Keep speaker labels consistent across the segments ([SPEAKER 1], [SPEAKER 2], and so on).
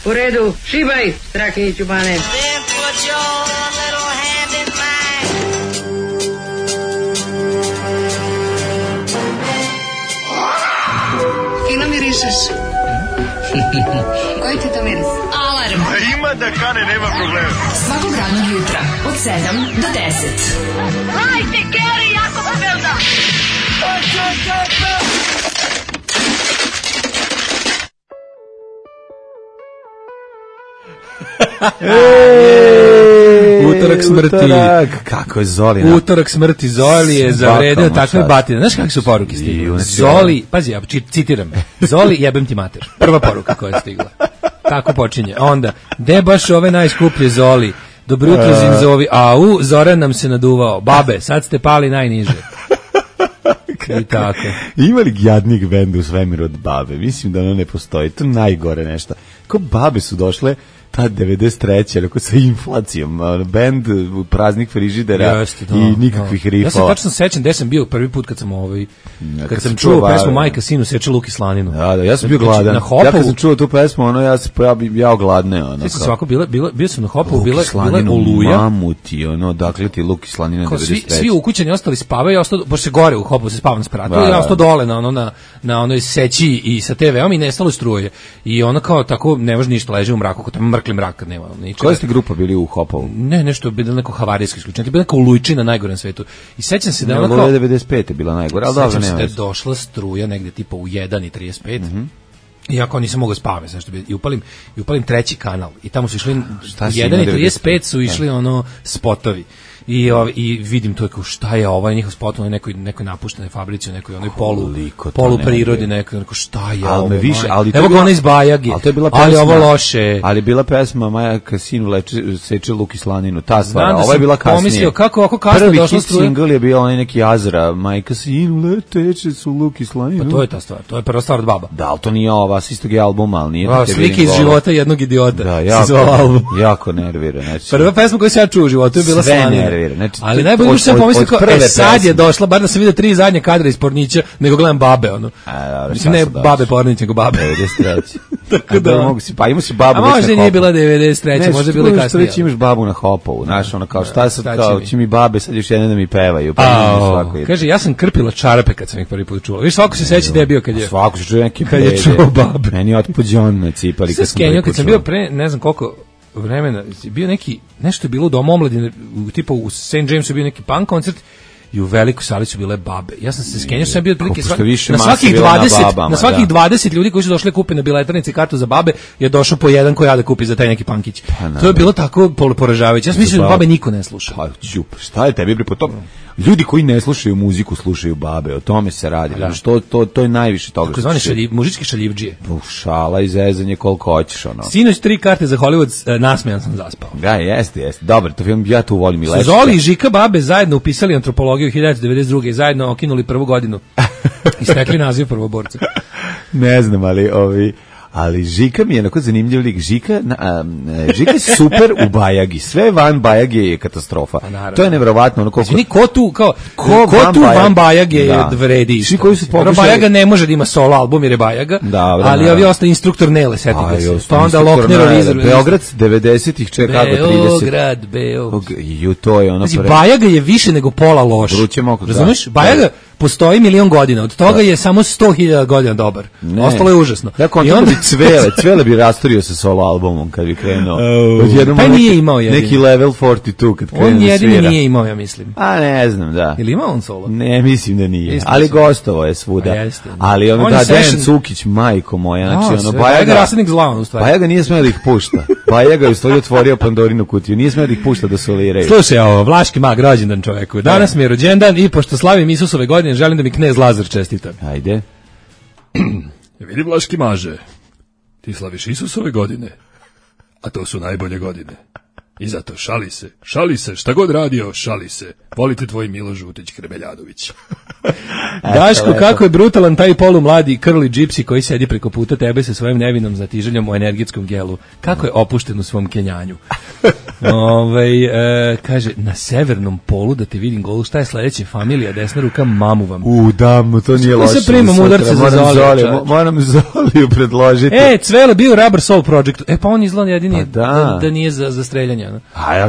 [SPEAKER 1] U redu, šibaj, Strahinjiću Bane.
[SPEAKER 2] Fino mirišeš. Koji ti to miris? Alarm.
[SPEAKER 3] Ima da kane, nema problema.
[SPEAKER 2] Svakog radnog jutra, od 7 do 10.
[SPEAKER 4] Hajde, Geri, jako se velda!
[SPEAKER 5] Utorak smrti.
[SPEAKER 6] Kako je Zoli?
[SPEAKER 5] Utorak smrti Zoli je zavredeo takve batine. Znaš kakve su poruke stigle? Zoli, pazi, ja citiram. Zoli, jebem ti mater. Prva poruka koja je stigla. Tako počinje. Onda, de baš ove najskuplje Zoli. Dobro jutro Zinzovi. Au, Zoran nam se naduvao. Babe, sad ste pali najniže. I tako.
[SPEAKER 6] Ima li jadnik benda u svemiru od Babe? Mislim da ono ne postoji. To je najgore nešto. Ko Babe su došle ta 93. Rekao sa inflacijom, bend praznih frižidera i nikakvih rifova.
[SPEAKER 5] Ja se tačno sećam gde sam bio prvi put kad sam čuo pesmu Majka sinu seče luk i slaninu.
[SPEAKER 6] Da, ja sam bio gladan. Ja kad sam čuo tu pesmu, ono ja ogladne, ono.
[SPEAKER 5] Sve svako bio sam na Hopovu, bila
[SPEAKER 6] Oluja. Mamuti, ono, dakle ti luk i slanina 93.
[SPEAKER 5] Svi ukućani ostali spavaju, ja ostao baš se gore u Hopovu se spava na spratu. Ja ostao dole na onoj seći i sa TV-om i nestalo struje. I ona kao tako ne može ništa, leži u mraku, kao mrkli mrak kad nema ničega.
[SPEAKER 6] Koja ste grupa bili u Hopovu?
[SPEAKER 5] Ne, nešto bilo neko havarijsko isključenje, bilo neko Olujčina najgore na svetu. I sećam se da ona kao
[SPEAKER 6] 95 je bila najgora, al dobro nema.
[SPEAKER 5] Sećam se da je došla struja negde tipa u 1:35. Iako nisam mogao spavati, zašto bi upalim treći kanal i tamo su išli 1:35 su išli ono spotovi. I vidim to kao šta je ovaj njihov spot na nekoj napuštenoj fabrici, u nekoj onoj polu prirodi, neko šta je ovo. Evo ga ona iz Bajagi. Ali ovo loše.
[SPEAKER 6] Ali bila pesma Maja Kasinu seče luk i slaninu, ta stvar. Ovo je bila kasnije.
[SPEAKER 5] Pomislio kako kasno došla struja.
[SPEAKER 6] Prvi single je bio onaj neki Azra, Maja Kasinu leteče su luk i slaninu.
[SPEAKER 5] Pa to je ta stvar. To je prva stvar od Baba.
[SPEAKER 6] Da, ali to nije ova, s istog je albuma, ali nije.
[SPEAKER 5] Slike iz života jednog idiota.
[SPEAKER 6] Da, jako nervira.
[SPEAKER 5] Prva pesma koju sam ja čuo u životu je bila Slanina.
[SPEAKER 6] Znači,
[SPEAKER 5] ali najbolje što sam pomislio sad je došla, bar da sam vidio 3 zadnje kadra iz Pornića, nego gledam Babe, ono. Mislim, ne Babe Pornić, nego Babe.
[SPEAKER 6] 93. Tako da. Pa ima si Babu.
[SPEAKER 5] A možda nije bila 93, možda je bila kasnije.
[SPEAKER 6] Što imaš Babu na Hopovu, znaš, ono kao šta sad, kao će mi Babe sad još jedne da mi pevaju.
[SPEAKER 5] Kaže, ja sam krpila čarape kad sam ih prvi put čula. Viš, svako se seća da je bio kad je...
[SPEAKER 6] Svako se čuje neki
[SPEAKER 5] kad je čuo Babe.
[SPEAKER 6] Meni je otpođon na cipali
[SPEAKER 5] kad sam bio pre, ne znam koliko vremena, bio nešto je bilo u Domu omladine, tipa u St. Jamesu bio neki punk koncert i u velikoj sali su bile Babe. Ja sam se skenjao, sam bio otprilike na svakih 20 ljudi koji su došli kupe na biletarnici kartu za Babe je došao po jedan koji da kupi za taj neki punkić. To je bilo tako poražavajuće. Ja sam mislio da Babe niko ne sluša.
[SPEAKER 6] Pa šta je tebi po tom? Ljudi koji ne slušaju muziku slušaju Babe, o tome se radi. To je najviše toga.
[SPEAKER 5] Tako zvane mužičke šaljivdžije.
[SPEAKER 6] Šala i zezanje koliko hoćeš, ono.
[SPEAKER 5] Sinoć 3 karte za Hollywood, nasmejan sam zaspao.
[SPEAKER 6] Da, jeste. Dobro, to film ja tu volim i lepo.
[SPEAKER 5] Zoli i Žika Babe zajedno upisali antropologiju 1992. i zajedno okinuli prvu godinu. I stekli naziv prvoborca.
[SPEAKER 6] Ne znam, ali Žika mi je onako zanimljiv lik. Žika je super u Bajagi. Sve van Bajage je katastrofa. To je neverovatno. Ono
[SPEAKER 5] ko tu van Bajage je vredi.
[SPEAKER 6] Svi koji su pokušali...
[SPEAKER 5] Bajaga ne može da ima solo album jer je Bajaga, ali ovi ostali instruktor Nele, setite se. Pa onda Loknerov izrad.
[SPEAKER 6] Beograd 90-ih čeka kako 30.
[SPEAKER 5] Beograd.
[SPEAKER 6] To je ono...
[SPEAKER 5] Bajaga je više nego pola loš. Razumeš? Bajaga postoji 1.000.000 godina. Od toga je samo 100.000 godina dobar. Ostalo je užasno.
[SPEAKER 6] I onda Cvele bi rastorio sa solo albumom kad bi krenuo.
[SPEAKER 5] Pa nije imao jedini.
[SPEAKER 6] Neki level 42 kad krenu da svira.
[SPEAKER 5] On jedini nije imao, ja mislim.
[SPEAKER 6] A ne znam, da.
[SPEAKER 5] Ili imao on solo?
[SPEAKER 6] Ne, mislim da nije. Ali gostovo je svuda. Ali ono da, Dejan Cukić, majko moja. Znači, ono,
[SPEAKER 5] Bajaga rasadnik zla, u stvari.
[SPEAKER 6] Bajaga nije smeo da ih pušta. Bajaga je u stvari otvorio Pandorinu kutiju. Nije smeo da ih pušta da soliraju.
[SPEAKER 5] Slušaj, ovo, Vlaški mag, rođendan čoveku. Danas mi je rođendan i pošto slavim Isusove godine, želim da mi knez Lazar čestita.
[SPEAKER 6] Ajde.
[SPEAKER 7] Vidi Vlaški maže. Ti slaviš Isusove godine, a to su najbolje godine. I zato šali se, šta god radio, šali se. Volite tvoj Milo Žutić Hrebeljadović.
[SPEAKER 5] Daško, kako je brutalan taj polumladi Curly Gypsy koji sedi preko puta tebe sa svojim nevinom zatiželjom u energetskom gelu. Kako je opušten u svom kenjanju. Kaže, na severnom polu da te vidim golu, šta je sledeće? Familija, desna ruka, mamu vam.
[SPEAKER 6] Dam, to nije loše.
[SPEAKER 5] Se primam udarce za Zoliju.
[SPEAKER 6] Moram Zoliju predložiti.
[SPEAKER 5] Cvele bio Rubber Soul Project. Pa on izgleda jedini da nije za streljanje.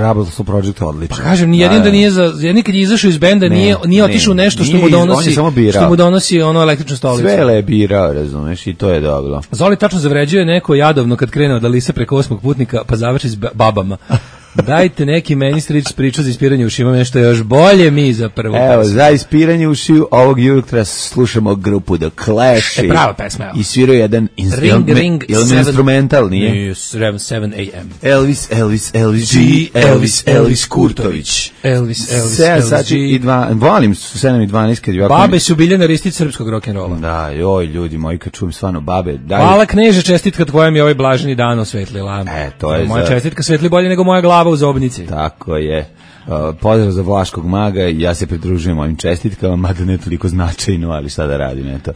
[SPEAKER 6] Rubber Soul Project je odličan.
[SPEAKER 5] Pa kažem, ni jedin da nije jedin kad je izašao iz benda, nije otišao nešto što mu donosi ono električnu stolicu.
[SPEAKER 6] Svele je birao, razumeš, i to je dobro.
[SPEAKER 5] Zoli tačno zavređuje neko jadovno kad krene od Alise preko 8. putnika, pa završi s babama. Dajte neki meni strič priču za ispiranje ušima, nešto još bolje mi za prvu pesmu.
[SPEAKER 6] Evo, za ispiranje ušiju ovog jutra slušamo grupu The Clash.
[SPEAKER 5] Prava pesma, evo.
[SPEAKER 6] I sviraju jedan instrumental, nije?
[SPEAKER 5] 7 a.m.
[SPEAKER 6] Elvis Kurtović.
[SPEAKER 5] Elvis
[SPEAKER 6] volim 7 i 12 kad je ovako...
[SPEAKER 5] Babe su Biljana Ristić srpskog rock'n'rolla.
[SPEAKER 6] Da, joj, ljudi moji, kad čujem stvarno babe.
[SPEAKER 5] Hvala kneže, čestitka tvoja mi ovaj blaženi dan osvetlila.
[SPEAKER 6] To je
[SPEAKER 5] moja čestitka svetli bolje nego moja glava u zobnici.
[SPEAKER 6] Tako je. Pozdrav za Vlaškog maga, ja se pridružujem ovim čestitkama, mada ne toliko značajno, ali šta da radim, eto.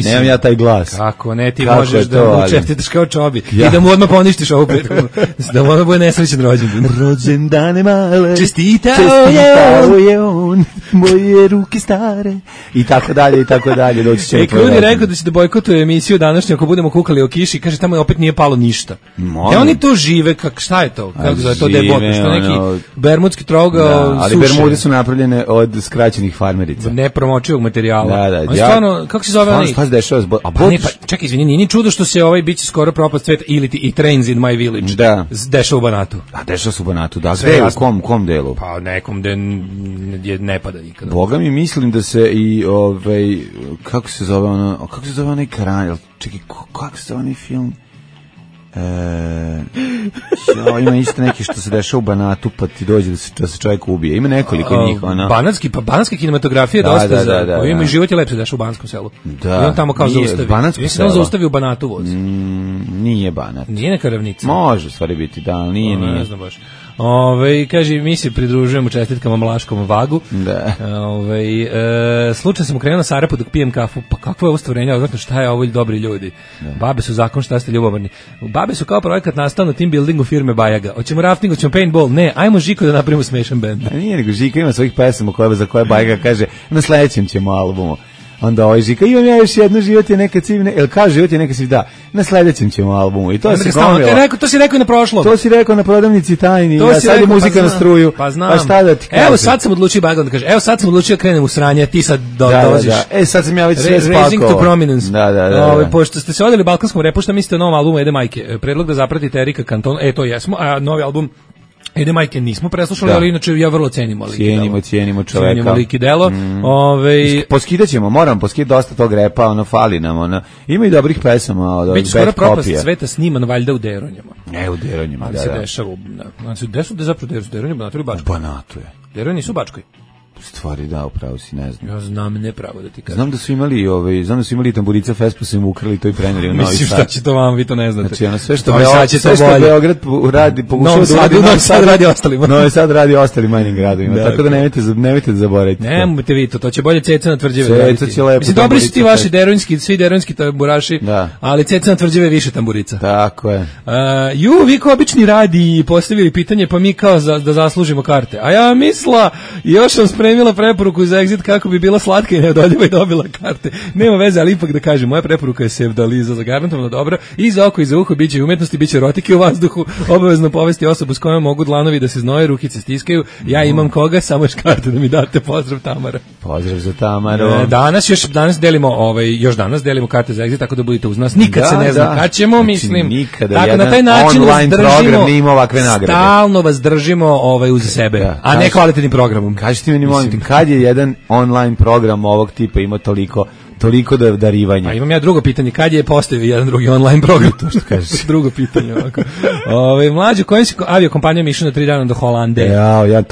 [SPEAKER 6] Nemam ja taj glas.
[SPEAKER 5] Kako ne, ti možeš da mu čestitaš kao Čobi i da mu odmah poništiš ovu prethodnu, da mu odmah bude nesrećen rođendan.
[SPEAKER 6] Rođendane male,
[SPEAKER 5] čestitao
[SPEAKER 6] je on, moje ruke stare, i tako dalje, doći će.
[SPEAKER 5] Krudi je rekao da će da bojkotuje emisiju današnju ako budemo kukali o kiši, kaže tamo opet nije palo ništa. Oni to žive, šta je to? Kako zove to debotno, što neki bermudski trogao
[SPEAKER 6] ali
[SPEAKER 5] suše.
[SPEAKER 6] Bermude su napravljene od skraćenih farmerica.
[SPEAKER 5] Nepromočivog materijala.
[SPEAKER 6] Da.
[SPEAKER 5] Stvarno, kako se zove onaj?
[SPEAKER 6] Šta se dešava?
[SPEAKER 5] Čekaj, izvini, nije ni čudo što se biće skoro propast sveta ili i Trains in my village.
[SPEAKER 6] Da.
[SPEAKER 5] Dešava u Banatu.
[SPEAKER 6] Dešava se u Banatu, da. Gde, u kom delu?
[SPEAKER 5] Pa nekom gde ne pada nikada.
[SPEAKER 6] Boga mi mislim da se i kako se zove onaj Karanj, čekaj, kako se zove onaj film? Ima isto neki što se dešava u Banatu pa ti dođe da se čovjek ubije. Ima nekoliko njih.
[SPEAKER 5] Banatska kinematografija je dosta za... Ima i život je lepše dešava u Banskom selu.
[SPEAKER 6] Da.
[SPEAKER 5] I on tamo kao zaustavi.
[SPEAKER 6] Mislim
[SPEAKER 5] da on zaustavi u Banatu voz.
[SPEAKER 6] Nije Banat.
[SPEAKER 5] Nije neka ravnica.
[SPEAKER 6] Može stvari biti, da, ali nije.
[SPEAKER 5] Ne znam baš. Kaže, mi se pridružujemo čestitkama Mlaškom vagu.
[SPEAKER 6] Da.
[SPEAKER 5] Slučajno sam krenuo na Sarapu dok pijem kafu. Pa kakvo je ovo stvorenje? Odvrtno, šta je ovo, dobri ljudi? Da. Babe su zakon, šta ste ljubomorni? Babe su kao projekat nastao na team buildingu firme Bajaga. Hoćemo rafting, hoćemo paintball? Ne, ajmo Žiko da napravimo smešan band.
[SPEAKER 6] Nije nego Žiko ima svojih pesama za koje Bajaga kaže na sledećem ćemo albumu. Onda Žika, imam ja još jedno, život je neka civne, kaže život je neka civne, da, na sledećem ćemo albumu. I to se gomilo.
[SPEAKER 5] To si rekao i na prošlom.
[SPEAKER 6] To si rekao na prodavnici tajni, a sad je muzika na struju.
[SPEAKER 5] Pa znam.
[SPEAKER 6] Pa šta da ti kažem?
[SPEAKER 5] Evo sad sam odlučio Bajaga da kaže, da krenem u sranje, ti sad dolaziš.
[SPEAKER 6] Da. Sad sam ja već sve spakovao.
[SPEAKER 5] Raising to prominence.
[SPEAKER 6] Da.
[SPEAKER 5] Pošto ste se odeli balkanskom repu, šta mislite o novom albumu Ede Majke? Predlog da zapratite Erika Cantona, to jesmo, a novi album Ede Majke nismo preslušali, ali inače ja vrlo cenimo lik i delo.
[SPEAKER 6] Cijenimo čoveka.
[SPEAKER 5] Cenimo lik i delo.
[SPEAKER 6] Poskidaćemo, moram poskidati dosta tog repa, fali nam, ima i dobrih pesama od ovih bad kopija. Biće skoro propast
[SPEAKER 5] sveta sniman valjda u Deronjama.
[SPEAKER 6] U Deronjama,
[SPEAKER 5] ali se dešava, gde su zapravo Deronjama, Banatu ili Bačkoj?
[SPEAKER 6] U Banatu je.
[SPEAKER 5] Deronji nisu u Bačkoj.
[SPEAKER 6] Stvari da, upravo si, ne znam.
[SPEAKER 5] Ja znam nepravo da ti kažem.
[SPEAKER 6] Znam da su imali Tamburica Fest, pa su im ukrali to i preneli u Novi Sad.
[SPEAKER 5] Mislim šta će to vam, vi to ne znate.
[SPEAKER 6] Znači, sve što Beograd radi, pokušao da uradi,
[SPEAKER 5] Novi Sad radi ostalima.
[SPEAKER 6] Novi Sad radi ostalim manjim gradovima, tako da nemojte da zaboravite.
[SPEAKER 5] Nemojte vi to će bolje Ceca na Tvrđave.
[SPEAKER 6] Ceca će lepo.
[SPEAKER 5] Mislim, dobri su ti vaši svi deronjski tamburaši, ali Ceca na Tvrđave više tamburica.
[SPEAKER 6] Tako je.
[SPEAKER 5] Vi kao obični radi postavili pitanje, pa mi kao da zaslužimo karte. A ja misla, još sam spremila preporuku za Exit kako bi bila slatka i neodoljiva i dobila karte. Nema veze, ali ipak da kažem, moja preporuka je Sevdaliza, zagarantovano dobra, i za oko i za uho, biće umetnosti, biće erotike u vazduhu, obavezno povesti osobu s kojom mogu dlanovi da se znoje, rukice stiskaju, ja imam koga, samo još karte da mi date, pozdrav Tamara.
[SPEAKER 6] Pozdrav za Tamaru.
[SPEAKER 5] Danas delimo karte za Exit, tako da budete uz nas, nikad se ne zna kad ćemo, mislim, tako na taj način
[SPEAKER 6] online program nije imao ovakve nagrade.
[SPEAKER 5] Stalno vas držimo uz sebe, a ne kvalitetnim programom.
[SPEAKER 6] Kažite mi, kad je jedan online program ovog tipa ima toliko Toliko darivanja.
[SPEAKER 5] A imam ja drugo pitanje, kad je postavio jedan drugi online program?
[SPEAKER 6] To što kažeš.
[SPEAKER 5] Drugo pitanje. Mlađe, kojim si aviokompanijom išao na 3 dana do Holande?
[SPEAKER 6] Ja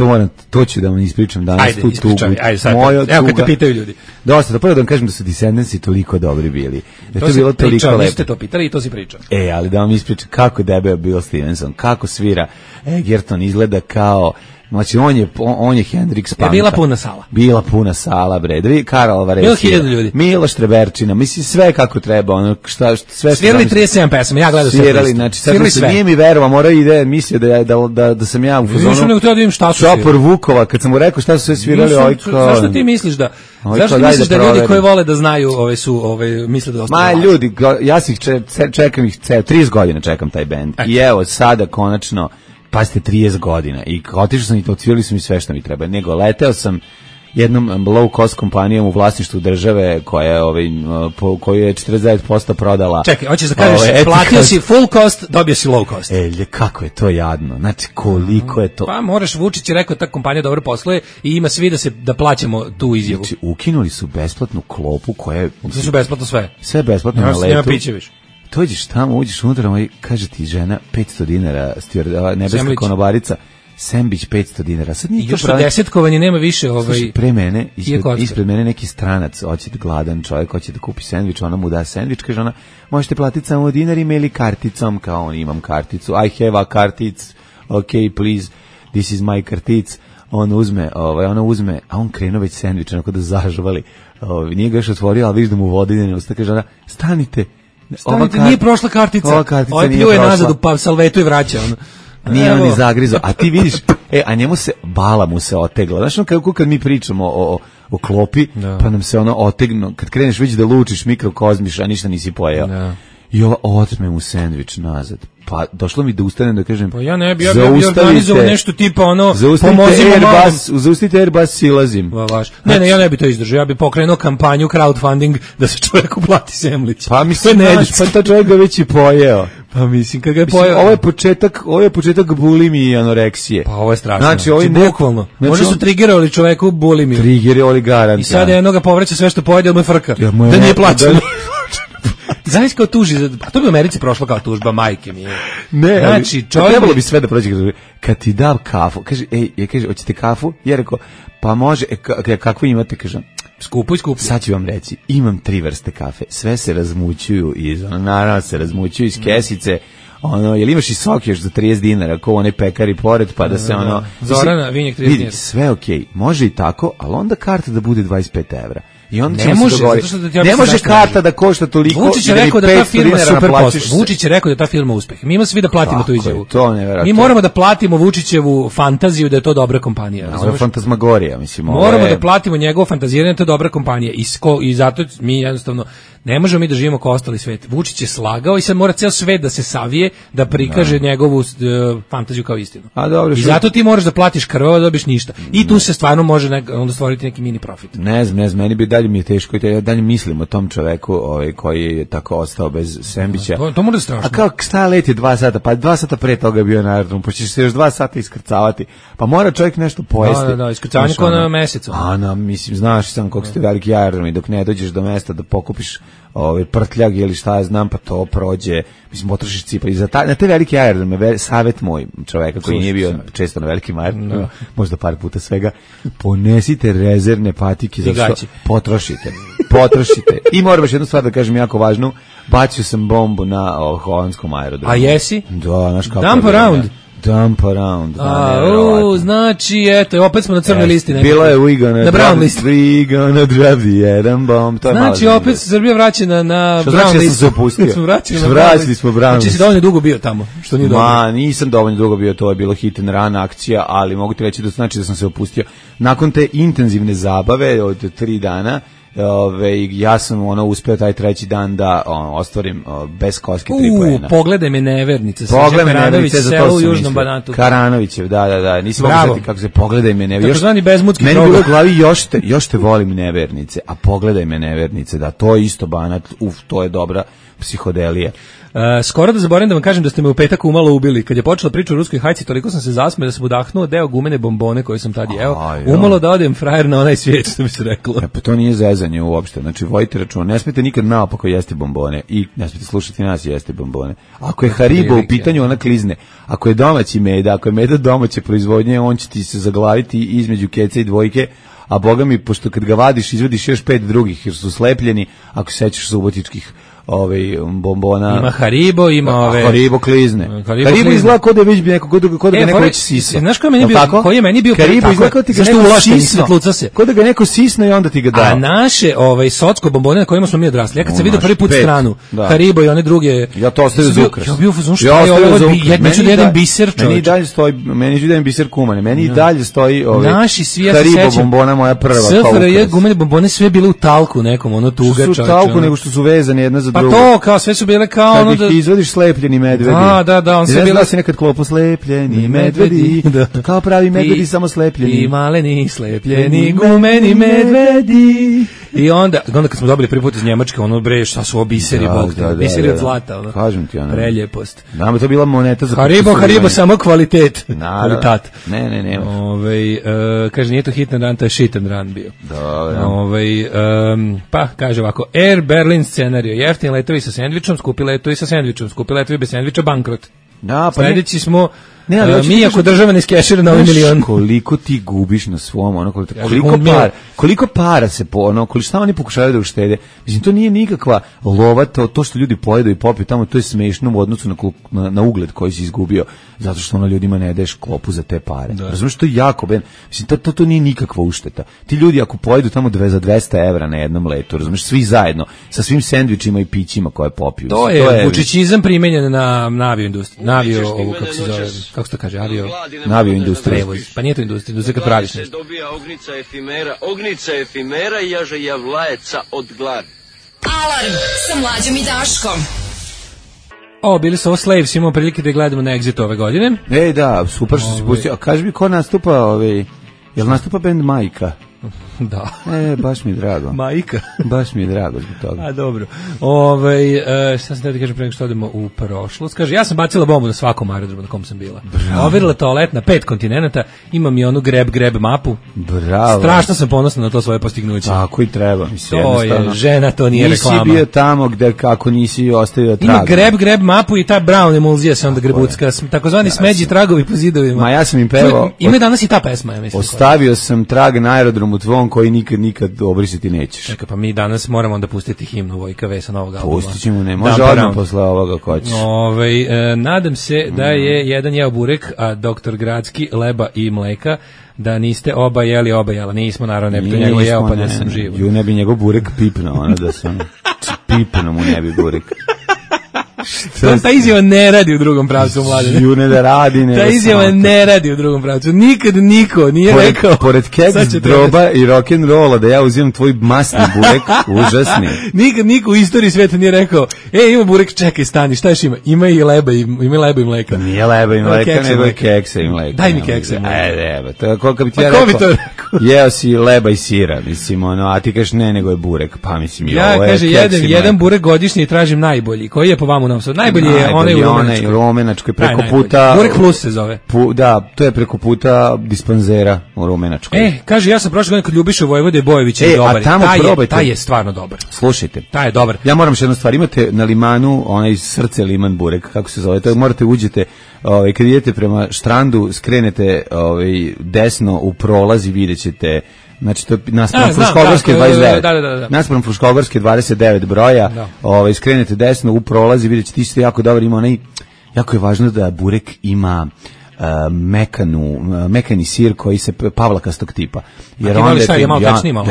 [SPEAKER 6] to ću da vam ispričam danas.
[SPEAKER 5] Ajde, ispričaj, ajde sad. Evo kad te pitaju ljudi.
[SPEAKER 6] Dosta, da prvo da vam kažem da su Descendantsi toliko dobri bili. Da to je bilo toliko lepo.
[SPEAKER 5] Niste to pitali i to si pričao.
[SPEAKER 6] Ali da vam ispričam kako debeo Bill Stevenson, kako svira Egerton, izgleda kao... Znači, on je Hendrix Panka.
[SPEAKER 5] Bila puna sala.
[SPEAKER 6] Bila puna sala, bre. Karl Alvarez.
[SPEAKER 5] Bilo 1000 ljudi.
[SPEAKER 6] Miloš Treberčina. Mislim, sve kako treba. Ono, sve
[SPEAKER 5] svirali 37 pesama, ja gledao sve.
[SPEAKER 6] Svirali, znači, sad se nije mi verovao, morao ide, mislio da sam ja u fazonu.
[SPEAKER 5] Nisam nego da vidim šta su
[SPEAKER 6] svirali. Šopor Vukova, kad sam mu rekao šta su sve svirali,
[SPEAKER 5] zašto ti misliš da... Zašto misliš da ljudi koji vole da znaju, misle da ostaju?
[SPEAKER 6] Ljudi, ja čekam ih 30 godina čekam taj bend. I evo, sada konačno pazite, 30 godina i otišao sam i odsvirali su mi sve što mi treba, nego leteo sam jednom low cost kompanijom u vlasništvu države koju je 49% prodala.
[SPEAKER 5] Čekaj, hoćeš da kažeš, platio si full cost, dobio si low cost.
[SPEAKER 6] Kako je to jadno, znači koliko je to.
[SPEAKER 5] Pa moraš, Vučić je rekao ta kompanija dobro posluje i ima svi da plaćamo tu izjavu.
[SPEAKER 6] Znači, ukinuli su besplatnu klopu koja je...
[SPEAKER 5] Sve su besplatno sve.
[SPEAKER 6] Sve besplatno na letu.
[SPEAKER 5] Nema piće više.
[SPEAKER 6] Dođeš tamo, uđeš unutra, kaže ti žena 500 dinara, nebeska konobarica, sembić 500 dinara. Sad nije
[SPEAKER 5] još to desetkovanje nema više.
[SPEAKER 6] Pre mene, ispred mene neki stranac, hoće da gladan čovjek, hoće da kupi sendvič, ona mu da sendvič, kaže ona, možete platiti samo dinarima ili karticom, kao on, imam karticu, I have a kartic, okay, please, this is my kartic. Ona uzme, a on krenuo već sendvič, onako da zažvali, nije ga još otvorio, ali viš da mu vodi idene usta, kaže ona, stanite,
[SPEAKER 5] nije prošla kartica.
[SPEAKER 6] Ova kartica nije
[SPEAKER 5] pljuje nazad u salvetu i vraća.
[SPEAKER 6] Nije on ni zagrizo. A ti vidiš, a njemu bala mu se otegla. Znaš, kako kad mi pričamo o klopi, pa nam se ono otegnu. Kad kreneš već da lučiš, mikrokozmiš, a ništa nisi pojeo. I ova otme mu sendvič nazad. Pa došlo mi da ustanem da kažem,
[SPEAKER 5] pa ja ne bi organizovao nešto tipa
[SPEAKER 6] zaustavite Airbus, silazim.
[SPEAKER 5] Ne, ja ne bi to izdržao, ja bi pokrenuo kampanju crowdfunding da se čovjeku plati semlić.
[SPEAKER 6] Pa mislim, pa ta čovjek ga već i pojeo.
[SPEAKER 5] Pa mislim, kad ga je pojeo.
[SPEAKER 6] Ovo je početak bulimije i anoreksije.
[SPEAKER 5] Pa ovo je strašno.
[SPEAKER 6] Znači,
[SPEAKER 5] bukvalno. Možda su triggerovali čoveku bulimiju.
[SPEAKER 6] Triggerovali garant.
[SPEAKER 5] I sada jednoga povraća sve što pojede, mu je frka. Da nije plaćeno. Znaš kao tuži, a to bi u Americi prošlo kao tužba, majke mi je.
[SPEAKER 6] Ne, znači, trebalo bi sve da prođe kad ti dam kafu, kaže, hoćete kafu? Ja rekao, pa može, kakvu imate, kažem,
[SPEAKER 5] skupo.
[SPEAKER 6] Sad ću vam reći, imam 3 vrste kafe, sve se razmućuju naravno se razmućuju iz kesice, jel imaš i sok još za 30 dinara, ko onaj pekari pored, pa da se
[SPEAKER 5] Zorana, vinjak 30 dinara.
[SPEAKER 6] Sve okej, može i tako, ali onda karta da bude 25 evra. I onda
[SPEAKER 5] ne može,
[SPEAKER 6] ne može karta da košta toliko.
[SPEAKER 5] Vučić je rekao da ta firma super posla. Vučić je rekao da ta firma uspeh. Mi imamo svi da platimo tu izjavu. Mi moramo da platimo Vučićevu fantaziju da je to dobra kompanija.
[SPEAKER 6] To je fantazmagorija, mislim.
[SPEAKER 5] Moramo da platimo njegovo fantaziranje da je to dobra kompanija. I zato mi jednostavno ne možemo mi da živimo kao ostali svet. Vučić je slagao i sad mora ceo svet da se savije da prikaže njegovu fantaziju kao istinu. I zato ti moraš da platiš krvavo da dobiš ništa. I tu se stvarno može onda stvoriti neki mini profit.
[SPEAKER 6] Ne znam, meni bi dalje mi je teško i ja dalje mislim o tom čoveku koji je tako ostao bez sendviča.
[SPEAKER 5] To mora strašno.
[SPEAKER 6] A kao šta leti 2 sata, pa 2 sata pre toga je bio na aerodromu, pa ćeš se još 2 sata iskrcavati. Pa mora čovjek nešto pojesti.
[SPEAKER 5] Da, iskrcavanje kao na mesecu.
[SPEAKER 6] Mislim, znaš sam koliko ste veliki aerodrom i dok ne dođeš do mesta da pokupiš prtljag ili šta ja znam, pa to prođe, mislim, potrošiš cipar. Na te velike aerodrome, savjet moj čoveka koji nije bio često na velikim aerodromima, možda par puta svega, ponesite rezervne patike, zato što potrošite. I moram još jednu stvar da kažem jako važnu, bacio sam bombu na holandskom aerodromu.
[SPEAKER 5] A jesi?
[SPEAKER 6] Da, znaš kako. Dump around.
[SPEAKER 5] Znači, eto, opet smo na crnoj listi.
[SPEAKER 6] Bilo je we gonna drop the jedan bomb.
[SPEAKER 5] Znači, opet se Srbija vraća na brown listu.
[SPEAKER 6] Što znači da sam se opustio? Vratili smo brown listu.
[SPEAKER 5] Znači, si dovoljno dugo bio tamo, što nije dobro.
[SPEAKER 6] Nisam dovoljno dugo bio, to je bilo hit and run akcija, ali mogu ti reći da znači da sam se opustio. Nakon te intenzivne zabave od 3 dana, ja sam uspeo taj 3. dan da ostvarim bez koske 3 poena.
[SPEAKER 5] Pogledaj me nevernice.
[SPEAKER 6] Pogledaj me nevernice,
[SPEAKER 5] za to u Južnom Banatu.
[SPEAKER 6] Karanovićev, da. Nisam mogu znati kako se pogledaj me nevernice.
[SPEAKER 5] Takozvani bezmutski
[SPEAKER 6] program. Meni bilo u glavi još te volim nevernice, a pogledaj me nevernice, da to je isto Banat, to je dobra. psihodelije.
[SPEAKER 5] Skoro da zaboravim da vam kažem da ste me u petak umalo ubili. Kad je počela priča o ruskoj hajci, toliko sam se zasmeo da sam udahnuo deo gumene bombone koje sam tad jeo. Umalo da odem frajer na onaj svijet, što bi se reklo.
[SPEAKER 6] Pa to nije zezanje uopšte. Znači, vojite računa, ne smijete nikad naopako jesti bombone i ne smijete slušati nas jesti bombone. Ako je Haribo u pitanju, ona klizne. Ako je domaći meda, ako je meda domaće proizvodnje, on će ti se zaglaviti između keca i dvojke, a boga mi, pošto kad ga vadiš, izvadiš još 5 drugih, jer su slepljeni, ako se sećaš subotičkih bombona.
[SPEAKER 5] Ima Haribo, ima ove...
[SPEAKER 6] Haribo klizne. Haribo izgleda kod da već bi neko, kod da ga neko već sisa.
[SPEAKER 5] Znaš koji je meni bio
[SPEAKER 6] Haribo izgleda kod da ga neko sisno. Kod da ga neko sisno i onda ti ga dao.
[SPEAKER 5] A naše socko bombone na kojima smo mi odrasli. Ja kad sam vidio prvi put stranu, Haribo i one druge...
[SPEAKER 6] Ja to ostavio za ukras.
[SPEAKER 5] Ja bio fazon što je ovo, neću da jedan biser, čovječ.
[SPEAKER 6] Meni i dalje stoji, meni ću da jedan biser kumane, meni i dalje stoji
[SPEAKER 5] naši svi, ja
[SPEAKER 6] Haribo bombona moja prva.
[SPEAKER 5] SFRJ gumene bombone sve bile u talku nekom, ono tuga, čovječ.
[SPEAKER 6] Su talku nego što su vezane jedna za drugu.
[SPEAKER 5] Pa to, kao sve su bile kao ono
[SPEAKER 6] da... Kad ih izvodiš slepljeni medvedi.
[SPEAKER 5] Da, on se bila...
[SPEAKER 6] si nekad klopo slepljeni medvedi, kao pravi medvedi, samo slepljeni.
[SPEAKER 5] I maleni slepljeni gumeni medvedi. I onda kad smo dobili prvi put iz Njemačke, ono bre, šta su ovo biseri, bog te, biseri od zlata, ono.
[SPEAKER 6] Kažem ti, ono.
[SPEAKER 5] Preljepost.
[SPEAKER 6] Nama to bila moneta za...
[SPEAKER 5] Haribo, samo kvalitet. Kvalitat.
[SPEAKER 6] Ne.
[SPEAKER 5] Kaže, nije to hit and run, to je shit and run bio.
[SPEAKER 6] Dobro.
[SPEAKER 5] Pa, kaže ovako, Air Berlin scenario, jeftin letovi sa sendvičom, skupi letovi sa sendvičom, skupi letovi bez sendviča, bankrot.
[SPEAKER 6] Da, pa
[SPEAKER 5] sledeći smo mi ako država ne skešira na ovaj milion.
[SPEAKER 6] Koliko ti gubiš na svom, ono, koliko para se šta oni pokušavaju da uštede. Mislim, to nije nikakva lova, to što ljudi pojedu i popiju tamo, to je smešno u odnosu na ugled koji si izgubio, zato što ono ljudima ne daješ klopu za te pare. Razumiješ, to je jako, mislim, to nije nikakva ušteta. Ti ljudi ako pojedu tamo za 200 evra na jednom letu, razumiješ, svi zajedno, sa svim sendvičima i pićima koje popiju.
[SPEAKER 5] To je vučićizam primenjen na avioindustriju, ovu, kako se zove, kako se to kaže,
[SPEAKER 6] avioindustrija.
[SPEAKER 5] Pa nije to industrija kad praviš nešto.
[SPEAKER 8] Dobija ognica efimera i jaže javlajeca od gladi.
[SPEAKER 2] Alarm sa Mlađom i Daškom.
[SPEAKER 5] Bili su ovo Slaves, imamo prilike da gledamo na Exit ove godine.
[SPEAKER 6] Da, super što si pustio. A kaži mi ko nastupa, jel nastupa band Majka?
[SPEAKER 5] Da.
[SPEAKER 6] Baš mi je drago.
[SPEAKER 5] Majka.
[SPEAKER 6] Baš mi je drago zbog toga.
[SPEAKER 5] A dobro. Šta sam da kažem pre nego što odemo u prošlost? Kaže, ja sam bacila bombu na svakom aerodromu na kom sam bila. Overila toalet na 5 kontinenata, imam i onu grab mapu.
[SPEAKER 6] Bravo.
[SPEAKER 5] Strašno sam ponosna na to svoje postignuće.
[SPEAKER 6] Tako i treba, mislim.
[SPEAKER 5] To je žena, to nije reklama.
[SPEAKER 6] Nisi bio tamo gde kako nisi ostavio trag.
[SPEAKER 5] Ima grab mapu i ta brown emulzija se onda grebucka, takozvani smeđi tragovi po zidovima.
[SPEAKER 6] Ma ja sam im pevao.
[SPEAKER 5] Ima danas i ta pesma, ja mislim.
[SPEAKER 6] Ostavio sam trag na aerodromu tvom koji nikad obrisiti nećeš.
[SPEAKER 5] Čekaj, pa mi danas moramo onda pustiti himnu Vojka V sa novog albuma.
[SPEAKER 6] Pustit ćemo, ne, može odmah posle ovoga ko ćeš.
[SPEAKER 5] Nadam se da je jedan jeo burek, a doktor Gradski leba i mleka, da niste oba jela. Nismo, naravno, ne bi to njegov jeo, pa da sam živo.
[SPEAKER 6] Ju ne bi njegov burek pipno, da sam pipno mu ne bi burek.
[SPEAKER 5] Ta izjava ne radi u drugom pravcu, Mladen.
[SPEAKER 6] Ju ne radi.
[SPEAKER 5] Ta izjava ne radi u drugom pravcu. Nikad niko nije rekao.
[SPEAKER 6] Pored keks, droba i rock'n'rolla da ja uzimam tvoj masni burek, užasni.
[SPEAKER 5] Nikad niko u istoriji sveta nije rekao, ima burek, čekaj, stani, šta još ima? Ima i leba i mleka.
[SPEAKER 6] Nije leba i mleka, nego je keksa i mleka.
[SPEAKER 5] Daj mi keksa i mleka.
[SPEAKER 6] Evo, to je kako bi ti ja rekao. Jeo si leba i sira, mislim, a ti kažeš ne, nego je burek. Pa mislim,
[SPEAKER 5] ja kaže, jedan burek godišnji i tražim najbolji. Koji je po vama u Novom Sadu? Najbolji je onaj u Rumenačkoj.
[SPEAKER 6] Preko puta.
[SPEAKER 5] Burek Plus se zove.
[SPEAKER 6] Da, to je preko puta dispanzera u Rumenačkoj.
[SPEAKER 5] Kaže, ja sam prošle godine kod Ljubiše Vojvode Bojevića dobar. Taj je stvarno dobar.
[SPEAKER 6] Slušajte.
[SPEAKER 5] Taj je dobar.
[SPEAKER 6] Ja moram još jednu stvar. Imate na Limanu onaj srce liman burek, kako se zove. To morate uđete, kad idete prema Štrandu, skrenete desno u prolaz i vidjet ćete. Znači, to je naspram Fruškogorske 29.
[SPEAKER 5] Da.
[SPEAKER 6] Naspram Fruškogorske 29 broja. Skrenete desno u prolaz i vidjet ćete isto jako dobro. Ima onaj, jako je važno da burek ima mekani sir koji se pavlakastog tipa. Jer onda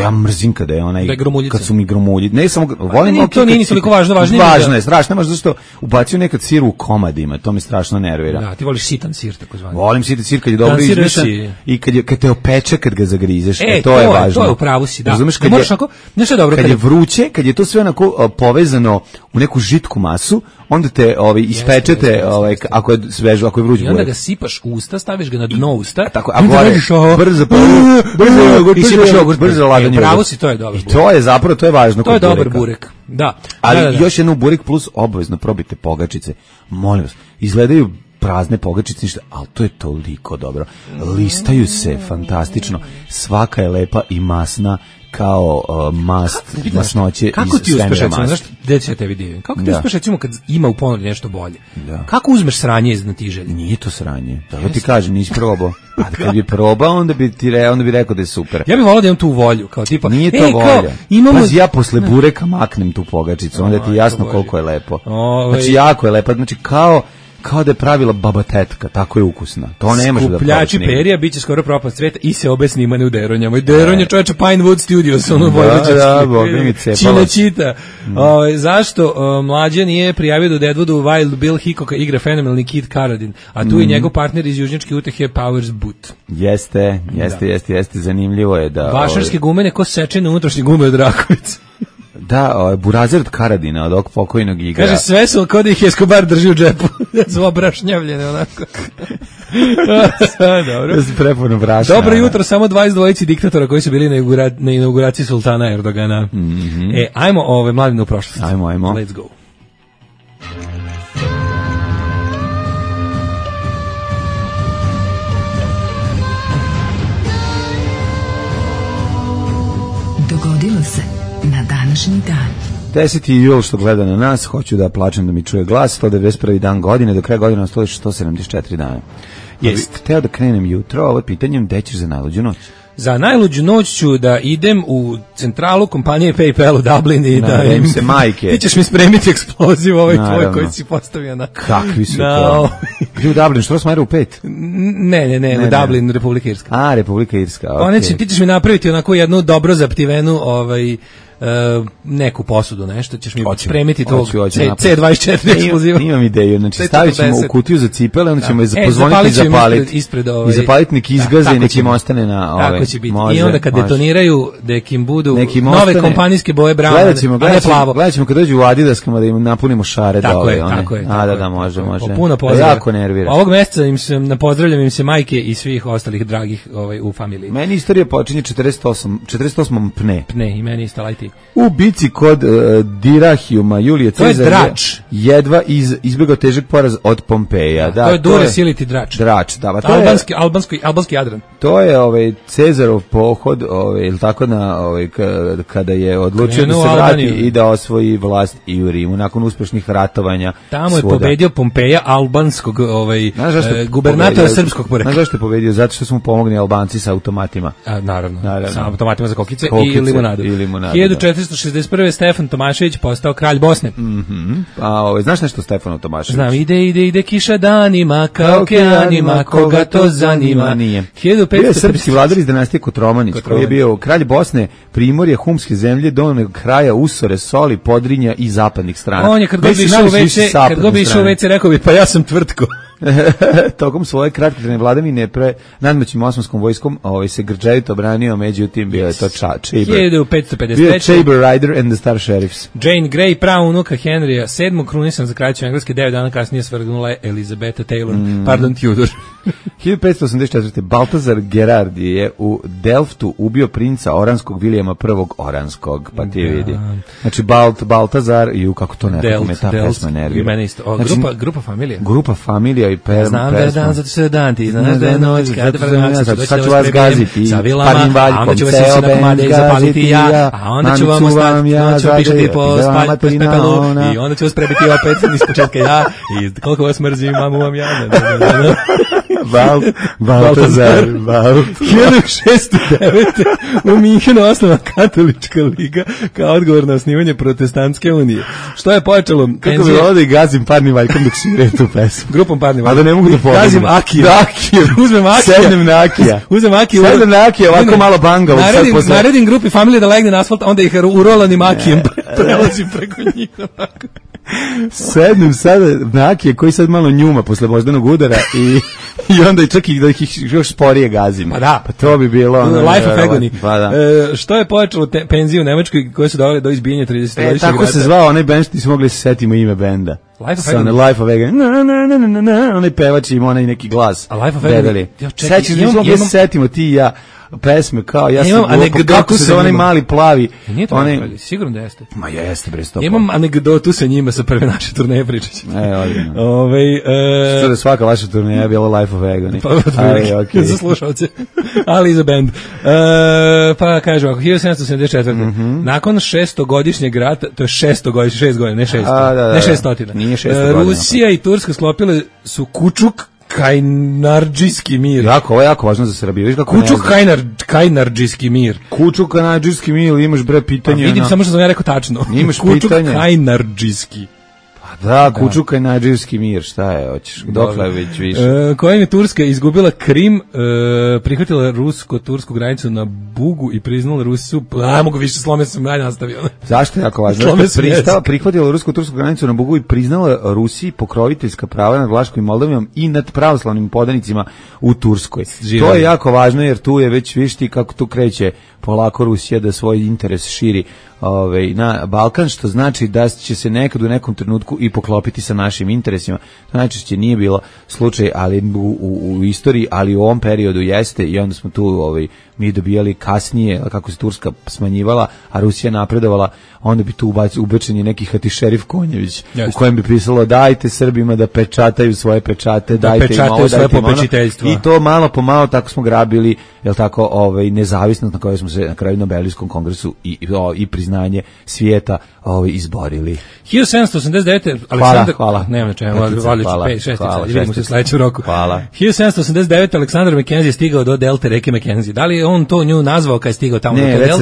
[SPEAKER 6] ja mrzim kada je onaj, kad su mi gromulji. Ne samo volim,
[SPEAKER 5] to nije toliko važno,
[SPEAKER 6] važno je, strašno, možda zašto ubacio nekad sir u komadima, to me strašno nervira.
[SPEAKER 5] Da, ti voliš sitan sir, takozvani.
[SPEAKER 6] Volim sitan sir kad je dobro izmešan i kad te opeče kad ga zagrizeš, to je važno.
[SPEAKER 5] To je upravo si, da.
[SPEAKER 6] Razumeš,
[SPEAKER 5] kad je vruće,
[SPEAKER 6] kad je to sve onako povezano u neku žitku masu, onda te ispečete, ako je svežo, ako je vruć burek.
[SPEAKER 5] I onda ga sipaš u usta, staviš ga na dno usta.
[SPEAKER 6] Tako, a gore, brzo laganje.
[SPEAKER 5] Pravo si, to je dobar burek.
[SPEAKER 6] I to je zapravo, to je važno.
[SPEAKER 5] To je dobar burek, da.
[SPEAKER 6] Ali još jednu burek plus obavezno probite pogačice. Molim vas, izgledaju prazne pogačice, ništa, ali to je toliko dobro. Listaju se fantastično. Svaka je lepa i masna kao mast, masnoće iz svemira mast. Kako ti uspeš, recimo, znaš, gde će tebi divim? Kako ti uspeš, recimo, kad ima u ponudi nešto bolje? Da. Kako uzmeš sranje iz natiželja? Nije to sranje. Da ti kažem, nisi probao. A kad bi probao, onda bi rekao da je super. Ja bih volao da imam tu volju, kao tipa... Nije to volja. Pazi, ja posle bureka maknem tu pogačicu, onda ti je jasno koliko je lepo. Znači, jako je lepo. Znači, kao da je pravila baba tetka, tako je ukusna. To ne može da probaš. Skupljači perija biće skoro propast sveta i se obe snimane u Deronjama. I Deronje čoveče Pinewood Studios, ono vojvođanski. Čita. Zašto mlađe nije prijavio do Deadwoodu Wild Bill Hickoka igra fenomenalni Kid Carradine, a tu je njegov partner iz južnjačke utehe Powers Boot. Jeste, zanimljivo je da... Vašarske gumene ko sečene unutrašnje gume od Rakovica. Da, Burazer od Karadina, od ovog pokojnog igra. Kaže, sve su kao da ih Escobar drži u džepu. Su obrašnjavljene, onako. Dobro. Prepuno brašna. Dobro jutro, samo 22 diktatora koji su bili na inauguraciji sultana Erdogana. Ajmo mladine u prošlost. Ajmo. Let's go.
[SPEAKER 2] Dogodilo se na današnji dan.
[SPEAKER 6] 10. jul što gleda na nas, hoću da plačem da mi čuje glas, 191. dan godine, do kraja godine nastoji 174 dana. Jest. Hteo da krenem jutro, ovo je pitanjem, gde ćeš za najluđu noć? Za najluđu noć ću da idem u centralu kompanije PayPal u Dublin i da im se majke. Ti ćeš mi spremiti eksploziv tvoj koji si postavio na... Kakvi su to? Gdje u Dublin, što smajeru u 5? Ne, u Dublin, Republika Irska. A, Republika Irska, okej. Ti ćeš mi napraviti onako jednu dobro zaptivenu neku posudu, nešto, ćeš mi spremiti tog C24 eksploziva. Imam ideju, znači stavit ćemo u kutiju za cipele, onda ćemo je pozvoniti i zapaliti. I zapaliti neki izgaze i neki im ostane na
[SPEAKER 5] tako će biti. I onda kad detoniraju, nek im budu nove kompanijske boje brown, a ne plavo.
[SPEAKER 6] Gledat ćemo kad dođu u Adidaskama da im napunimo šare dole. Tako je. Da, može.
[SPEAKER 5] Puno pozdrav. Jako nervira. Ovog meseca pozdravljam im se majke i svih ostalih dragih u familiji.
[SPEAKER 6] Meni istorija počinje 48.
[SPEAKER 5] Pne, i meni isto lajti.
[SPEAKER 6] U bici kod Dirahijuma Julije Cezar jedva izbjegao težak poraz od Pompeja.
[SPEAKER 5] To je Dure Siliti Drač. Albanski Jadran.
[SPEAKER 6] To je Cezarov pohod, ili tako kada je odlučio da se vrati i da osvoji vlast i u Rimu nakon uspešnih ratovanja.
[SPEAKER 5] Tamo je pobedio Pompeja, albanskog gubernatora srpskog porekla.
[SPEAKER 6] Znaš zašto je pobedio? Zato što su mu pomogli Albanci sa automatima.
[SPEAKER 5] Naravno. Sa automatima za kokice i limonadu. 1461. Stefan Tomašević postao kralj Bosne.
[SPEAKER 6] Znaš nešto Stefanu Tomašević?
[SPEAKER 5] Znam, ide kiša danima, kao okeanima, koga to zanima.
[SPEAKER 6] Nije. Bio je srpski vladar iz dinastije Kotromanić, koji je bio kralj Bosne, Primorje, Humske zemlje, donjeg kraja Usore, Soli, Podrinja i zapadnih strana.
[SPEAKER 5] On je kad god bi išao u WC, rekao bi, pa ja sam tvrtko.
[SPEAKER 6] Tokom svoje kratkotrajne vladavine nadmoćnim osmanskom vojskom se grđevito branio, međutim bio je to Chamber.
[SPEAKER 5] 1555.
[SPEAKER 6] Bio je Chamber Rider and the Star Sheriffs.
[SPEAKER 5] Jane Grey, praunuka Henrya VII, krunisan za kraljicu Engleske, 9 dana kasnije svrgnula je Elizabeta Taylor, Tudor.
[SPEAKER 6] 1584. Baltazar Gerard je u Delftu ubio princa Oranskog Vilijama I. Oranskog, pa ti vidi. Znači Baltazar i kako to nekako me ta pesma nervira.
[SPEAKER 5] I mene isto. Grupa familija.
[SPEAKER 6] Grupa familija i pesma.
[SPEAKER 5] Znam da je dan, zato što je dan, ti znaš da je noć, kada
[SPEAKER 6] sad ću vas gaziti
[SPEAKER 5] sa vilama, a onda ću vas ići na komade i zapaliti ja, a onda ću vam ostati, onda ću pišati po pepelu i onda ću vas prebiti opet iz početka ja i koliko vas mrzim, mamu vam ja.
[SPEAKER 6] Baltazar.
[SPEAKER 5] 1609. u Minhenu osnovana katolička liga kao odgovor na osnivanje protestantske unije. Što je počelo?
[SPEAKER 6] Kako bi volao da i gazim parnim valjkom dok svire tu pesmu.
[SPEAKER 5] Grupom parnim
[SPEAKER 6] valjkom. A da ne mogu da pogledam.
[SPEAKER 5] Gazim Akiju. Uzmem Akija.
[SPEAKER 6] Sednem na Akija.
[SPEAKER 5] Uzmem Akiju.
[SPEAKER 6] Sednem na Akija, ovako malo bangavo.
[SPEAKER 5] Naredim grupi familije da legne na asfalt, onda ih urolanim Akijem prelazim preko njih.
[SPEAKER 6] sednem sada na Akije koji sad malo njuma posle moždanog udara i onda i čak i da ih još sporije gazim.
[SPEAKER 5] Pa da.
[SPEAKER 6] Pa to bi bilo...
[SPEAKER 5] Life of Agony.
[SPEAKER 6] Pa da.
[SPEAKER 5] Što je pojačalo penziju u Nemačkoj koje su doveli do izbijanja 30-godišnjeg
[SPEAKER 6] tako
[SPEAKER 5] rata?
[SPEAKER 6] se zvao onaj bend što nismo mogli se setimo ime benda.
[SPEAKER 5] Life of Agony.
[SPEAKER 6] Life of Agony. Onaj pevač ima onaj neki glas.
[SPEAKER 5] A Life of Agony.
[SPEAKER 6] Sećaš, nismo mogli se setimo ti i ja pesme kao ja sam kako se onaj mali plavi.
[SPEAKER 5] Nije to onaj, sigurno da jeste.
[SPEAKER 6] Ma jeste bre 100%.
[SPEAKER 5] Imam anegdotu sa njima sa prve naše turneje pričaći.
[SPEAKER 6] Odlično. Što da svaka vaša turneja bila Life of Agony.
[SPEAKER 5] Pa za slušalce, ali i za band. Pa kažem, ako 1774. Nakon 600-godišnjeg rata, to je 600 godina, ne 600. Ne 600.
[SPEAKER 6] Nije 600 godina.
[SPEAKER 5] Rusija i Turska sklopile su Kučuk Kajnardžijski mir.
[SPEAKER 6] Ovo je jako važno za Srbiju.
[SPEAKER 5] Kučuk Kajnardžijski mir.
[SPEAKER 6] Kučuk Kajnardžijski mir, imaš bre pitanje.
[SPEAKER 5] Pa vidim samo što sam ja rekao tačno.
[SPEAKER 6] Imaš
[SPEAKER 5] Kučuk
[SPEAKER 6] pitanje.
[SPEAKER 5] Kajnardžijski.
[SPEAKER 6] Da, Kučuk Kajnardžijski mir, šta je, hoćeš? Dokle već više?
[SPEAKER 5] Kojim je Turska izgubila Krim, prihvatila rusko-tursku granicu na Bugu i priznala Rusiju, mogu više slome sam dalje nastavio.
[SPEAKER 6] Zašto je jako važno? Prihvatila rusko-tursku granicu na Bugu i priznala Rusiji pokroviteljska prava nad Vlaškom i Moldavijom i nad pravoslavnim podanicima u Turskoj. To je jako važno jer tu je već višti kako tu kreće polako Rusija da svoj interes širi na Balkan, što znači da će se nekad u nekom trenutku i poklopiti sa našim interesima. To najčešće nije bilo slučaj, ali u istoriji, ali u ovom periodu jeste i onda smo tu mi dobijali kasnije, kako se Turska smanjivala, a Rusija napredovala, onda bi tu ubečen je neki Hatišerif Konjević, u kojem bi pisalo dajte Srbima da pečataju svoje pečate, dajte im ovo, dajte im ono. I to malo po malo tako smo grabili, nezavisnost na kojoj smo se na kraju Nobelovskom kongresu i priznanje svijeta izborili.
[SPEAKER 5] 1789.
[SPEAKER 6] Hvala.
[SPEAKER 5] Nemam na čemu, vidimo se sledeću roku.
[SPEAKER 6] Hvala.
[SPEAKER 5] 1789. Aleksandar Mackenzie je stigao do delte reke Mackenzie. Da li on to nju nazvao kad je stigao tamo do te delte?
[SPEAKER 6] Ne, već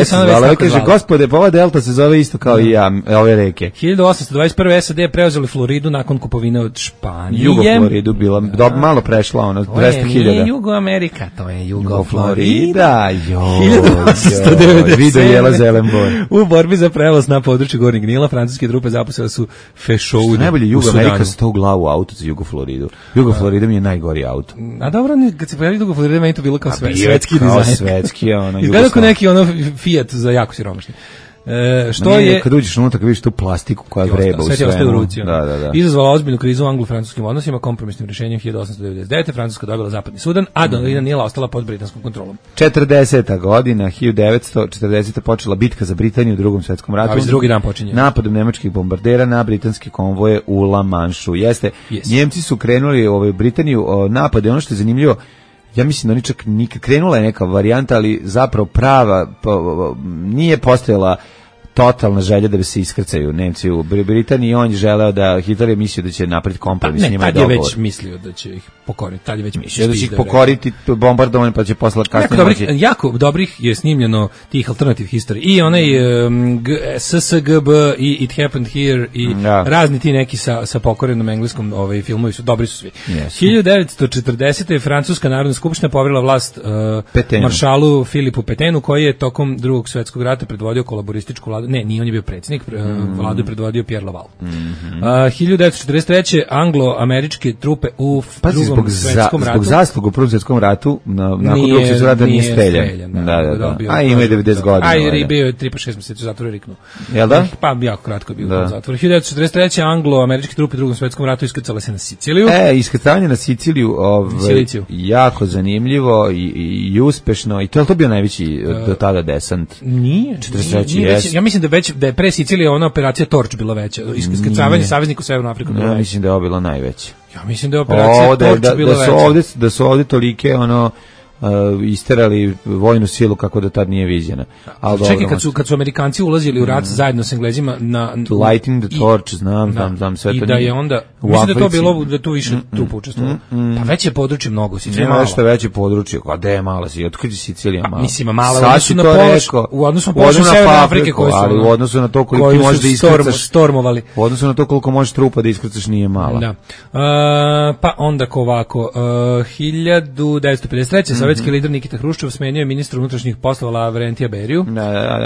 [SPEAKER 6] se zvala. Kaže, gospode, pa ova delta se zove isto kao i ja, ove reke.
[SPEAKER 5] 1821. SAD je preuzeli Floridu nakon kupovine od Španije.
[SPEAKER 6] Jugo-Floridu bila, malo prešla, 200.000.
[SPEAKER 5] Nije Jugo-Amerika, to je Jugo-Florida.
[SPEAKER 6] 1897. Video jela Zelenbor.
[SPEAKER 5] U borbi za prevoz na području Gornjeg Nila, francuske trupe zaposele su fešoude.
[SPEAKER 6] Najbolje Jugo-Amerika sa to glavu auto za Jugo-Floridu. Jugo-Florida mi je najgori auto.
[SPEAKER 5] A dobro, kad se pojavili Jugo-Florida, meni to bilo kao svetski dizajn.
[SPEAKER 6] Kao svetski,
[SPEAKER 5] izgleda kao neki Fiat za jako siromašni.
[SPEAKER 6] Kad uđeš unutra, kad vidiš tu plastiku koja vreba u svemu.
[SPEAKER 5] Izazvala ozbiljnu krizu u anglo-francuskim odnosima, kompromisnim rješenjem 1899. Francuska dobila Zapadni Sudan, a Dolina Nila ostala pod britanskom kontrolom.
[SPEAKER 6] 40. godina, 1940. počela bitka za Britaniju u Drugom svjetskom ratu.
[SPEAKER 5] A već drugi dan počinje.
[SPEAKER 6] Napadom nemačkih bombardera na britanske konvoje u La Manšu. Njemci su krenuli u Britaniju napade, ono što je zanimljivo, ja mislim da oni čak krenula je neka varijanta, ali zapravo prava nije postojala totalna želja da bi se iskrcaju Nemci u Britaniji. On je želeo da Hitler je mislio da će napraviti kompromis s njima i dogovor.
[SPEAKER 5] Tad je već mislio da će ih pokoriti. Tad je već mislio
[SPEAKER 6] da će ih pokoriti bombardovanje pa će poslati kasnije.
[SPEAKER 5] Jako dobrih je snimljeno tih alternative history. I onaj SSGB i It Happened Here i razni ti neki sa pokorenom engleskom filmovi su dobri su svi. 1940. Francuska narodna skupština poverila vlast maršalu Filipu Petenu, koji je tokom Drugog svjetskog rata predvodio kolaborističku vladu. Ne, nije on je bio predsjednik, vladu je predvodio Pierre Laval. 1943. anglo-američke trupe u Drugom svjetskom ratu.
[SPEAKER 6] Zbog zasluga u Prvom svjetskom ratu, nakon Drugog svjetskog rata nije streljan. A ima je 90 godina.
[SPEAKER 5] A i bio je 3-6 mjeseci u zatvoru i riknuo.
[SPEAKER 6] Jel da?
[SPEAKER 5] Pa jako kratko je bio u zatvoru. 1943. anglo-američke trupe u Drugom svjetskom ratu iskrcale se na Siciliju.
[SPEAKER 6] Iskrcanje na Siciliju jako zanimljivo i uspešno. I to je to bio najveći do tada desant?
[SPEAKER 5] Nije.
[SPEAKER 6] 43.
[SPEAKER 5] Ja mislim da je pre Sicilije ona operacija Torch bila veća. Iskrcavanje saveznika u Severnu Afriku bila veća.
[SPEAKER 6] Ja mislim da je ovo bila najveća.
[SPEAKER 5] Ja mislim da je operacija Torch bila veća.
[SPEAKER 6] Da su ovdje tolike isterali vojnu silu kako da tad nije viđena.
[SPEAKER 5] Čekaj, kad su Amerikanci ulazili u rat zajedno s Englezima na
[SPEAKER 6] Lighting the Torch, znam sve to.
[SPEAKER 5] I da je onda, mislim da je to bilo, da tu više trupa učestvovalo. Pa veće područje mnogo, Sicilija mala.
[SPEAKER 6] Nešto veće područje, a gde je mala si, otkud je Sicilija mala?
[SPEAKER 5] Mislim, mala u odnosu na položaj Severne Afrike koji su,
[SPEAKER 6] ali u odnosu na to koliko ti možeš da iskrcaš,
[SPEAKER 5] stormovali.
[SPEAKER 6] U odnosu na to koliko možeš trupa da iskrcaš nije mala.
[SPEAKER 5] Da. Pa onda ovako, 1953. sovjetski lider Nikita Hruščov smenio je ministra unutrašnjih poslova Lavrentija Beriju,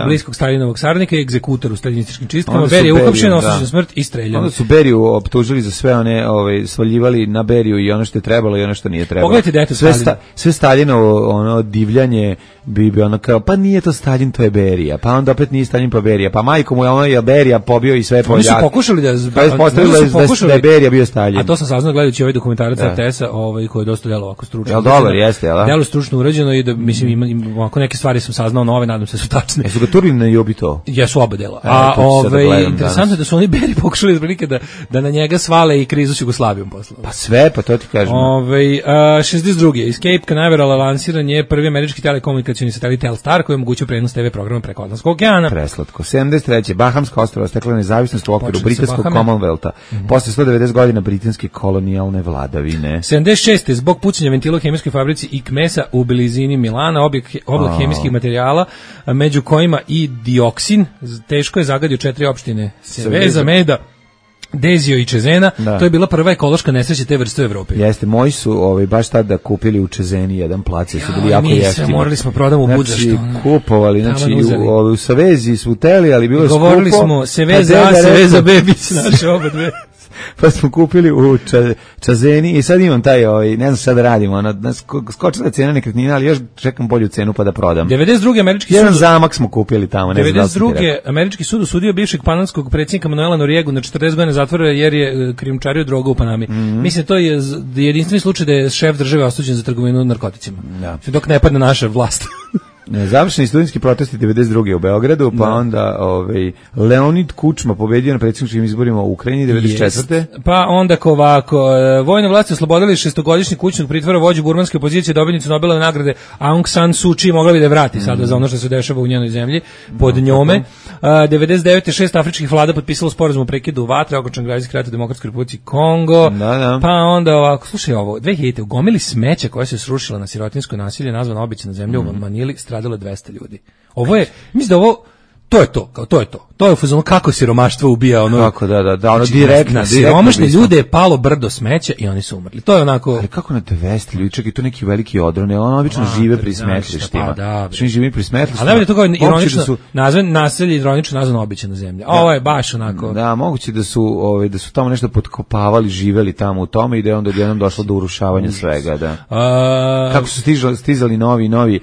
[SPEAKER 5] bliskog Stalinovog saradnika i egzekutor u staljinističkim čistkama. Berija je uhapšen, osuđen na smrt i streljan.
[SPEAKER 6] Onda su Beriju optužili za sve one, svaljivali na Beriju i ono što je trebalo i ono što nije trebalo.
[SPEAKER 5] Pogledajte dete Stalin.
[SPEAKER 6] Sve Staljinovo ono divljanje bi ono kao, pa nije to Stalin, to je Berija, pa onda opet nije Stalin, pa Berija, pa majko mu je ono je Berija pobio i sve Poljake.
[SPEAKER 5] Oni su pokušali da
[SPEAKER 6] je Berija bio Stalin.
[SPEAKER 5] A to sam saznao gledajući ovaj dokumentarac RTS-a, koji je dosta delo ovako stručno.
[SPEAKER 6] Jel dobar, jeste, jel?
[SPEAKER 5] Delo stručno urađeno i da, mislim, ima ovako neke stvari sam saznao nove, nadam se su tačne.
[SPEAKER 6] Jesu ga turili na Jobi to?
[SPEAKER 5] Jesu oba dela. Interesantno je da su oni Beri pokušali otprilike da na njega svale i krizu s Jugoslavijom posle.
[SPEAKER 6] Pa sve, pa to ti kažem.
[SPEAKER 5] 62. Escape Canaveral lansiran je prvi američki telekomunikacioni satelit Telstar koji omogućuje prenos TV programa preko Atlantskog okeana.
[SPEAKER 6] Preslatko. 73. Bahamska ostrva stekla nezavisnost u okviru britanskog Commonwealtha. Posle 190 godina britanske kolonijalne vladavine.
[SPEAKER 5] 76. Zbog pucanja ventila u hemijskoj fabrici Ikmesa u blizini Milana, oblak hemijskih materijala, među kojima i dioksin, teško je zagadio 4 opštine. Seveza, Meda, Dezio i Čezena, to je bila prva ekološka nesreća te vrste u Evropi.
[SPEAKER 6] Jeste, moji su baš tada kupili u Čezeni jedan plac, su bili jako jeftini.
[SPEAKER 5] Morali smo prodamo u Budzaštu.
[SPEAKER 6] Kupovali, u Savezi su uteli, ali bilo je skupo.
[SPEAKER 5] Govorili smo Seveza A, Seveza B, biće naše oba dve.
[SPEAKER 6] Pa smo kupili u Čazeni i sad imam taj, ne znam šta da radimo, skočila cena nekretnina, ali još čekam bolju cenu pa da prodam.
[SPEAKER 5] 92. američki
[SPEAKER 6] jedan zamak smo kupili tamo.
[SPEAKER 5] 92. američki sud osudio bivšeg panamskog predsjednika Manuela Noriegu na 40 godina zatvora jer je krijumčario drogu u Panami. Mislim, to je jedinstveni slučaj da je šef države osuđen za trgovinu narkoticima. Dok ne padne naša vlast.
[SPEAKER 6] Završeni studentski protesti 92. u Beogradu, pa onda Leonid Kučma pobedio na predsjedničkim izborima u Ukrajini 94.
[SPEAKER 5] Pa onda ovako, vojne vlasti oslobodili šestogodišnjeg kućnog pritvora vođu burmanske opozicije, dobitnicu Nobelove nagrade Aung San Suu Kyi, mogla bi da vrati sada za ono što se dešava u njenoj zemlji pod njome. 99. 6 afričkih vlada potpisalo sporazum o prekidu vatre, okončan građanski rat u Demokratskoj Republici Kongo. Pa onda ovako, slušaj ovo, 2000. u gomili smeća koja se srušila na sirotinjsko nasilje, nazvana obična zemlja u Manili, stradalo 200 ljudi. Ovo je, mislim da ovo, to je to. To je u fazonu kako siromaštvo ubija ono.
[SPEAKER 6] Kako ono direktno.
[SPEAKER 5] Siromašne ljude je palo brdo smeća i oni su umrli. To je onako.
[SPEAKER 6] Ali kako na 200 ljudi, čak i to neki veliki odron, ono obično žive pri smetlištima. Što živi pri smetlištima.
[SPEAKER 5] Ali da to kao ironično nazvan naselje, ironično nazvano obična zemlja. Ovo je baš onako.
[SPEAKER 6] Da, moguće da su tamo nešto potkopavali, živeli tamo u tome i da je onda odjednom došlo do urušavanja svega, da. Kako su stizali novi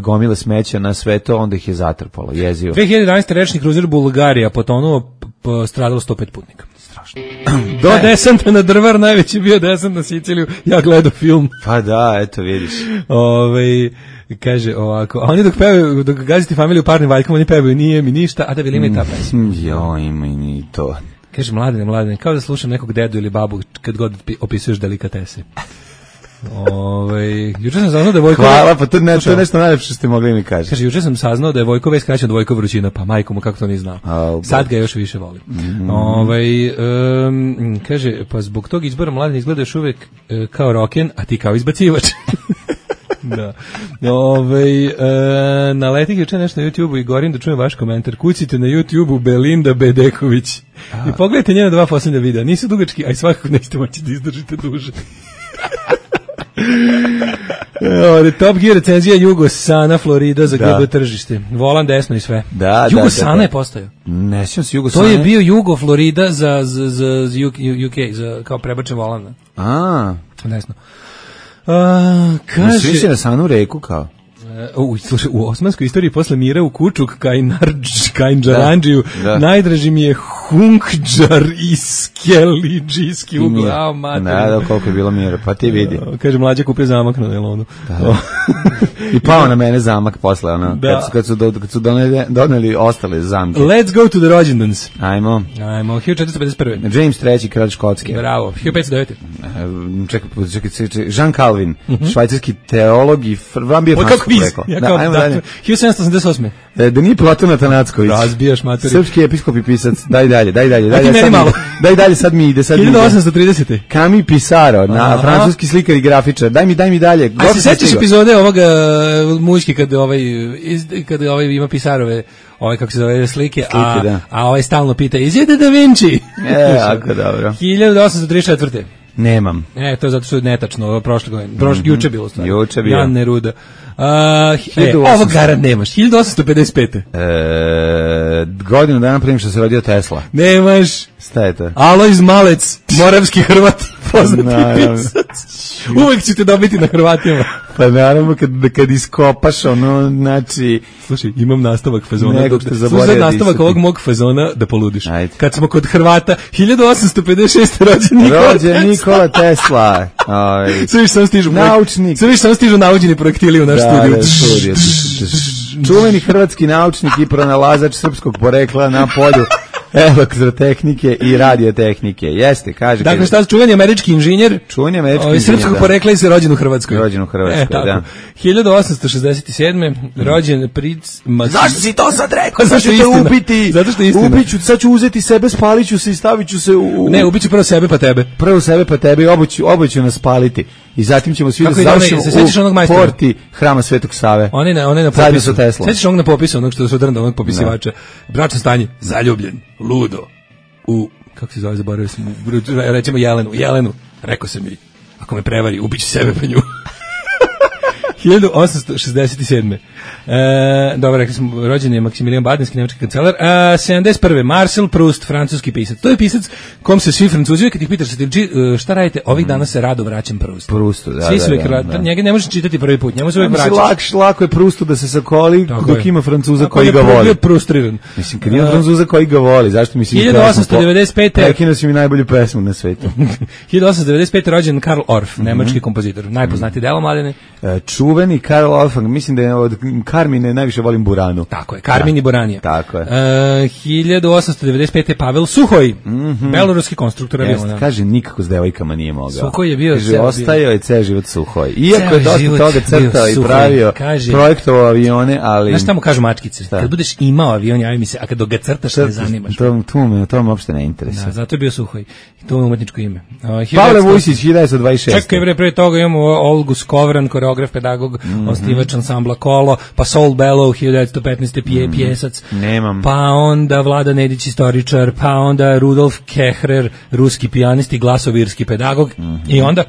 [SPEAKER 6] gomile smeća na sve to, onda ih je zatrpalo, jezivo.
[SPEAKER 5] 2011. rečni kruzer Bulgarija potonuo, stradalo 105 putnika. Strašno. Do desanta na Drvar, najveći bio desant na Siciliju, ja gledao film.
[SPEAKER 6] Pa da, eto vidiš.
[SPEAKER 5] Kaže ovako, a oni dok gaziti familiju parnim valjkom, oni pevaju nije mi ništa, a da bi li mi ta pesma.
[SPEAKER 6] Jo, ima i ni to.
[SPEAKER 5] Kaže, mladine, kao da slušam nekog dedu ili babu kad god opisuješ delikatese. Juče sam saznao da je Vojko...
[SPEAKER 6] Hvala, pa to je nešto najlepše što ste mogli mi kažete.
[SPEAKER 5] Kaže, juče sam saznao da je Vojko već skraćen od Vojko Vrućina, pa majko mu kako to nije znao. Sad ga još više volim. Kaže, pa zbog tog izbora Mladen izgleda još uvijek kao roken, a ti kao izbacivač. Da. Na letih juče nešto na YouTube-u i gorim da čujem vaš komentar. Kucite na YouTube-u Belinda Bedeković. I pogledajte njena 2 posljednja videa. Nisu dugački, a i svakako nećete moći da izdržite duže. Top Gear recenzija Jugosana Florida za GB tržište. Volan desno i sve. Jugosana je postao.
[SPEAKER 6] Ne sjećam se Jugosana.
[SPEAKER 5] To je bio Jugo Florida za UK, za kao prebačen volan. Desno.
[SPEAKER 6] Svi se na Sanu reku kao.
[SPEAKER 5] U osmanskoj istoriji posle mira u Kučuk Kajnđarandžiju najdraži mi je Hunkđar i Skelidžijski ugao mater.
[SPEAKER 6] Da, koliko je bilo mira, pa ti vidi.
[SPEAKER 5] Kaže, mlađa kupio zamak na Nelonu.
[SPEAKER 6] I pao na mene zamak posle, kad su doneli ostale zamke.
[SPEAKER 5] Let's go to the rođendans.
[SPEAKER 6] Ajmo.
[SPEAKER 5] 1451.
[SPEAKER 6] James III, kralj Škotske.
[SPEAKER 5] Bravo, 1509.
[SPEAKER 6] Čekaj, Jean Calvin, švajcarski teolog i vam bio
[SPEAKER 5] francuski rekao. 1788.
[SPEAKER 6] Da nije Platon Atanacković.
[SPEAKER 5] Razbijaš materi.
[SPEAKER 6] Srpski episkop i pisac. Daj dalje.
[SPEAKER 5] Daj meni malo.
[SPEAKER 6] Daj dalje, sad mi ide.
[SPEAKER 5] 1830.
[SPEAKER 6] Camille Pissarro, francuski slikar i grafičar. Daj mi dalje.
[SPEAKER 5] A se sećaš epizode ovoga muški kad ima Pissarrove kako se zove slike, a ovaj stalno pita, is it Da Vinci?
[SPEAKER 6] Jako dobro.
[SPEAKER 5] 1834.
[SPEAKER 6] Nemam.
[SPEAKER 5] To je zato što je netačno, prošle godine. Juče bilo stvari.
[SPEAKER 6] Juče bilo.
[SPEAKER 5] Jan Neruda. Ovo garant nemaš. 1855.
[SPEAKER 6] Godinu dana prije što se rodio Tesla.
[SPEAKER 5] Nemaš.
[SPEAKER 6] Šta je to?
[SPEAKER 5] Alojz Malec, moravski Hrvat, poznati pisac. Uvek ćete dobiti na Hrvatima.
[SPEAKER 6] Pa naravno kad iskopaš ono, znači...
[SPEAKER 5] Slušaj, imam nastavak fazona.
[SPEAKER 6] Slušaj,
[SPEAKER 5] nastavak ovog mog fazona da poludiš. Ajde. Kad smo kod Hrvata, 1856.
[SPEAKER 6] rođen Nikola Tesla.
[SPEAKER 5] Sve više samo stižu naučeni projektili u naš studiju.
[SPEAKER 6] Čuveni hrvatski naučnik i pronalazač srpskog porekla na polju elektrotehnike i radiotehnike. Jeste, kaže.
[SPEAKER 5] Dakle, šta čuveni američki inženjer?
[SPEAKER 6] Čuveni američki inženjer.
[SPEAKER 5] Srpskog porekla i se rođen u Hrvatskoj.
[SPEAKER 6] Rođen u Hrvatskoj, da.
[SPEAKER 5] 1867. rođen princ
[SPEAKER 6] Zašto si to sad rekao? Zašto te ubiti?
[SPEAKER 5] Zato što je istina.
[SPEAKER 6] Ubiću, sad ću uzeti sebe, spalit ću se i stavit ću se u...
[SPEAKER 5] Ne, ubiću prvo sebe pa tebe.
[SPEAKER 6] Prvo sebe pa tebe i oboje ću nas spaliti. I zatim ćemo svi da završimo u porti Hrama Svetog Save.
[SPEAKER 5] Oni na popisu. Sećaš onog na popisu, onog što se drnda, onog popisivača. Bračno stanje, zaljubljen, ludo, kako se zove, zaboravio sam, recimo Jelenu, rekao sam mi, ako me prevari, ubiću sebe pa nju. 1867. Dobro, rekli smo, rođen je Maksimilijan Badenski, nemački kancelar. 71. Marcel Proust, francuski pisac. To je pisac kom se svi Francuzi, kad ih pitaš šta radite, ovih dana se rado vraćam Proustu.
[SPEAKER 6] Proustu, da.
[SPEAKER 5] Svi su njega ne možeš čitati prvi put, njemu se uvijek vraćaš.
[SPEAKER 6] Lako je Proustu da se sakoli dok ima Francuza koji ga voli.
[SPEAKER 5] Proustriran.
[SPEAKER 6] Mislim, kad ima Francuza koji ga voli, zašto mislim
[SPEAKER 5] 1895.
[SPEAKER 6] Prekino si mi najbolju pesmu na svetu.
[SPEAKER 5] 1895. rođen Karl Orff, nemački kompozitor. Najpoznatiji delo mladine.
[SPEAKER 6] Čuveni Karl Orff, mislim da je od Karmine najviše volim Buranu.
[SPEAKER 5] Tako je, Karmin i Buranija.
[SPEAKER 6] Tako je.
[SPEAKER 5] 1895. Pavel Suhoj, beloruski konstruktor aviona.
[SPEAKER 6] Kaže, nikako s devojkama nije mogao.
[SPEAKER 5] Suhoj je bio...
[SPEAKER 6] Kaže, ostajao je ceo život Suhoj. Iako je dosta toga crtao i pravio, projektovao avione, ali...
[SPEAKER 5] Znaš šta mu kažu mačkice? Kad budeš imao avion, javi mi se, a kad ga crtaš, ne zanimaš.
[SPEAKER 6] To me uopšte ne interesuje.
[SPEAKER 5] Da, zato je bio Suhoj. To je umetničko ime.
[SPEAKER 6] Pavle Vujsić, 1926.
[SPEAKER 5] Čekaj, pre toga imamo Olgu Skovran, koreograf, pedagog, osnivač ansambla Kolo, pa Saul Bellow, 1915. Pjesac.
[SPEAKER 6] Nemam.
[SPEAKER 5] Pa onda Vlada Nedić, istoričar, pa onda Rudolf Kehrer, ruski pijanist i glasovirski pedagog. I onda...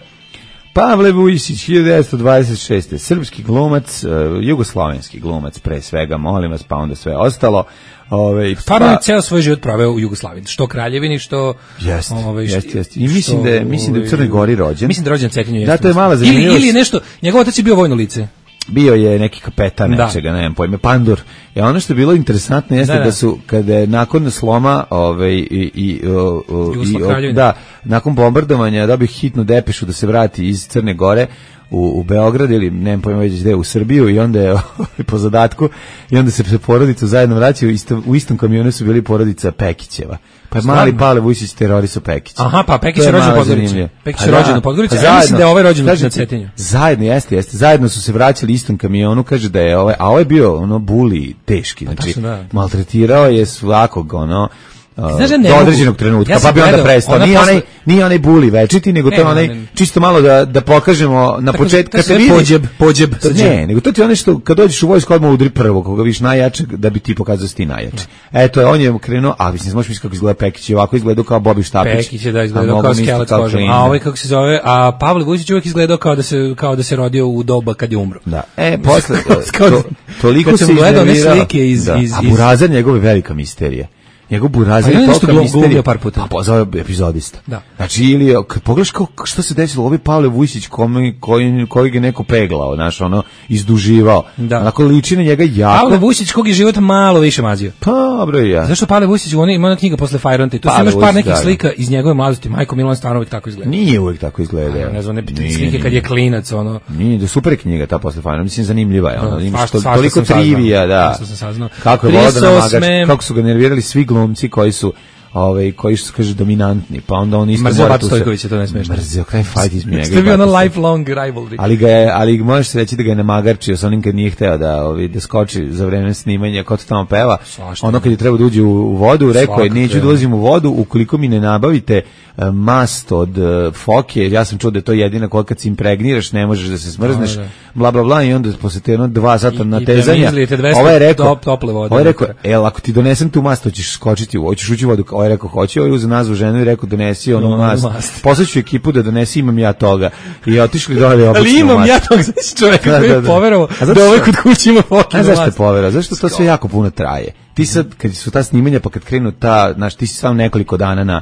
[SPEAKER 6] Pavle Vujsić, 1926. Srpski glumac, jugoslovenski glumac pre svega, molim vas, pa onda sve ostalo.
[SPEAKER 5] Stvarno je ceo svoj život proveo u Jugoslaviji, što Kraljevini, što...
[SPEAKER 6] Jeste. I mislim da je u Crnoj Gori rođen.
[SPEAKER 5] Mislim da je rođen u Cetinju.
[SPEAKER 6] Da, to je mala zanimljivost.
[SPEAKER 5] Ili nešto, njegov otac je bio vojno lice.
[SPEAKER 6] Bio je neki kapetan nečega, ne znam pojme, Pandur. I ono što je bilo interesantno jeste da su, kada je nakon sloma nakon bombardovanja dobio hitnu depešu da se vrati iz Crne Gore u Beograd ili ne znam pojma već gde, u Srbiju, i onda je po zadatku, i onda se porodica zajedno vraćaju, u istom kamionu su bili porodica Pekićeva. Pa je mali Pavle Vujsić terorisao Pekića.
[SPEAKER 5] Aha, pa Pekić je rođen u Podgorici. Pekić je rođen u Podgorici, a mislim da je ovaj rođen na Cetinju.
[SPEAKER 6] Zajedno, jeste. Zajedno su se vraćali istom kamionu, kaže da je ovaj, a ovaj bio buli teški, znači maltretirao je svakog do određenog trenutka, pa bi onda prestao. Nije onaj buli večiti, nego to je onaj čisto malo da pokažemo na početku.
[SPEAKER 5] Kad se vidi pođeb.
[SPEAKER 6] Ne, nego to ti je ono što kad dođeš u vojsku odmah udri prvo, koga viš najjačeg, da bi ti pokazao da si ti najjači. Eto, on je krenuo, a mislim, možeš misliti kako izgleda Pekić, ovako izgledao kao Bobby Štapić.
[SPEAKER 5] Pekić je izgledao kao skelet koža, a ovaj kako se zove, a Pavle Vujsić uvijek izgledao kao da se rodio u doba kad je umro.
[SPEAKER 6] Da. Posle, toliko se iznervirao. A Burazan njegove velika misterija. Njegov Burazir je toliko misterija
[SPEAKER 5] par puta.
[SPEAKER 6] Pa zove epizodista.
[SPEAKER 5] Da.
[SPEAKER 6] Znači, ili, kad pogledaš što se desilo, ovaj Pavle Vujsić koji ga neko peglao, izduživao. Onako liči na njega jako.
[SPEAKER 5] Pavle Vujsić kog je život malo više mazio.
[SPEAKER 6] Pa, dobro i ja.
[SPEAKER 5] Zašto Pavle Vujsić, ima ona knjiga posle Fajronte, tu imaš par nekih slika iz njegove mladosti. Majko Milan stvarno uvijek tako izgleda.
[SPEAKER 6] Nije uvijek tako izgleda.
[SPEAKER 5] Ne znam, slike kad je klinac,
[SPEAKER 6] Nije, da super knjiga ta posle Fajronte, mislim zanimljiva je. Imaš toliko trivija, da. Kako je Voda Magač, kako su ga nervirali svi glumci koji su kaže dominantni, pa onda on isto
[SPEAKER 5] mrzeo Bat Stojković, to ne smiješno.
[SPEAKER 6] Mrzeo, kraj fight između njega.
[SPEAKER 5] To je bio ono lifelong rivalry.
[SPEAKER 6] Ali možeš se reći da ga je namagarčio sa onim kad nije hteo da skoči za vreme snimanja, ko to tamo peva. Ono kad je trebao da uđe u vodu, rekao je, neću da ulazim u vodu ukoliko mi ne nabavite mast od foke, ja sam čuo da je to jedina koja kad se impregniraš ne možeš da se smrzneš, bla bla bla, i onda posle te 2 sata natezanja, ovaj je rekao, ako ti donesem tu mast, hoćeš skočiti, hoćeš ući u vodu, ovaj rekao hoće, ovaj uzeo nazvu ženu i rekao donesi onu mast. Poslaću ekipu da donesi, imam ja toga. I otišli dole obično.
[SPEAKER 5] Ali imam ja toga, znači čovjeka koji je poverovao da ovaj kod kuće ima fokinu mast.
[SPEAKER 6] Zašto je poverovao? Zašto to sve jako puno traje? Ti sad, kad su ta snimanja, pa kad krenu znaš, ti si samo nekoliko dana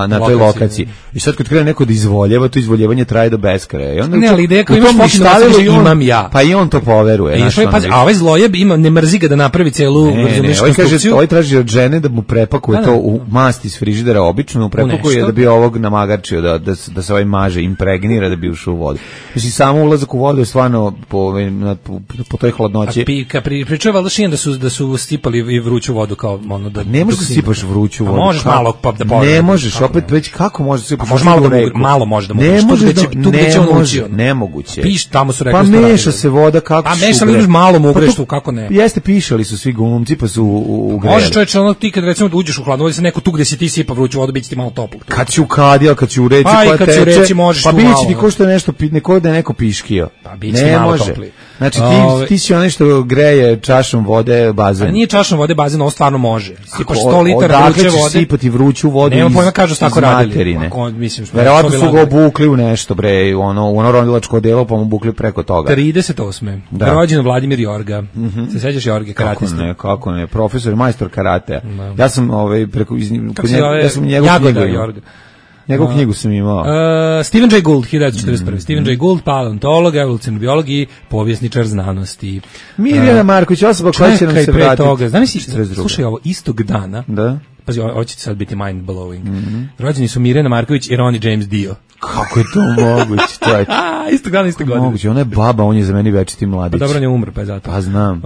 [SPEAKER 6] na toj lokaciji. I sad kad krene neko da izvoljeva, to izvoljevanje traje do beskraja. I onda
[SPEAKER 5] ne, ali ideja kao imaš fokinu mast, imam ja.
[SPEAKER 6] Pa i on to poveruje.
[SPEAKER 5] A ovaj zlojeb ima, ne mrzi ga da napravi celu konstrukciju.
[SPEAKER 6] Ovaj traži od žene da mu prepakuje to u mast iz frižidera, obično prepakuje da bi ovog namagarčio, da se ovaj maže, impregnira da bi ušao u vodu. Mislim, samo ulazak u vodu je stvarno po toj hladnoći.
[SPEAKER 5] Pričao je valjda Šijan da su stipali i vruću vodu kao ono da
[SPEAKER 6] ne možeš da sipaš vruću vodu.
[SPEAKER 5] Možeš malo pa da povede.
[SPEAKER 6] Ne možeš, opet već kako možeš da sipaš?
[SPEAKER 5] Može malo može da mu.
[SPEAKER 6] Ne može
[SPEAKER 5] tu gde će on učio.
[SPEAKER 6] Nemoguće.
[SPEAKER 5] Piš, tamo su rekli.
[SPEAKER 6] Pa meša se voda kako.
[SPEAKER 5] A meša li malo mu ugreš tu kako ne.
[SPEAKER 6] Jeste, pišali su svi glumci pa su ugreli.
[SPEAKER 5] Može čoveče, ono ti kad recimo uđeš u hladnu vodu, se neko tu gde si ti sipa vruću vodu, biće ti malo toplo.
[SPEAKER 6] Kad si u kadija, kad si u reci koja teče, pa biće ti ko što nešto neko da je neko piškio.
[SPEAKER 5] Pa biće malo topli.
[SPEAKER 6] Znači ti si onaj što greje čašom vode bazen.
[SPEAKER 5] A nije čašom vode bazen, ovo stvarno može. Sipaš 100 litara vruće vode.
[SPEAKER 6] Sipati vruću vodu.
[SPEAKER 5] Nema pojma kažu tako radili.
[SPEAKER 6] Verovatno su ga obukli u nešto bre, ono ronilačko delo pa mu obukli preko toga.
[SPEAKER 5] 38. Rođen Vladimir Jorga. Se sećaš Jorge karatista?
[SPEAKER 6] Kako ne, profesor, majstor karatea. Ja sam preko
[SPEAKER 5] ja sam njegov Jorga.
[SPEAKER 6] Njegovu knjigu sam imao.
[SPEAKER 5] Stephen Jay Gould, 1941. Stephen Jay Gould, paleontolog, evolucionar biolog i povjesničar znanosti.
[SPEAKER 6] Mirjana Marković, osoba koja će nam se vratiti.
[SPEAKER 5] Toga, slušaj ovo, istog dana,
[SPEAKER 6] da?
[SPEAKER 5] Pazi, ovo će sad biti mind blowing. Rođeni su Mirjana Marković i Ronnie James Dio.
[SPEAKER 6] Kako je to moguće?
[SPEAKER 5] Istog dana, istog godine.
[SPEAKER 6] Moguće, ona je baba, on je za meni večiti mladić.
[SPEAKER 5] Pa dobro, on je umro, pa je zato.
[SPEAKER 6] Pa znam.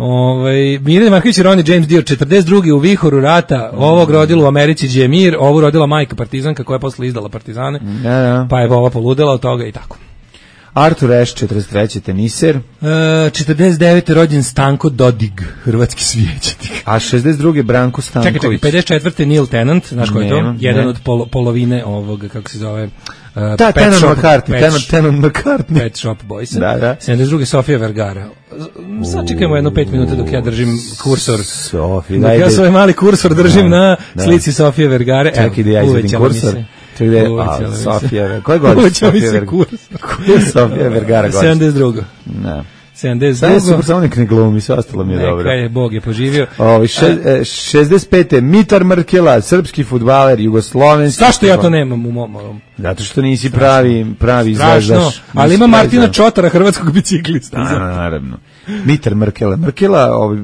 [SPEAKER 5] Mirjana Marković i Ronnie James Dio, 42. u vihoru rata, ovog rodila u Americi Džemir, ovu rodila majka partizanka koja je posle izdala partizane, pa je ova poludela od toga i tako.
[SPEAKER 6] Artur Ashe, 43. teniser.
[SPEAKER 5] 49. rođen Stanko Dodig, hrvatski svijećatik.
[SPEAKER 6] A 62. Branko Stanković.
[SPEAKER 5] Čekaj, 54. Neil Tennant, znaš ko je to? Jedan od polovine ovog, kako se zove,
[SPEAKER 6] Tenon McCartney.
[SPEAKER 5] Pet Shop Boysa. Da. 72. Sofia Vergara. Sad čekajmo jedno 5 minuta dok ja držim kursor. Dok ja svoj mali kursor držim na slici Sofije Vergare.
[SPEAKER 6] Čekaj da ja izvedim kursor. Sofija, koje godine Sofija Vergara godine?
[SPEAKER 5] 72.
[SPEAKER 6] Ne.
[SPEAKER 5] 72.
[SPEAKER 6] Sad je super, samo nek ne glumi, sve ostalo mi je dobro.
[SPEAKER 5] Neka je, Bog je poživio.
[SPEAKER 6] 65. Mitar Mrkela, srpski fudbaler, jugoslovenski.
[SPEAKER 5] Zašto ja to nemam u mom?
[SPEAKER 6] Zato što nisi pravi izveždaš.
[SPEAKER 5] Ali ima Martina Čotara, hrvatskog biciklista.
[SPEAKER 6] Naravno. Mitar Mrkela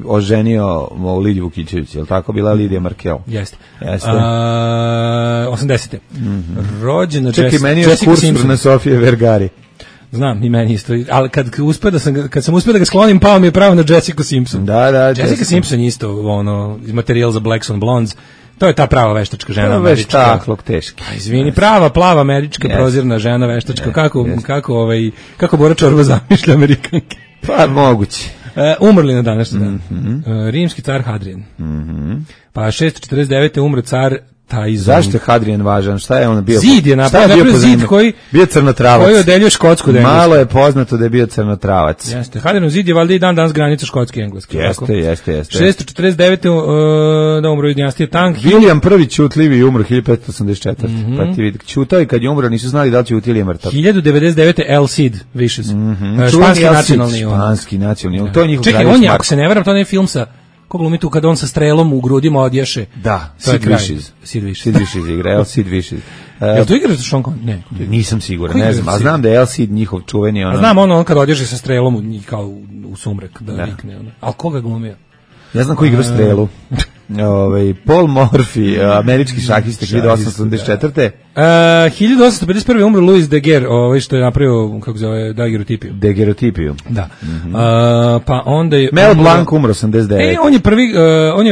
[SPEAKER 6] oženio Lidiju Vukićević, je li tako bila Lidija Mrkel?
[SPEAKER 5] Jeste. 80. Rođena
[SPEAKER 6] Jessica meni je kursor na Sofije Vergari.
[SPEAKER 5] Znam, i meni isto, ali kad sam uspio da ga sklonim, pao mi je pravo na Jessica Simpson.
[SPEAKER 6] Da.
[SPEAKER 5] Jessica Simpson isto, iz materijal za Blacks on Blondes. To je ta prava veštačka žena američka.
[SPEAKER 6] Veštaklog teški.
[SPEAKER 5] Izvini, prava, plava američka prozirna žena veštačka. Kako Bora Čorba zamišlja Amerikanke?
[SPEAKER 6] Pa moguće.
[SPEAKER 5] Umrli na današnji dan. Rimski car Hadrian. Pa 649. umro car Tajzon.
[SPEAKER 6] Zašto je Hadrian važan? Šta je on bio?
[SPEAKER 5] Zid je napravio zid koji
[SPEAKER 6] bio crnotravac.
[SPEAKER 5] Koji odeljuje Škotsku od Engleske.
[SPEAKER 6] Malo je poznato da je bio crnotravac.
[SPEAKER 5] Jeste. Hadrianov zid je valjda i dan danas granica Škotske i Engleske.
[SPEAKER 6] Jeste.
[SPEAKER 5] 649. da umro dinastija Tang.
[SPEAKER 6] William I Ćutljivi umro 1584. Pa ti vidi, ćutao i kad je umro nisu znali da li ćuti ili je mrtav.
[SPEAKER 5] 1099. El Cid Vicious.
[SPEAKER 6] Španski nacionalni. To je njihov
[SPEAKER 5] kralj. Čekaj, on je, ako se ne varam, to ne je film sa ko glumi tu kad on sa strelom u grudima odješe.
[SPEAKER 6] Da,
[SPEAKER 5] Sid Vicious
[SPEAKER 6] igra, El Cid Vicious.
[SPEAKER 5] Jel to igra za Sean Connery? Ne.
[SPEAKER 6] Nisam siguran, ne znam, a znam da je El Cid njihov čuveni.
[SPEAKER 5] A znam on kad odješe sa strelom kao u sumrak, da vikne. Ali koga glumio?
[SPEAKER 6] Ja znam ko igra strelu. Paul Morphy, američki šahista 1884.
[SPEAKER 5] 1851. umro Louis Daguerre, što je napravio, kako zove,
[SPEAKER 6] daguerreotipiju.
[SPEAKER 5] Da. Pa onda je
[SPEAKER 6] Mel Blanc umro 89.
[SPEAKER 5] On je prvi,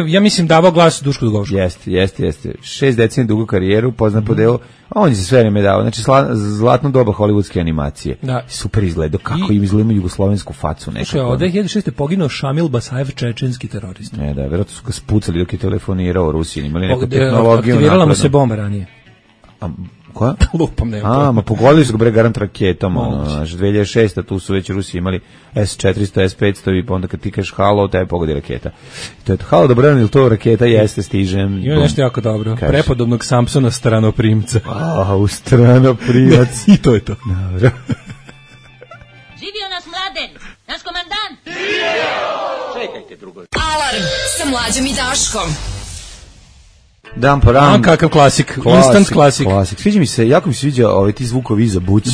[SPEAKER 5] ja mislim davao glas Dušku Dugovšku.
[SPEAKER 6] Jeste. 6 decenija dugu karijeru, poznat po delu, a on je se sve vreme dao. Znači, zlatno doba hollywoodske animacije.
[SPEAKER 5] Da.
[SPEAKER 6] Super izgledao, kako im izgledamo jugoslovensku facu nekako.
[SPEAKER 5] Od 2006. poginuo Šamil Basajev, čečenski terorist.
[SPEAKER 6] Da, verovatno su ga spucali dok je telefonirao u Rusiji, imali neku tehnologiju.
[SPEAKER 5] Aktivirala mu se bomba ranije.
[SPEAKER 6] Koja?
[SPEAKER 5] Lupam, nema.
[SPEAKER 6] Ma pogodili su ga bre garant raketom, ono, 2006. tu su već Rusi imali S-400, S-500 i pa onda kad ti kažeš halo, tebe pogodi raketa. To je to, halo, dobro, ili to raketa, jeste, stižem.
[SPEAKER 5] Ima nešto jako dobro. Kaži. Prepodobnog Samsona stranoprimca.
[SPEAKER 6] U stranoprimac.
[SPEAKER 5] I to je to.
[SPEAKER 6] Dobro.
[SPEAKER 4] Živio nas Mladen, naš komandant.
[SPEAKER 8] Čekajte drugo.
[SPEAKER 2] Alarm sa Mlađom i Daškom.
[SPEAKER 6] Dan po ran.
[SPEAKER 5] Kakav klasik, instant klasik.
[SPEAKER 6] Sviđa mi se, jako mi se sviđa ti zvukovi iza buć,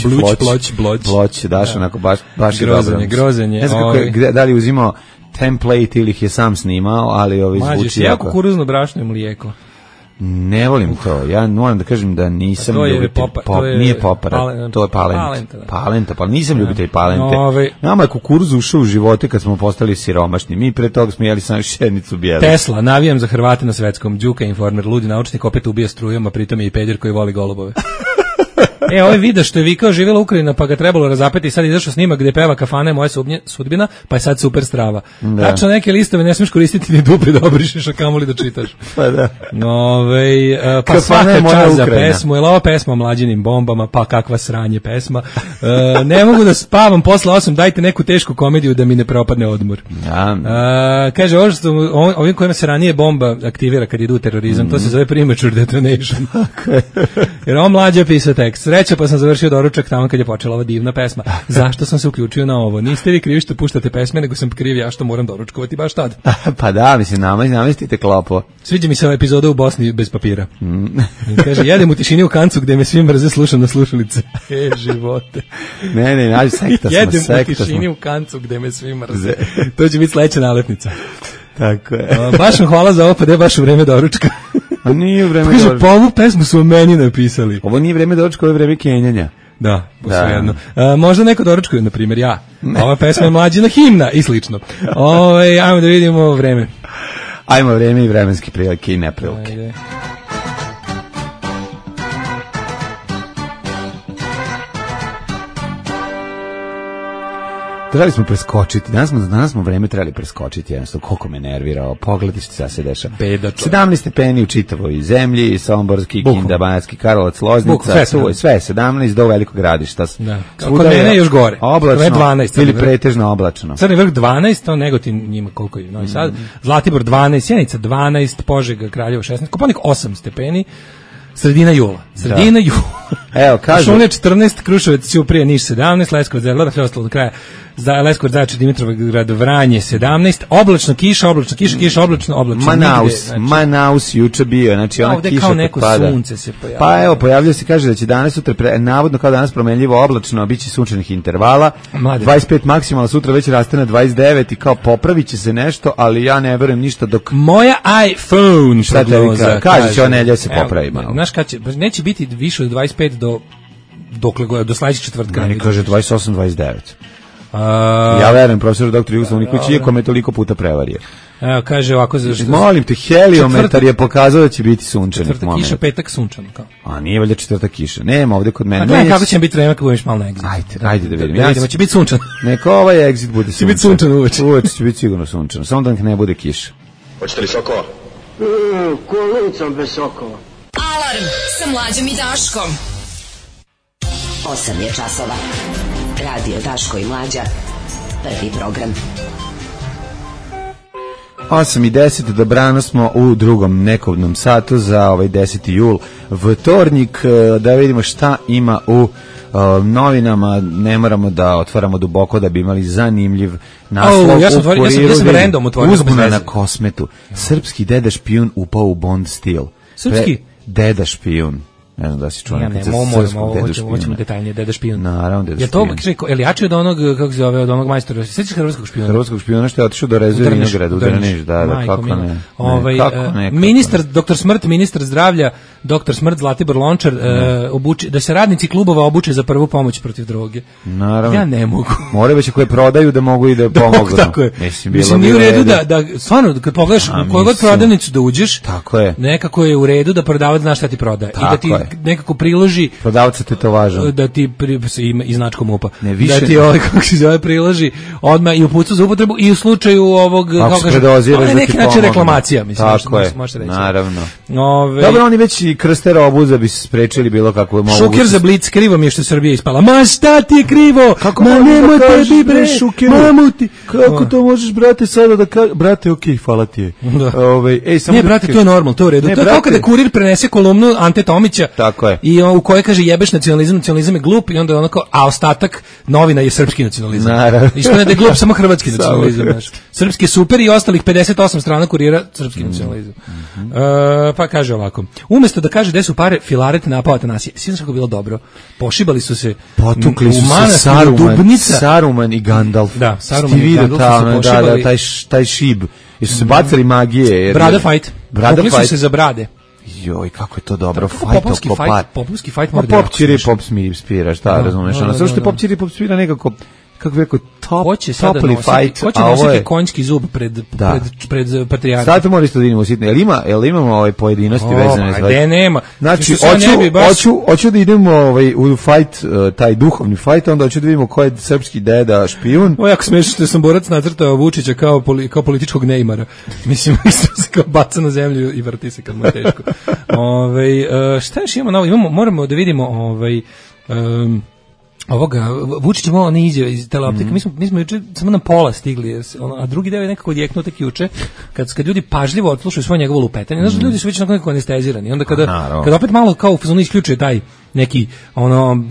[SPEAKER 6] ploč, daš onako baš je dobro.
[SPEAKER 5] Grozenje.
[SPEAKER 6] Ne znam kako da li uzimao template ili ih je sam snimao, ali zvuči jako.
[SPEAKER 5] Kukuruzno brašno i mlijeko.
[SPEAKER 6] Ne volim to. Ja moram da kažem da nisam ljubitelj nije popara, to je palenta, pa nisam ljubitelj palente. Nama je kukuruz ušao u živote kad smo postali siromašni. Mi pre toga smo jeli samo šenicu bijelu.
[SPEAKER 5] Tesla, navijam za Hrvate na svetskom. Đuka informer, ludi naučnik, opet ubija strujom, a pritom je i peder koji voli golubove. Ovaj video što je vikao živjela Ukrajina pa ga trebalo razapeti i sad izašao snimak gde peva kafana je moja sudbina, pa je sad super strava. Tačno neke listove ne smiješ koristiti ni dupli da obrišeš, a kamoli da čitaš.
[SPEAKER 6] Pa da.
[SPEAKER 5] Pa svaka čast za pesmu, je li ova pesma o mlađinim bombama, pa kakva sranje pesma. Ne mogu da spavam posle 8, dajte neku tešku komediju da mi ne propadne odmor. Kaže, ovim kojima se ranije bomba aktivira kad idu u terorizam, to se zove premature detonation. Jer on mlađe pisao tekst. Sreća, pa sam završio doručak tamo kad je počela ova divna pesma. Zašto sam se uključio na ovo? Niste vi krivi što puštate pesme, nego sam kriv ja što moram doručkovati baš tad.
[SPEAKER 6] Pa da, mislim, namestite klopo.
[SPEAKER 5] Sviđa mi se ova epizoda u Bosni bez papira. Kaže, jedem u tišini u kancu gde me svi mrze, slušam na slušalice. Živote.
[SPEAKER 6] Ne, nađi sekta smo.
[SPEAKER 5] Jedem u tišini u kancu gde me svi mrze. To će biti sledeća naletnica.
[SPEAKER 6] Tako je.
[SPEAKER 5] Baš vam hvala za ovo, pa da je baš u vreme doručka.
[SPEAKER 6] A nije vreme
[SPEAKER 5] doručka. Kaže, pa ovu pesmu su o meni napisali.
[SPEAKER 6] Ovo nije vreme doručka, ovo je vreme kenjanja.
[SPEAKER 5] Da, posvejedno. Možda neko doručkuje, na primjer ja. Ova pesma je mlađina himna i slično. Ajmo da vidimo vreme.
[SPEAKER 6] Ajmo vreme i vremenske prilike i neprilike. Ajde. Trebali smo preskočiti. Danas smo vreme trebali preskočiti. Jednostavno, koliko me nervirao. Pogledaj što se dešava. 17 stepeni u čitavoj zemlji, Somborski, Kinda, Banatski Karlovac, Loznica, sve 17 do Velikog Gradišta.
[SPEAKER 5] Kod mene je još gore.
[SPEAKER 6] Oblačno
[SPEAKER 5] 12,
[SPEAKER 6] ili pretežno oblačno.
[SPEAKER 5] Crni vrh 12, Negotin njima koliko je Novi Sad, Zlatibor 12, Sjenica 12, Požega, Kraljevo 16, Kopaonik 8 stepeni. Sredina jula.
[SPEAKER 6] Evo, kaže.
[SPEAKER 5] Šume 14, Kruševac, Ćuprija, Niš 17, Leskovac, Zaječar, sve ostalo do kraja. Leskovac, Zaječar, Dimitrovgrad, Vranje 17, oblačno, kiša, oblačno.
[SPEAKER 6] Manaus juče bio, znači ona kiša
[SPEAKER 5] kao neko sunce se pojavlja.
[SPEAKER 6] Pa evo, pojavljuje se, kaže da će danas sutra, navodno kao danas promenljivo oblačno, biće sunčanih intervala, 25 maksimalno, sutra već raste na 29 i kao popravit će se nešto, ali ja ne verujem ništa dok...
[SPEAKER 5] Moja iPhone
[SPEAKER 6] prognoza. Kaže će ona nedelja se popravi malo.
[SPEAKER 5] Znaš kad će, neće biti više od 25 do sledećeg četvrtka.
[SPEAKER 6] Meni kaže 28-29. Ja verujem profesoru doktoru Jugoslavu Nikoliću, iako me toliko puta prevario.
[SPEAKER 5] Evo, kaže ovako...
[SPEAKER 6] Molim te, heliometar je pokazao da će biti sunčanih
[SPEAKER 5] momenta. Četvrtak kiša, petak sunčano. Kao.
[SPEAKER 6] A nije valjda četvrtak kiša. Nema ovde kod mene.
[SPEAKER 5] A kako će biti vreme kad budeš malo na exit?
[SPEAKER 6] Ajde da vidimo.
[SPEAKER 5] Da vidimo, će biti sunčano.
[SPEAKER 6] Neka ovaj exit bude sunčan.
[SPEAKER 5] Će biti sunčano uveče.
[SPEAKER 6] Uveče će biti sigurno sunčano. Samo da ne bude kiša.
[SPEAKER 3] Hoćete li sokova?
[SPEAKER 1] Kolicom bez sokova.
[SPEAKER 2] Alarm sa Mlađom i Daškom.
[SPEAKER 9] 8 je časova. Radio Daško i Mlađa. Prvi program.
[SPEAKER 6] 8:10, dobrano smo u drugom nekovnom satu za ovaj 10. jul, vtornik, da vidimo šta ima u novinama. Ne moramo da otvaramo duboko da bi imali zanimljiv naslov.
[SPEAKER 5] Ja sam random otvorio.
[SPEAKER 6] Uzbuna na Kosmetu. Srpski deda špijun upao u Bond stil.
[SPEAKER 5] Srpski?
[SPEAKER 6] Deda špijun. Ne znam da si čuo nekad sa srpskog deda špijuna.
[SPEAKER 5] Hoćemo detaljnije, deda špijun.
[SPEAKER 6] Naravno, deda
[SPEAKER 5] špijun. Je to, ili jači od onog, kako se zove, od onog majstora? Sjećaš hrvatskog špijuna?
[SPEAKER 6] Hrvatskog špijuna što je otišao do Rezuje Vinograda, u Drniš, da, kako ne.
[SPEAKER 5] Ministar, doktor Smrt, ministar zdravlja, doktor Smrt, Zlatibor Lončar, da se radnici klubova obuče za prvu pomoć protiv droge.
[SPEAKER 6] Naravno.
[SPEAKER 5] Ja ne mogu.
[SPEAKER 6] More već koje prodaju da mogu i da pomognu.
[SPEAKER 5] Tako je. Mislim, nije u redu da, stvarno, kad pogledaš u koju god prodavnicu da uđeš, nekako je u redu da prodavac zna šta ti prodaje. I da ti nekako priloži
[SPEAKER 6] prodavca tetovaža.
[SPEAKER 5] Da ti ima i značkom MUP-a.
[SPEAKER 6] Više.
[SPEAKER 5] Da ti kako se zove priloži odmah i uputstvo za upotrebu i u slučaju ovog kako kaže neki način reklamacija, mislim.
[SPEAKER 6] Tako je,
[SPEAKER 5] može reći.
[SPEAKER 6] naravno. Dobro, oni već i krste robu da bi se sprečili bilo kako mogu.
[SPEAKER 5] Šuker za Blic, krivo mi je što Srbija ispala. Ma šta ti je krivo? Ma nemoj tebi bre, mamuti.
[SPEAKER 6] Kako to možeš, brate, sada da brate, okej, hvala ti je.
[SPEAKER 5] Ne, brate, to je normalno, to je u redu. To je kao kada Kurir prenese kolumnu Ante Tomića.
[SPEAKER 6] Tako je.
[SPEAKER 5] I u kojoj kaže jebeš nacionalizam je glup i onda onako, a ostatak novina je srpski nacionalizam. Ispane da je glup samo hrvatski nacionalizam. Srpski je super i ostalih 58 strana Kurira srpski nacionalizam. Pa kaže ovako. Umesto da kaže gde su pare, Filaret napao Atanasije. Svi kako bilo dobro. Pošibali su se.
[SPEAKER 6] Potukli su se Saruman i Gandalf.
[SPEAKER 5] Da, Saruman i Gandalf su se pošibali.
[SPEAKER 6] Taj šib. Jesu se bacali magije.
[SPEAKER 5] Brada fight. Pokli su se za brade.
[SPEAKER 6] Joj, kako je to dobro.
[SPEAKER 5] Popovski fight mora da
[SPEAKER 6] Pop čiri, pop spira, šta razumeš? Ono što pop čiri, pop spira nekako, kako bi rekao, topli fight.
[SPEAKER 5] Hoće nositi konjski zub pred patrijarhom.
[SPEAKER 6] Sad to mora isto da vidimo sitno. Jel imamo ove pojedinosti vezane?
[SPEAKER 5] Gde nema.
[SPEAKER 6] Znači, hoću da idemo u fight, taj duhovni fight, onda hoću da vidimo ko je srpski deda špijun.
[SPEAKER 5] Ovo jako smiješno što sam borac nacrtao Vučića kao političkog Neymara. Mislim, isto se kao baca na zemlju i vrti se kad mu je teško. Šta još imamo novo? Moramo da vidimo ovoga, Vučić malo ne izjave iz teleoptika. Mi smo juče samo na pola stigli, a drugi deo je nekako odjeknuo tek juče, kad ljudi pažljivo odslušaju svoje njegovo lupetanje. Znaš, ljudi su već nekako anestezirani. Onda kada opet malo kao fazon isključuje taj neki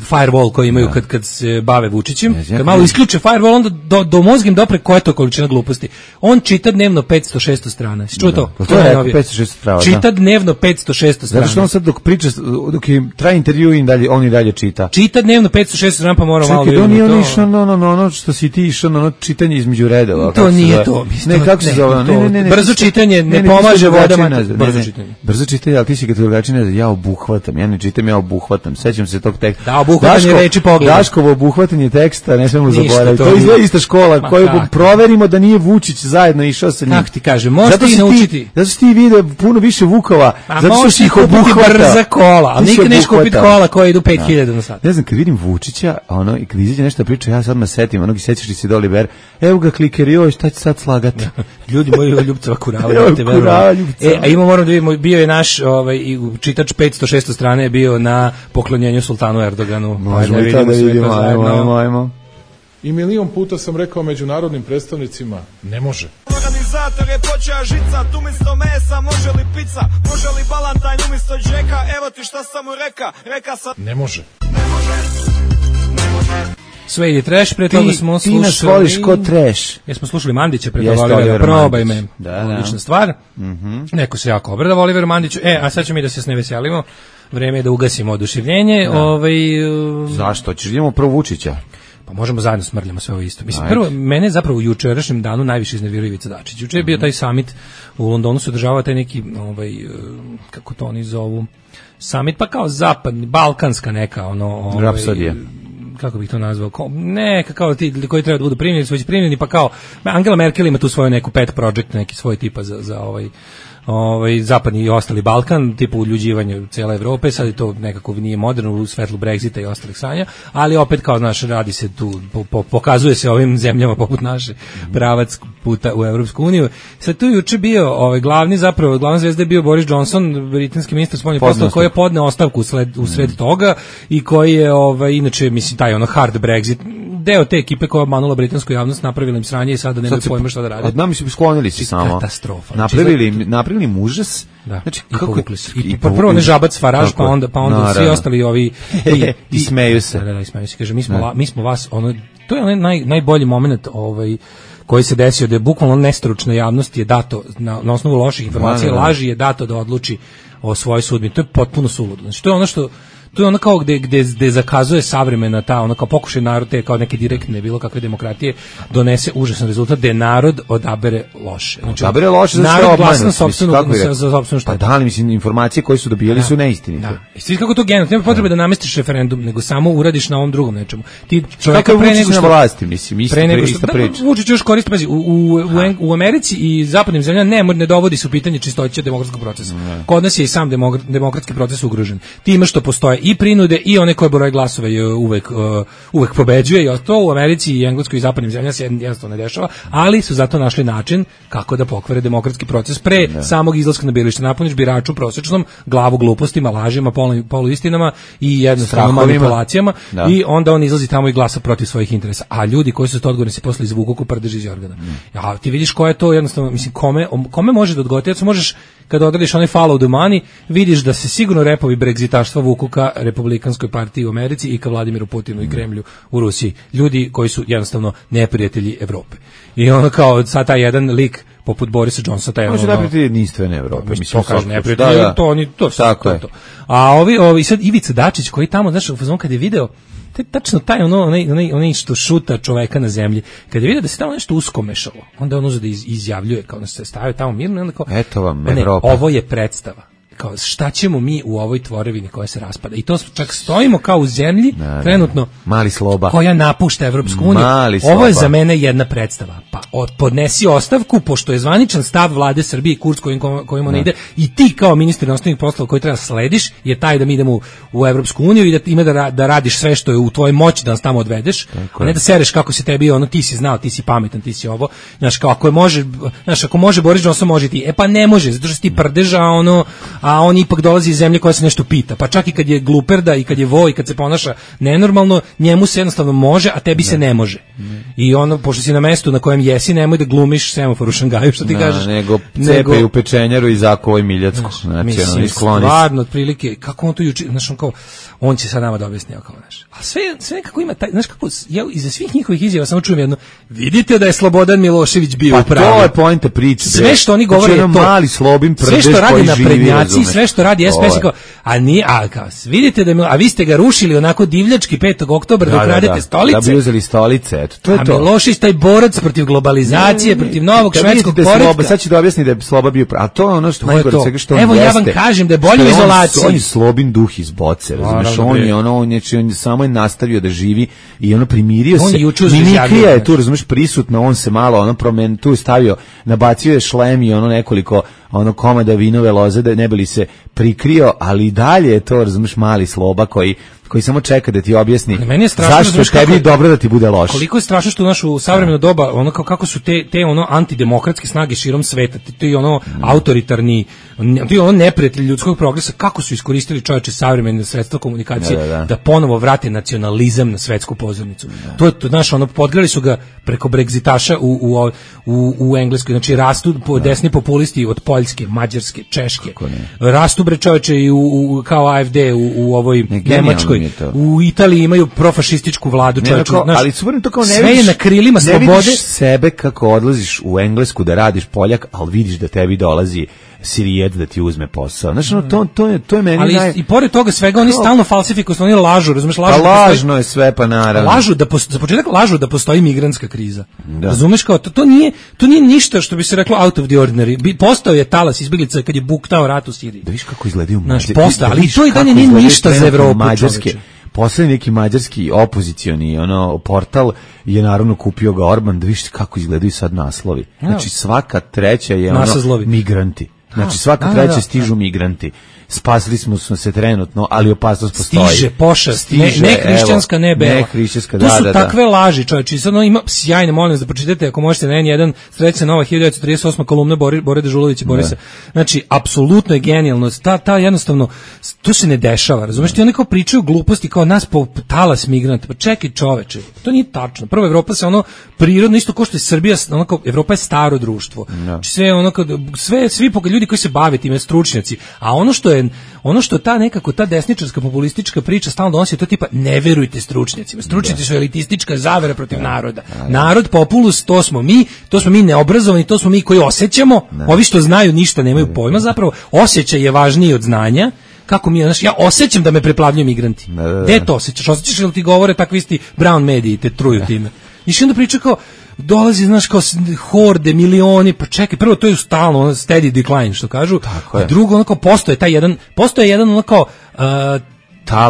[SPEAKER 5] firewall koji imaju kad se bave Vučićem, kad malo isključe firewall, onda do mozga im dopre koja je to količina gluposti. On čita dnevno 500-600 strana. Čuo to?
[SPEAKER 6] To je 500-600 strana.
[SPEAKER 5] Čita dnevno 500-600 strana.
[SPEAKER 6] Zato što on sad dok priča, dok traje intervju on i dalje čita.
[SPEAKER 5] Čita dnevno 500-600 strana, pa mora malo...
[SPEAKER 6] Čekaj, on nije on išao ono što si ti išao, ono čitanje između redova.
[SPEAKER 5] To nije to.
[SPEAKER 6] Ne, kako se zove?
[SPEAKER 5] Brzo čitanje ne pomaže vodama.
[SPEAKER 6] Brzo čitanje, ali ti si kad drugačije ne znam, ja obuhvatam, ja ne čitam, ja obuhvatam. Sećam se tog teksta.
[SPEAKER 5] Da, obuhvatanje reči pogleda.
[SPEAKER 6] Daškovo obuhvatanje teksta, ne smemo zaboraviti. To izgleda ista škola koju proverimo da nije Vučić zajedno išao sa njim.
[SPEAKER 5] Kako ti kažem, možete i naučiti.
[SPEAKER 6] Zato što ti vide puno više Vukova, zato što si ih obuhvata.
[SPEAKER 5] Brza kola, ali nikad neš kupiti kola koje idu 5000 na sat.
[SPEAKER 6] Ne znam, kad vidim Vučića, i kad izađe nešto priča, ja sad me setim, onog sećaš li se do Oliver, evo ga kliker, joj, šta će sad slagati?
[SPEAKER 5] Ljudi moji, Ljubcova kurava. A moram da vidimo, bio je naš čitač 500-600 strane je bio na poklonjenju sultanu Erdoganu.
[SPEAKER 6] Možemo i to da vidimo, ajmo.
[SPEAKER 10] I milion puta sam rekao međunarodnim predstavnicima, ne može.
[SPEAKER 11] Organizator je počeo žicat, umjesto mesa može li pizza, može li balantajn umjesto džeka, evo ti šta sam mu reka sam...
[SPEAKER 10] Ne može.
[SPEAKER 5] Sway Trash, pre toga smo slušali...
[SPEAKER 6] Ti nas voliš ko trash.
[SPEAKER 5] Jesmo slušali Mandića, pre toga Olivera, probaj me. Odlična stvar. Neko se jako obradava Oliveru Mandiću. A sad ćemo mi da se s ne veselimo. Vreme je da ugasimo oduševljenje.
[SPEAKER 6] Zašto? Ćeš idemo prvo Vučića?
[SPEAKER 5] Pa možemo zajedno smrljamo sve ovo isto. Mislim, prvo, mene zapravo u jučerašnjem danu najviše iznervirao Ivica Dačić. Juče je bio taj summit u Londonu, se održavao taj neki, kako to oni zovu, summit, pa kao zapadni, balkanska neka,
[SPEAKER 6] rapsodija.
[SPEAKER 5] Kako bih to nazvao, kao ti koji treba da budu primljeni, su već primljeni, pa kao Angela Merkel ima tu svoju neku pet project, neki svoj tipa za zapadni i ostali Balkan, tipu uljuđivanje cijele Evrope, sad je to nekako nije moderno u svetlu Brexita i ostalih sanja, ali opet kao znaš, radi se tu, pokazuje se ovim zemljama poput naše pravac puta u Evropsku uniju. Sad tu juče bio glavna zvezda je bio Boris Johnson, britanski ministar spoljnih poslova, koji je podneo ostavku usred toga i koji je inače, mislim, taj hard Brexit, deo te ekipe koja je obmanula britansku javnost, napravila im sranje i sada nemaju pojma šta da rade.
[SPEAKER 6] Od nama su sklonili se samo.
[SPEAKER 5] Katastrofa.
[SPEAKER 6] Napravili im užas.
[SPEAKER 5] Da. Znači, povukli se. I prvo ne Žabac Faraž, pa onda svi ostali ovi...
[SPEAKER 6] I smeju se.
[SPEAKER 5] Da, smeju se. Kaže, mi smo vas, to je onaj najbolji moment koji se desio, da je bukvalno nestručna javnost je dato, na osnovu loših informacija, laži je dato da odluči o svojoj sudbini. To je potpuno suludo. Znači, to je ono što to je ono kao gde zakazuje savremena ta, ono kao pokušaj narod te kao neke direktne bilo kakve demokratije donese užasan rezultat gde narod odabere loše. Znači,
[SPEAKER 6] odabere loše za
[SPEAKER 5] narod glasa na
[SPEAKER 6] sopstvenu šta. Pa da li, mislim, informacije koje su dobijali su neistinite.
[SPEAKER 5] Da. I svi kako to generalno, nema potrebe da namestiš referendum, nego samo uradiš na ovom drugom nečemu. Ti
[SPEAKER 6] čovjeka pre nego što na vlasti, mislim, ista priča.
[SPEAKER 5] Vučić još koristi, pazi, u Americi i zapadnim zemljama ne dovodi se u pitanje čistoća demokratskog procesa. Kod nas je i sam demokratski proces ugrožen. Time što postoje i prinude i one koje broj glasova je uvek pobeđuje, i to u Americi i Engleskoj i zapadnim zemljama se jednostavno ne dešava, ali su zato našli način kako da pokvare demokratski proces pre samog izlaska na biralište. Napuniš biraču prosječnom glavu glupostima, lažima, poluistinama i jednostavno manipulacijama i onda on izlazi tamo i glasa protiv svojih interesa. A ljudi koji su to odgovorni se posle izvuku ko prdež iz jorgana. Ja, ti vidiš ko je to jednostavno, mislim, kome može da odgovori? Ti možeš, kada odradiš onaj follow the money, vidiš da se sigurno repovi bregzitaštva vuku ka Republikanskoj partiji u Americi i ka Vladimiru Putinu i Kremlju u Rusiji. Ljudi koji su jednostavno neprijatelji Evrope. I ono kao sad taj jedan lik poput Borisa Johnsona, taj
[SPEAKER 6] može neprijatelji jedinstvene Evrope.
[SPEAKER 5] Mislim, to kaže neprijatelji, to tako je. A ovi sad Ivica Dačić koji tamo, znaš, u fazonu kad je video tačno taj onaj što šuta čoveka na zemlji, kad je vidio da se tamo nešto uskomešalo, onda on uzeo da izjavljuje, kao da se stavio tamo mirno i onda kao,
[SPEAKER 6] eto vam Evropa.
[SPEAKER 5] Ovo je predstava. Kao, šta ćemo mi u ovoj tvorevini koja se raspada? I to čak stojimo kao u zemlji, trenutno,
[SPEAKER 6] mali sloba,
[SPEAKER 5] koja napušta Evropsku uniju. Ovo je za mene jedna predstava. Pa podnesi ostavku, pošto je zvaničan stav vlade Srbije i kurs kojim ona ide, i ti kao ministar inostranih poslova koji treba slediš, je taj da mi idemo u Evropsku uniju i da ima da radiš sve što je u tvojoj moći da nas tamo odvedeš, a ne da sereš kako si tebi, ono, ti si znao, ti si pametan, ti si ovo. Znaš, kao, ako može Boris Johnson, može ti. E pa ne može, zato što si ti prdeža, a on ipak dolazi iz zemlje koja se nešto pita. Pa čak i kad je gluperda i kad je vo i kad se ponaša nenormalno, njemu se jednostavno može, a tebi se ne može. I ono, pošto si na mestu na kojem jesi, nemoj da glumiš semafor u Šangaju, što ti kažeš.
[SPEAKER 6] Nego cepe u pečenjaru i zakovoj Miljacku. Znači,
[SPEAKER 5] mislim, stvarno, otprilike, kako on to juče, znaš, on kao, on će sad nama da objasni, kao, znaš. A sve kako ima taj, znaš kako, ja iza svih njihovih izjava samo čujem jedno, vidite da je Slobodan Milošević bio u pravu.
[SPEAKER 6] Pa to je poenta priče.
[SPEAKER 5] Sve što oni govore je to.
[SPEAKER 6] Mali slobin prdež
[SPEAKER 5] sve što radi
[SPEAKER 6] na
[SPEAKER 5] prednjaci, sve što radi SPS, kao, vidite da a vi ste ga rušili onako divljački 5. oktobra dok radite stolice.
[SPEAKER 6] Da bi uzeli stolice, eto, to je to.
[SPEAKER 5] A Milošić taj borac protiv globalizacije, protiv novog švedskog poretka.
[SPEAKER 6] Sad ću da objasnim da je Sloba bio prav. A to je ono što najgore svega što on
[SPEAKER 5] jeste. Evo ja vam kažem da je bolje u izolaciji.
[SPEAKER 6] On je Slobin duh iz boce, razumeš? On samo je nastavio da živi i ono primirio se. Minikija je tu, razumeš, prisutno, on se malo tu stavio, nabacio je šlem i nekoliko komada vinove loze da ne bi li se prikrio, ali i dalje je to, razumeš, mali Sloba koji samo čeka da ti objasni zašto je tebi dobro da ti bude loše.
[SPEAKER 5] Koliko je strašno što u našu savremeno doba, kako su te antidemokratske snage širom sveta, ti autoritarni, ti neprijatelji ljudskog progresa, kako su iskoristili čoveče savremene sredstva komunikacije da ponovo vrate nacionalizam na svetsku pozornicu. To je naš, podgrali su ga preko bregzitaša u Engleskoj, znači rastu desni populisti od Poljske, Mađarske, Češke, rastu bre čoveče i kao AFD u ovoj Nemačkoj. U Italiji imaju profašističku vladu, čovječe.
[SPEAKER 6] Ali super to kao
[SPEAKER 5] sve je na krilima slobode.
[SPEAKER 6] Ne vidiš sebe kako odlaziš u Englesku da radiš Poljak, ali vidiš da tebi dolazi Sirijed da ti uzme posao. Znači, to je meni
[SPEAKER 5] ali i pored toga svega, oni stalno falsifikuju, oni lažu, razumeš,
[SPEAKER 6] lažno je sve, pa naravno.
[SPEAKER 5] Za početak lažu da postoji migrantska kriza. Razumeš, kao, to nije ništa što bi se reklo out of the ordinary. Postao je talas izbjeglica kad je buktao rat u Siriji.
[SPEAKER 6] Da viš kako izgledaju
[SPEAKER 5] Mađarske. Ali to i dalje nije ništa za Evropu,
[SPEAKER 6] čoveče. Poslednji neki mađarski opozicioni portal je naravno kupio ga Orban, da viš kako izgledaju sad naslovi. Znači svaka treća je migranti. Znači svaka treća stižu migranti. Spasili smo se trenutno, ali opasnost postoji.
[SPEAKER 5] Stiže pošast, ne hrišćanska, ne bela.
[SPEAKER 6] Ne hrišćanska,
[SPEAKER 5] to su takve laži, čovječe. Sad ima sjajne, molim vas da pročitate, ako možete na N1, Srećna nova 1938. kolumna Bore Dežulovića Borisa. Znači, apsolutno je genijalno. Ta jednostavno, to se ne dešava, razumeš? Ti oni kao pričaju gluposti, kao nas po talas migranta. Pa čekaj, čoveče, to nije tačno. Prvo, Evropa se prirodno, isto kao što je Srbija, Evropa je staro društvo. Znači, svi ljudi koji se bave time, stručnjaci, a ono što ta desničarska populistička priča stalno donosi, to tipa ne verujte stručnjacima. Stručnjaci su elitistička zavera protiv naroda. Narod, populus, to smo mi neobrazovani, to smo mi koji osjećamo. Ovi što znaju ništa nemaju pojma, zapravo osjećaj je važniji od znanja. kako mi, znaš, ja osjećam da me preplavljuju migranti. Gde to osjećaš? Osjećaš li ti govore takvi isti brown mediji te truju time? I što onda priča kao, dolazi, znaš, kao horde, milioni, pa čekaj, prvo to je stalno, steady decline, što kažu, a drugo, ono kao, postoje jedan ono kao,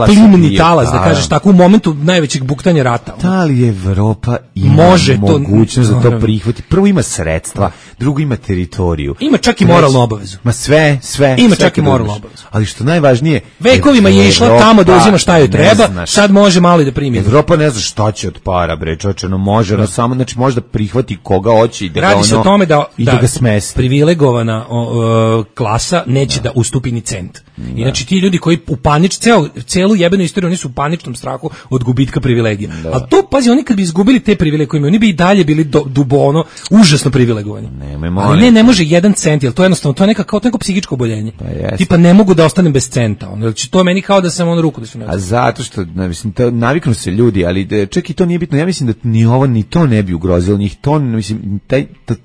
[SPEAKER 5] plimni talas, da kažeš tako, u momentu najvećeg buktanja rata.
[SPEAKER 6] Da li Evropa ima mogućnost da to prihvati? Prvo ima sredstva, drugo ima teritoriju.
[SPEAKER 5] Ima čak i moralnu obavezu.
[SPEAKER 6] Ma sve.
[SPEAKER 5] Ima čak i moralnu obavezu.
[SPEAKER 6] Ali što najvažnije,
[SPEAKER 5] vekovima je išla tamo da uzima šta joj treba, sad može malo i da primi.
[SPEAKER 6] Evropa ne zna šta će od para, bre, čoveče, može, no samo, znači može da prihvati koga hoće i da
[SPEAKER 5] radi se o tome da
[SPEAKER 6] ga smesti.
[SPEAKER 5] Privilegovana klasa neće da ustupi ni cent. I znači ti ljudi koji u celu jebenu istoriju, oni su u paničnom strahu od gubitka privilegija. A to, pazi, oni kad bi izgubili te privilegije, oni bi i dalje bili dubono, užasno privilegovani. Ali ne može 1 cent, jer to jednostavno, to je neko psihičko oboljenje. Tipa, ne mogu da ostanem bez centa. Znači, to je meni kao da sam ruku da su
[SPEAKER 6] A zato što, mislim, naviknu se ljudi, ali čak i to nije bitno. Ja mislim da ni ovo, ni to ne bi ugrozilo njih. To, mislim,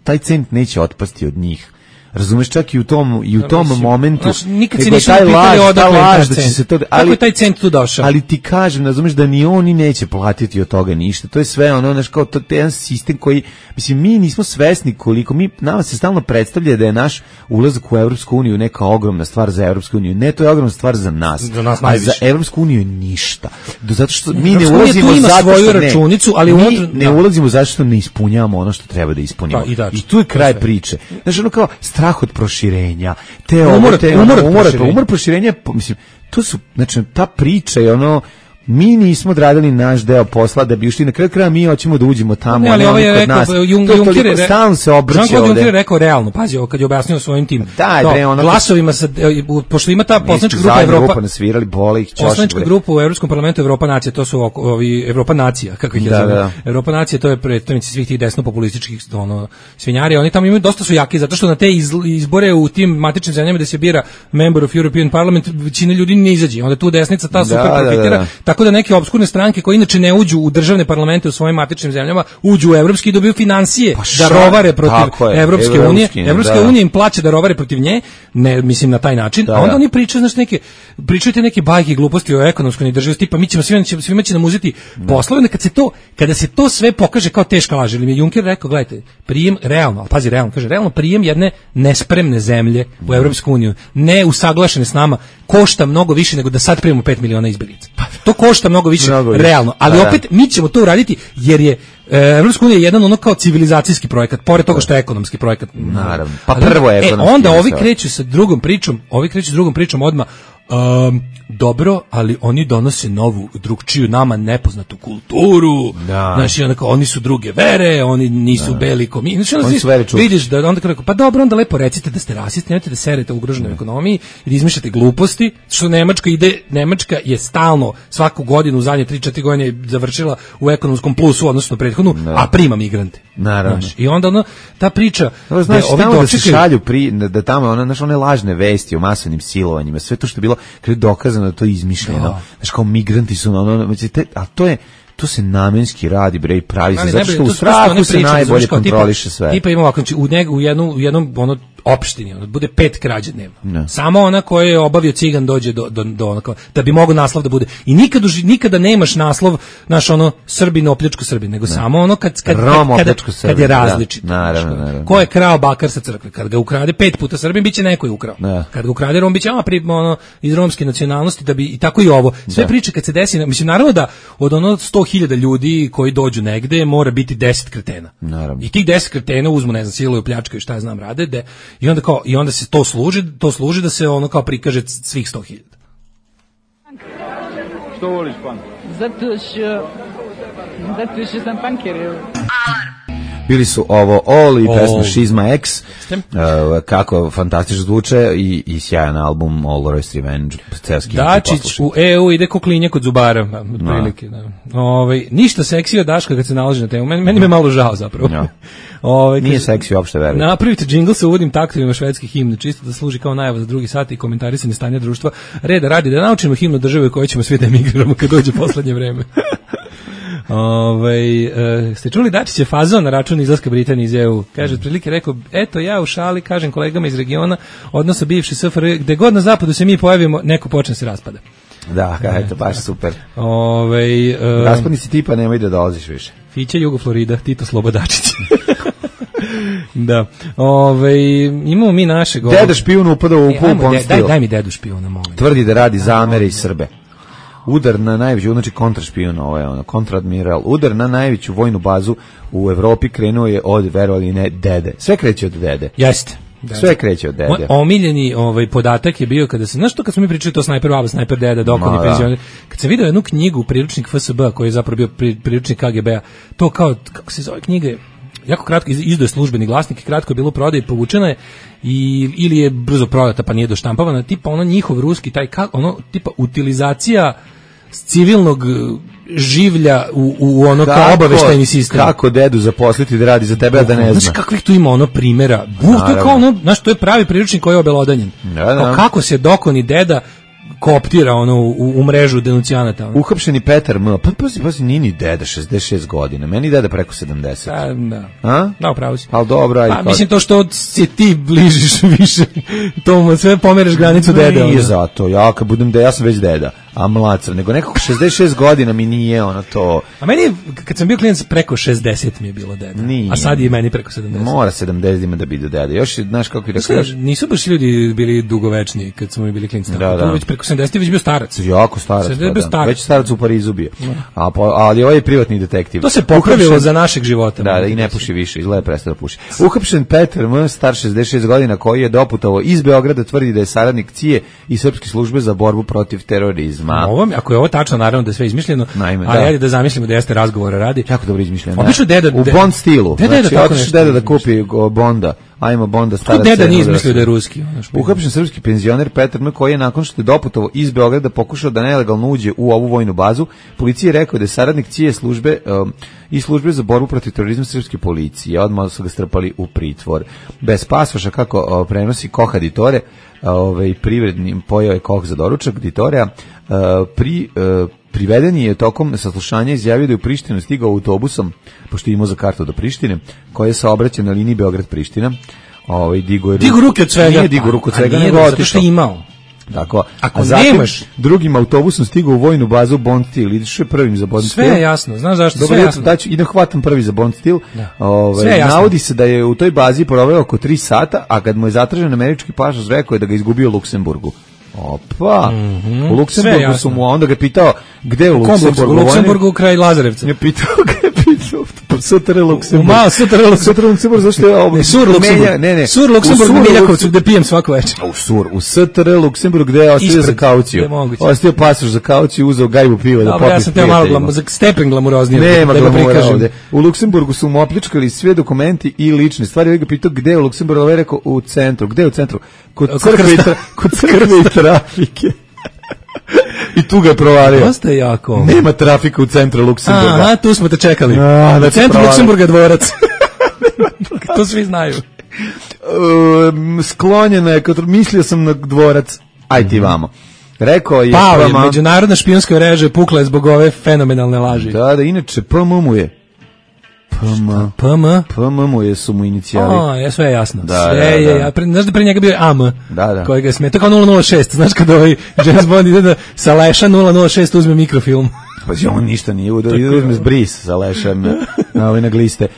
[SPEAKER 6] taj cent neće otpasti od njih. Razumeš, čak i u tom momentu,
[SPEAKER 5] nikad se nisu pitali odakle je taj cent. Kako je taj cent tu došao?
[SPEAKER 6] Ali ti kažem, razumeš, da ni oni neće platiti od toga ništa. To je sve ono, znaš, kao to je jedan sistem koji, mislim, mi nismo svesni koliko, nama se stalno predstavlja da je naš ulazak u Evropsku uniju neka ogromna stvar za Evropsku uniju. Ne, to je ogromna stvar za nas. A za Evropsku uniju je ništa. Zato što mi ne ulazimo zato što ne ulazimo zato što ne ispunjavamo ono što treba da ispunimo. I tu je kraj priče. Znaš, ono kao strah od proširenja, umor proširenja, mislim, to su, znači, ta priča je ono, mi nismo odradili naš deo posla da bi ušli na kraju kraja, mi hoćemo da uđemo tamo,
[SPEAKER 5] ali ovo je rekao,
[SPEAKER 6] stalno se obrće ovde.
[SPEAKER 5] Juncker je rekao realno, pazi, kad je objasnio svojim tim glasovima, pošto ima ta poslanička grupa Evropa, poslanička grupa u Evropskom parlamentu Evropa nacija, to su ovi Evropa nacija, kako ih je zove. Evropa nacija, to je predstavnici svih tih desno-populističkih svinjari, oni tamo imaju, dosta su jaki, zato što na te izbore u tim matičnim zemljama gde se bira member of European Parliament, većina ljudi ne izađe, onda tu desnica ta super profitira. Tako da neke opskurne stranke koje inače ne uđu u državne parlamente u svojim matičnim zemljama, uđu u evropski i dobiju financije da rovare protiv Evropske unije. Evropska unija im plaća da rovare protiv nje, ne mislim na taj način. A onda oni pričaju, znači pričaju neke bajke i gluposti o ekonomskoj neodrživosti, tipa mi ćemo svima će nam uzeti poslove, kada se to sve pokaže kao teška laž. Ili mi je Juncker rekao, gledajte, prijem realno, al pazi realno, kaže realno prijem jedne nespremne zemlje u Evropsku uniju, ne usaglašene s nama, košta mnogo više nego da sad primimo 5 miliona izbeglica. To košta mnogo više, realno, ali opet mi ćemo to uraditi jer je Evropska unija jedan ono kao civilizacijski projekat, pored toga što je ekonomski projekat.
[SPEAKER 6] Naravno. Pa prvo je ekonomski.
[SPEAKER 5] Onda ovi kreću sa drugom pričom odmah. Dobro, ali oni donose novu, drugčiju, nama nepoznatu kulturu. Znači, oni su druge vere, oni nisu beli ko mi. Znači,
[SPEAKER 6] oni su vere čuti.
[SPEAKER 5] Vidiš da onda kako, pa dobro, onda lepo recite da ste rasisti, nemojte da serete u ugroženoj ekonomiji i da izmišljate gluposti, što Nemačka je stalno svaku godinu u zadnje 3-4 godine završila u ekonomskom plusu odnosno prethodnu, a prima migrante.
[SPEAKER 6] Naravno.
[SPEAKER 5] Znači, i onda ta priča,
[SPEAKER 6] znači, da se šalju da tamo one lažne vesti o masovnim silovanjima, sve to što je bilo kada je dokazano da to je izmišljeno. Znači, kao migranti su a to se namenski radi, bre, i pravi se, zato što u strahu se najbolje kontroliše sve.
[SPEAKER 5] Tipa ima ovako, u jednom opštini, bude 5 krađa dnevno. Samo ona koja je obavio cigan dođe do onako, da bi mogao naslov da bude. I nikada nemaš naslov, naš ono, Srbin opljačko Srbin, nego samo ono kad je različito.
[SPEAKER 6] Naravno.
[SPEAKER 5] Ko je krao bakar sa crkve? Kad ga ukrade 5 puta Srbin, biće neko je ukrao. Kad ga ukrade Rom, biće iz romske nacionalnosti, da bi, i tako i ovo. Sve priče kad se desi, mislim, naravno da od 100.000 ljudi koji dođu negde mora biti 10 kretena.
[SPEAKER 6] Naravno.
[SPEAKER 5] I tih 10 kretena uzmu, ne znam, siluju, pljačkaju, šta ja znam, rade, i onda se to služi da se ono kao prikaže svih 100.000.
[SPEAKER 11] Što voliš punk?
[SPEAKER 12] Zato što sam punker.
[SPEAKER 6] Bili su ovo All i pesma Šizma X, kako fantastično zvuče i sjajan album All Royce Revenge.
[SPEAKER 5] Dačić u EU ide ko klinje kod zubara, otprilike. Ništa seksi od Daška kad se nalazi na temu, meni me malo žao zapravo.
[SPEAKER 6] Nije seksi uopšte, verujte.
[SPEAKER 5] Napravite džingl sa uvodnim taktovima švedskih himne, čisto da služi kao najava za drugi sat i komentarisanje stanja društva. Reda radi da naučimo himnu države koje ćemo svi da emigriramo kad dođe poslednje vreme. Ste čuli Dačića fazon na račun izlaska Britanije iz EU? Kaže, otprilike rekao, eto ja u šali kažem kolegama iz regiona, odnosno bivši SFRJ, gde god na zapadu se mi pojavimo, neko počne se raspada.
[SPEAKER 6] Da, eto, baš super. Raspadnici tipa nemoj da dolaziš više.
[SPEAKER 5] Fića Jugo Florida, Tito Slobodačić. Da. Imamo mi našeg...
[SPEAKER 6] Deda špijun upada u Bond stil.
[SPEAKER 5] Daj mi dedu špijuna, molim.
[SPEAKER 6] Tvrdi da radi za Amere i Srbe. Udar na najveću, znači kontrašpijun, kontradmiral. Udar na najveću vojnu bazu u Evropi krenuo je od, verovali ne, dede. Sve kreće od dede.
[SPEAKER 5] Jeste.
[SPEAKER 6] Sve kreće od dede.
[SPEAKER 5] Moj omiljeni podatak je bio kada se, znaš to kad smo mi pričali to snajper baba, snajper deda, dokon i penzioner, kad sam vidio jednu knjigu, priručnik FSB, koji je zapravo bio priručnik KGB-a, to kao, kako se zove knjiga, jako kratko izdaje Službeni glasnik, kratko je bilo prodaje, povučena je ili je brzo prodata pa nije doštampavana, tipa ono njihov ruski, taj tipa utilizacija civilnog življa u ono kao obaveštajni sistem.
[SPEAKER 6] Kako dedu zaposliti da radi za tebe, a da ne zna.
[SPEAKER 5] Znaš kakvih tu ima ono primjera? To je kao ono, znaš, to je pravi priručnik koji je obelodanjen. Kako se dokoni deda kooptira ono u mrežu denuncijanata.
[SPEAKER 6] Uhapšeni Petar M. Pazi, nije ni deda 66 godina. Meni deda preko 70.
[SPEAKER 5] Da. Da, upravo si.
[SPEAKER 6] Ali dobro, ajde.
[SPEAKER 5] Mislim to što se ti bližiš više, to mu sve pomereš granicu dede.
[SPEAKER 6] Nije zato. Ja sam već deda, a mlacar. Nego nekako 66 godina mi nije ono to.
[SPEAKER 5] A meni, kad sam bio klijent, preko 60 mi je bilo deda.
[SPEAKER 6] Nije.
[SPEAKER 5] A sad je meni preko 70.
[SPEAKER 6] Mora 70 ima da bi do deda. Još, znaš kako je rekao.
[SPEAKER 5] Nisu baš ljudi bili dugovečni kad smo mi bili klijenti.
[SPEAKER 6] Da.
[SPEAKER 5] Već preko 70 već bio starac.
[SPEAKER 6] Jako starac. Već starac u Parizu bio. Ali ovaj je privatni detektiv.
[SPEAKER 5] To se popravilo za našeg života.
[SPEAKER 6] Da, i ne puši više, izgleda prestao da puši. Uhapšen Petar M, star 66 godina, koji je doputovao iz Beograda, tvrdi da je saradnik CIA i srpske službe za borbu protiv terorizma.
[SPEAKER 5] Ako je ovo tačno, naravno da je sve izmišljeno, ali ajde da zamislimo da jeste razgovora radi.
[SPEAKER 6] Jako dobro izmišljeno.
[SPEAKER 5] Obično deda
[SPEAKER 6] u Bond stilu. Znači, otiš deda da kupi Bonda. Ajmo Bonda stara.
[SPEAKER 5] Deda nije izmislio da je ruski.
[SPEAKER 6] Uhapšen srpski penzioner Petar M, koji je nakon što je doputovao iz Beograda pokušao da nelegalno uđe u ovu vojnu bazu, policija je rekao da je saradnik CIA službe i službe za borbu protiv terorizma srpske policije. Odmah su ga strpali u pritvor. Bez pasoša, kako prenosi Koha Ditore, privrednim pojao je Koh za doručak Ditorea, priveden je tokom saslušanja izjavio da je u Prištinu stigao autobusom, pošto je imao za kartu do Prištine, koja je saobraćao na liniji Beograd-Priština.
[SPEAKER 5] Digu ruke od svega.
[SPEAKER 6] Nije digu ruke od svega, nego
[SPEAKER 5] zato što je imao.
[SPEAKER 6] Tako,
[SPEAKER 5] ako
[SPEAKER 6] nemaš drugim autobusom stigao u vojnu bazu Bond Steel, ideš prvim za Bond Steel.
[SPEAKER 5] Sve je jasno, znaš zašto?
[SPEAKER 6] Dobro,
[SPEAKER 5] sve je jasno.
[SPEAKER 6] Idem hvatam prvi za Bond Steel. Navodi se da je u toj bazi proveo oko 3 sata, a kad mu je zatražen američki pasoš, rekao je da ga izgubio u Luksemburgu. Opa, u Luksemburgu su mu, a onda ga pitao gde u Luksemburgu?
[SPEAKER 5] U Luksemburgu kraj Lazarevca.
[SPEAKER 6] Je pitao STR Luksemburg.
[SPEAKER 5] STR
[SPEAKER 6] Luksemburg, zašto je ovo?
[SPEAKER 5] Sur Luksemburg. Sur Luksemburg u Miljakovcu, gde pijem svako večer.
[SPEAKER 6] U STR Luksemburg, gde je ostavio za kauciju. Ostavio pasoš za kauciju, uzeo gajbu piva da popije.
[SPEAKER 5] Ja sam teo malo stepen glamuroznije.
[SPEAKER 6] Nema glamura ovde. U Luksemburgu su mu opljačkali sve dokumenti i lične stvari. Ja ga pitao gde je u Luksemburgu, ovaj rekao u centru. Gde je u centru? Kod crkve i trafike. I tu ga je provalio.
[SPEAKER 5] Dosta je jako.
[SPEAKER 6] Nema trafika u centru Luksemburga.
[SPEAKER 5] Aha, tu smo te čekali. U centru Luksemburga dvorac. To svi znaju.
[SPEAKER 6] Sklonjena je, mislio sam na dvorac. Aj ti vamo. Rekao je...
[SPEAKER 5] međunarodna špijunska mreža pukla je zbog ove fenomenalne laži.
[SPEAKER 6] Da, inače, PM mu je. PM mu je su mu inicijali.
[SPEAKER 5] Ja sve je jasno. Sve je. Znaš da pre njega bio je AM, kojega smeta kao 006. Znaš kada ovaj James Bond ide da sa leša 006 uzme mikrofilm.
[SPEAKER 6] Pa on ništa nije uzme bris sa lešem na gliste.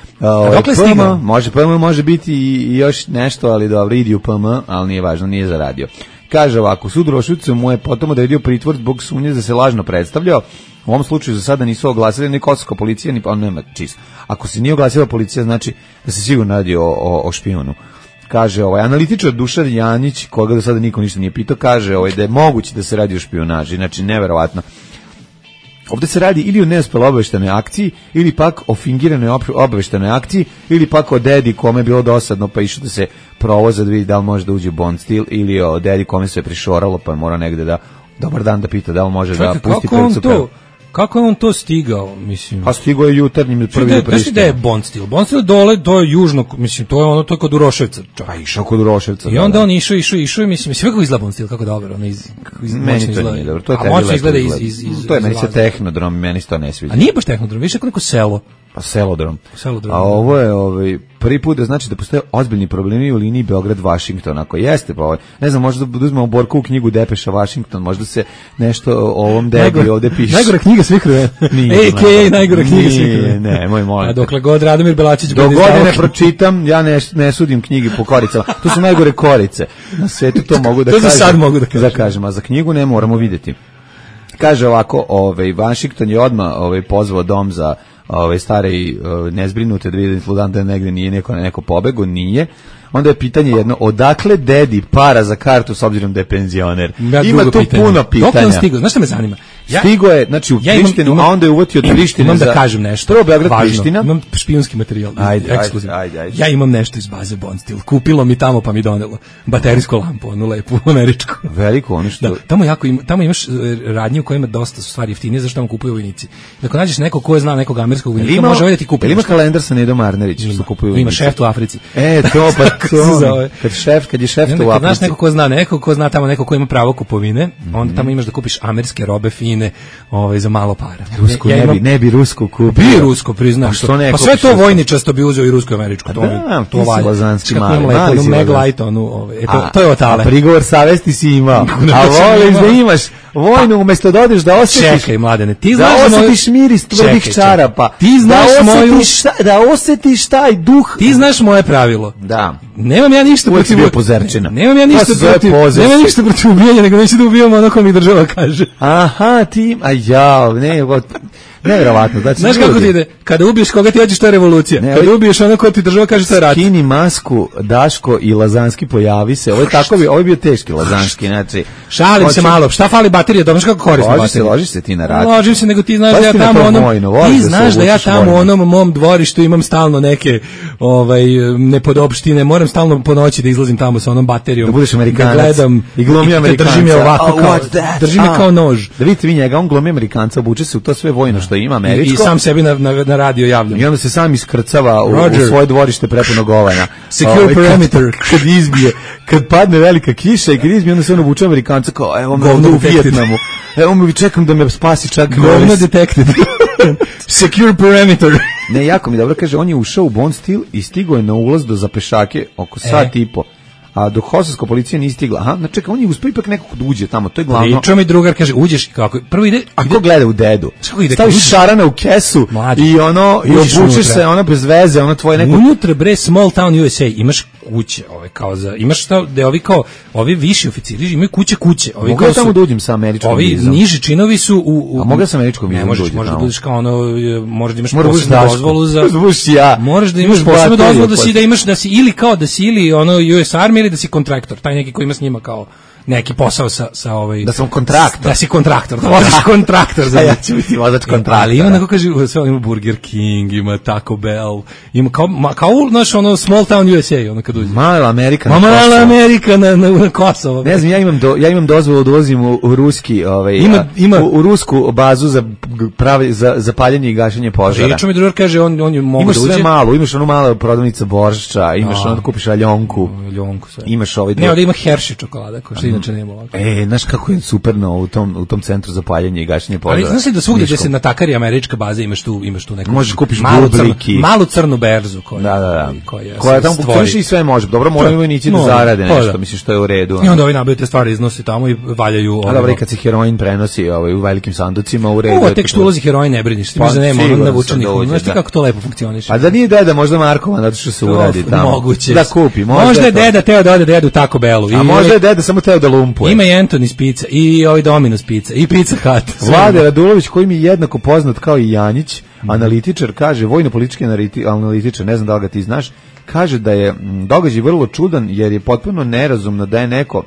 [SPEAKER 6] PM može biti i još nešto, ali dobro, idi u PM, ali nije važno, nije za radio. Kaže ovako, sud Rošucu mu je potom odredio pritvor zbog sumnje da se lažno predstavljao. U ovom slučaju za sada nisu oglasili ni kosovska policija, ni nema čisto. Ako se nije oglasila policija, znači da se sigurno radi o špijunu. Kaže analitičar Dušan Janić, koga do sada niko ništa nije pitao, kaže da je moguće da se radi o špijunaži, znači neverovatno. Ovdje se radi ili o neuspeloj obaveštenoj akciji, ili pak o fingiranoj obaveštenoj akciji, ili pak o dedi kome je bilo dosadno pa išao da se provoza da vidi da li može da uđe u Bond Steel, ili o dedi kome se prišoralo pa je mora negde da dobar dan da pita da li može da pusti prilicu.
[SPEAKER 5] Kako je on to stigao, mislim?
[SPEAKER 6] Pa stigao je jutarnjim prvi do Prištine.
[SPEAKER 5] Gde je Bond stil? Bond stil dole, to je južno, mislim, to je ono, to je kod Uroševca.
[SPEAKER 6] Pa išao kod Uroševca.
[SPEAKER 5] I onda on išao i mislim kako izgleda Bond stil, kako dobro, ono
[SPEAKER 6] meni to nije dobro, to je
[SPEAKER 5] moćno izgleda iz
[SPEAKER 6] to je meni se tehnodrom, meni se to ne sviđa.
[SPEAKER 5] A nije baš tehnodrom, više kao neko selo.
[SPEAKER 6] Pa selodrom. A ovo je prvi put da znači da postoje ozbiljni problemi u liniji Beograd-Washington. Ako jeste, pa ne znam, možda da uzmemo Borku u knjigu Depeša Washington, možda se nešto o ovom debi ovde piše.
[SPEAKER 5] Najgora knjiga svih vremena. A.k.a. najgora knjiga svih vremena.
[SPEAKER 6] Ne, moj molim.
[SPEAKER 5] A dokle god Radomir Belačić bude
[SPEAKER 6] izdao. Dok god ne pročitam, ja ne sudim knjige po koricama. To su najgore korice. Na svetu to mogu da kažem.
[SPEAKER 5] To sad mogu da
[SPEAKER 6] kažem. A za knjigu ne moramo vidjeti. Kaže ovako, Washington je odmah pozvao dom za stare i nezbrinute da vidim sludan da negde nije neko pobego, nije. Onda je pitanje jedno, odakle dedi para za kartu s obzirom da je penzioner? Ima tu puno pitanja.
[SPEAKER 5] Dok on stigao? Znaš šta me zanima?
[SPEAKER 6] Stigo je, znači u Prištinu, a onda je uvotio od Prištine
[SPEAKER 5] imam da kažem nešto.
[SPEAKER 6] Prvo Beograd Priština.
[SPEAKER 5] Imam špijunski materijal, ekskluzivno. Ja imam nešto iz baze Bond Stil. Kupilo mi tamo pa mi donelo baterijsku lampu, onu lepu američku.
[SPEAKER 6] Veliko, ono što...
[SPEAKER 5] Tamo imaš radnje u kojima dosta su stvari jeftinije, zašto tamo kupuju vojnici. Ako nađeš nekog ko zna nekog američkog vojnika, može ovdje ti kupi.
[SPEAKER 6] Ima kalendar sa Nedom Arnerić, što kupuju vojnici.
[SPEAKER 5] Ima šef u Africi.
[SPEAKER 6] To pa to. Kad je šef u Africi.
[SPEAKER 5] Znaš neko ko zna tamo neko ko ima pravo kupovine, onda tamo imaš da kupiš američke robe fine, za malo para.
[SPEAKER 6] Rusku ne bi rusku kupio.
[SPEAKER 5] Bi rusko, priznaš. Pa sve to vojničasto bi uzeo i rusko i američko.
[SPEAKER 6] To valja. Lazanski mali.
[SPEAKER 5] Maglite, to je otale.
[SPEAKER 6] A prigovor savesti si imao. A voliš da imaš vojnu umesto da odeš da osjetiš.
[SPEAKER 5] Čekaj, mladene, ti
[SPEAKER 6] znaš da osjetiš miris tvojih čarapa.
[SPEAKER 5] Ti znaš
[SPEAKER 6] da osjetiš taj duh.
[SPEAKER 5] Ti znaš moje pravilo.
[SPEAKER 6] Da.
[SPEAKER 5] Nemam ja ništa protiv
[SPEAKER 6] pozerčina.
[SPEAKER 5] Nemam ja ništa protiv ubijanja, nego neću da ubijamo ono ko mi država kaže.
[SPEAKER 6] Aha, ti, nevjerovatno.
[SPEAKER 5] Znaš kako ti ide? Kada ubiješ koga ti hoćeš, to je revolucija. Kada ubiješ ono ko ti država kaže, to je rat.
[SPEAKER 6] Skini masku, Daško i Lazanski pojavi se. Ovo je bio teški Lazanski. Znači,
[SPEAKER 5] šalim se malo. Šta fali baterija? Dobro, kako korisno baterija?
[SPEAKER 6] Ložiš se ti na rat.
[SPEAKER 5] Ložim se, nego ti znaš da ja tamo u onom mom dvorištu imam stalno neke nepodopštine. Moram stalno po noći da izlazim tamo sa onom baterijom.
[SPEAKER 6] Da budeš Amerikanac.
[SPEAKER 5] Da gledam
[SPEAKER 6] i glumi Amerikanca.
[SPEAKER 5] Drži me ovako drži me kao nož.
[SPEAKER 6] Da vidite vi njega, on glumi Amerikanca, obuče se u to sve vojno što ima američko.
[SPEAKER 5] I sam sebi na radio javljam.
[SPEAKER 6] I onda se sam iskrcava u svoje dvorište prepuno govana.
[SPEAKER 5] Secure perimeter.
[SPEAKER 6] Kad izbije, kad padne velika kiša i kad izbije, onda se on obuče Amerikanca kao, evo me ovdje u Vijetnamu. Evo me, čekam da me spasi čak.
[SPEAKER 5] Govno detected. Secure perimeter.
[SPEAKER 6] Ne, jako mi dobro kaže, on je ušao u Bond Stil i stigao je na ulaz do Zapešake oko sat i po. A dok Kosovska policija nije stigla. Aha, znači čekaj, on je uspio ipak nekako da uđe tamo, to je glavno.
[SPEAKER 5] Pričao mi drugar, kaže, uđeš kako, prvo ide...
[SPEAKER 6] A ko gleda u dedu? Staviš šarana u kesu i obučeš se, bez veze, tvoje neko...
[SPEAKER 5] Unutra, bre, small town USA, imaš kuće, imaš šta, da ovi viši oficiri imaju kuće.
[SPEAKER 6] Mogu ja tamo da uđem sa američkom vizom?
[SPEAKER 5] Ovi niži činovi su
[SPEAKER 6] A mogu ja sa američkom vizom da uđem tamo?
[SPEAKER 5] Možeš da budeš kao možeš da imaš posebnu dozvolu za... Možeš da imaš posebnu dozvolu da si ili kao da si ili US Army ili da si kontraktor, taj neki koji ima s njima kao neki posao sa
[SPEAKER 6] da sam kontraktor.
[SPEAKER 5] Da si kontraktor, da voziš kontraktor za
[SPEAKER 6] ja ću biti vozač kontraktora.
[SPEAKER 5] Ali ima neko kaže, sve ima Burger King, ima Taco Bell, ima kao znaš small town USA, kad uđe.
[SPEAKER 6] Mala Amerika.
[SPEAKER 5] Mala Amerika na Kosovo.
[SPEAKER 6] Ne znam, ja imam dozvolu da ulazim u ruski, u rusku bazu za paljenje i gašenje požara.
[SPEAKER 5] Pričao mi drugar kaže, on je mogu da uđe.
[SPEAKER 6] Imaš sve malo, imaš malo prodavnica boršča, imaš da kupiš aljonku. Imaš
[SPEAKER 5] ne, da ima Hershey čokolada, ko što inače nema ovako.
[SPEAKER 6] Znaš kako je superno u tom centru za paljenje i gašenje požara.
[SPEAKER 5] Ali znaš li da svugdje da se natakari američka baza imaš tu neku...
[SPEAKER 6] Možeš kupiš
[SPEAKER 5] malu crnu berzu
[SPEAKER 6] koja tamo i sve može. Dobro, moraju vojnici da zarade nešto, misliš što je u redu.
[SPEAKER 5] I onda ovi nabiju te stvari iznose tamo i valjaju...
[SPEAKER 6] A dobro, i kad se heroin prenosi u velikim sanducima u redu...
[SPEAKER 5] Ovo tek što ulazi heroin ne briniš, ti možda nema ono navučenih. Znaš ti kako to lepo funkcioniše.
[SPEAKER 6] A da nije deda možda Markova, zato što se uradi tamo.
[SPEAKER 5] Moguće.
[SPEAKER 6] Da kupi.
[SPEAKER 5] Možda je deda teo da ode da jedu Taco Bellu.
[SPEAKER 6] A možda je deda samo teo da lumpuje.
[SPEAKER 5] Ima i Anthony's pizza, i Domino's pizza, i Pizza Hut.
[SPEAKER 6] Vlade Radulović, koji mi je jednako poznat kao i Janjić, analitičar, kaže, vojno-politički analitičar, ne znam da li ga ti znaš, kaže da je događaj vrlo čudan, jer je potpuno nerazumno da je neko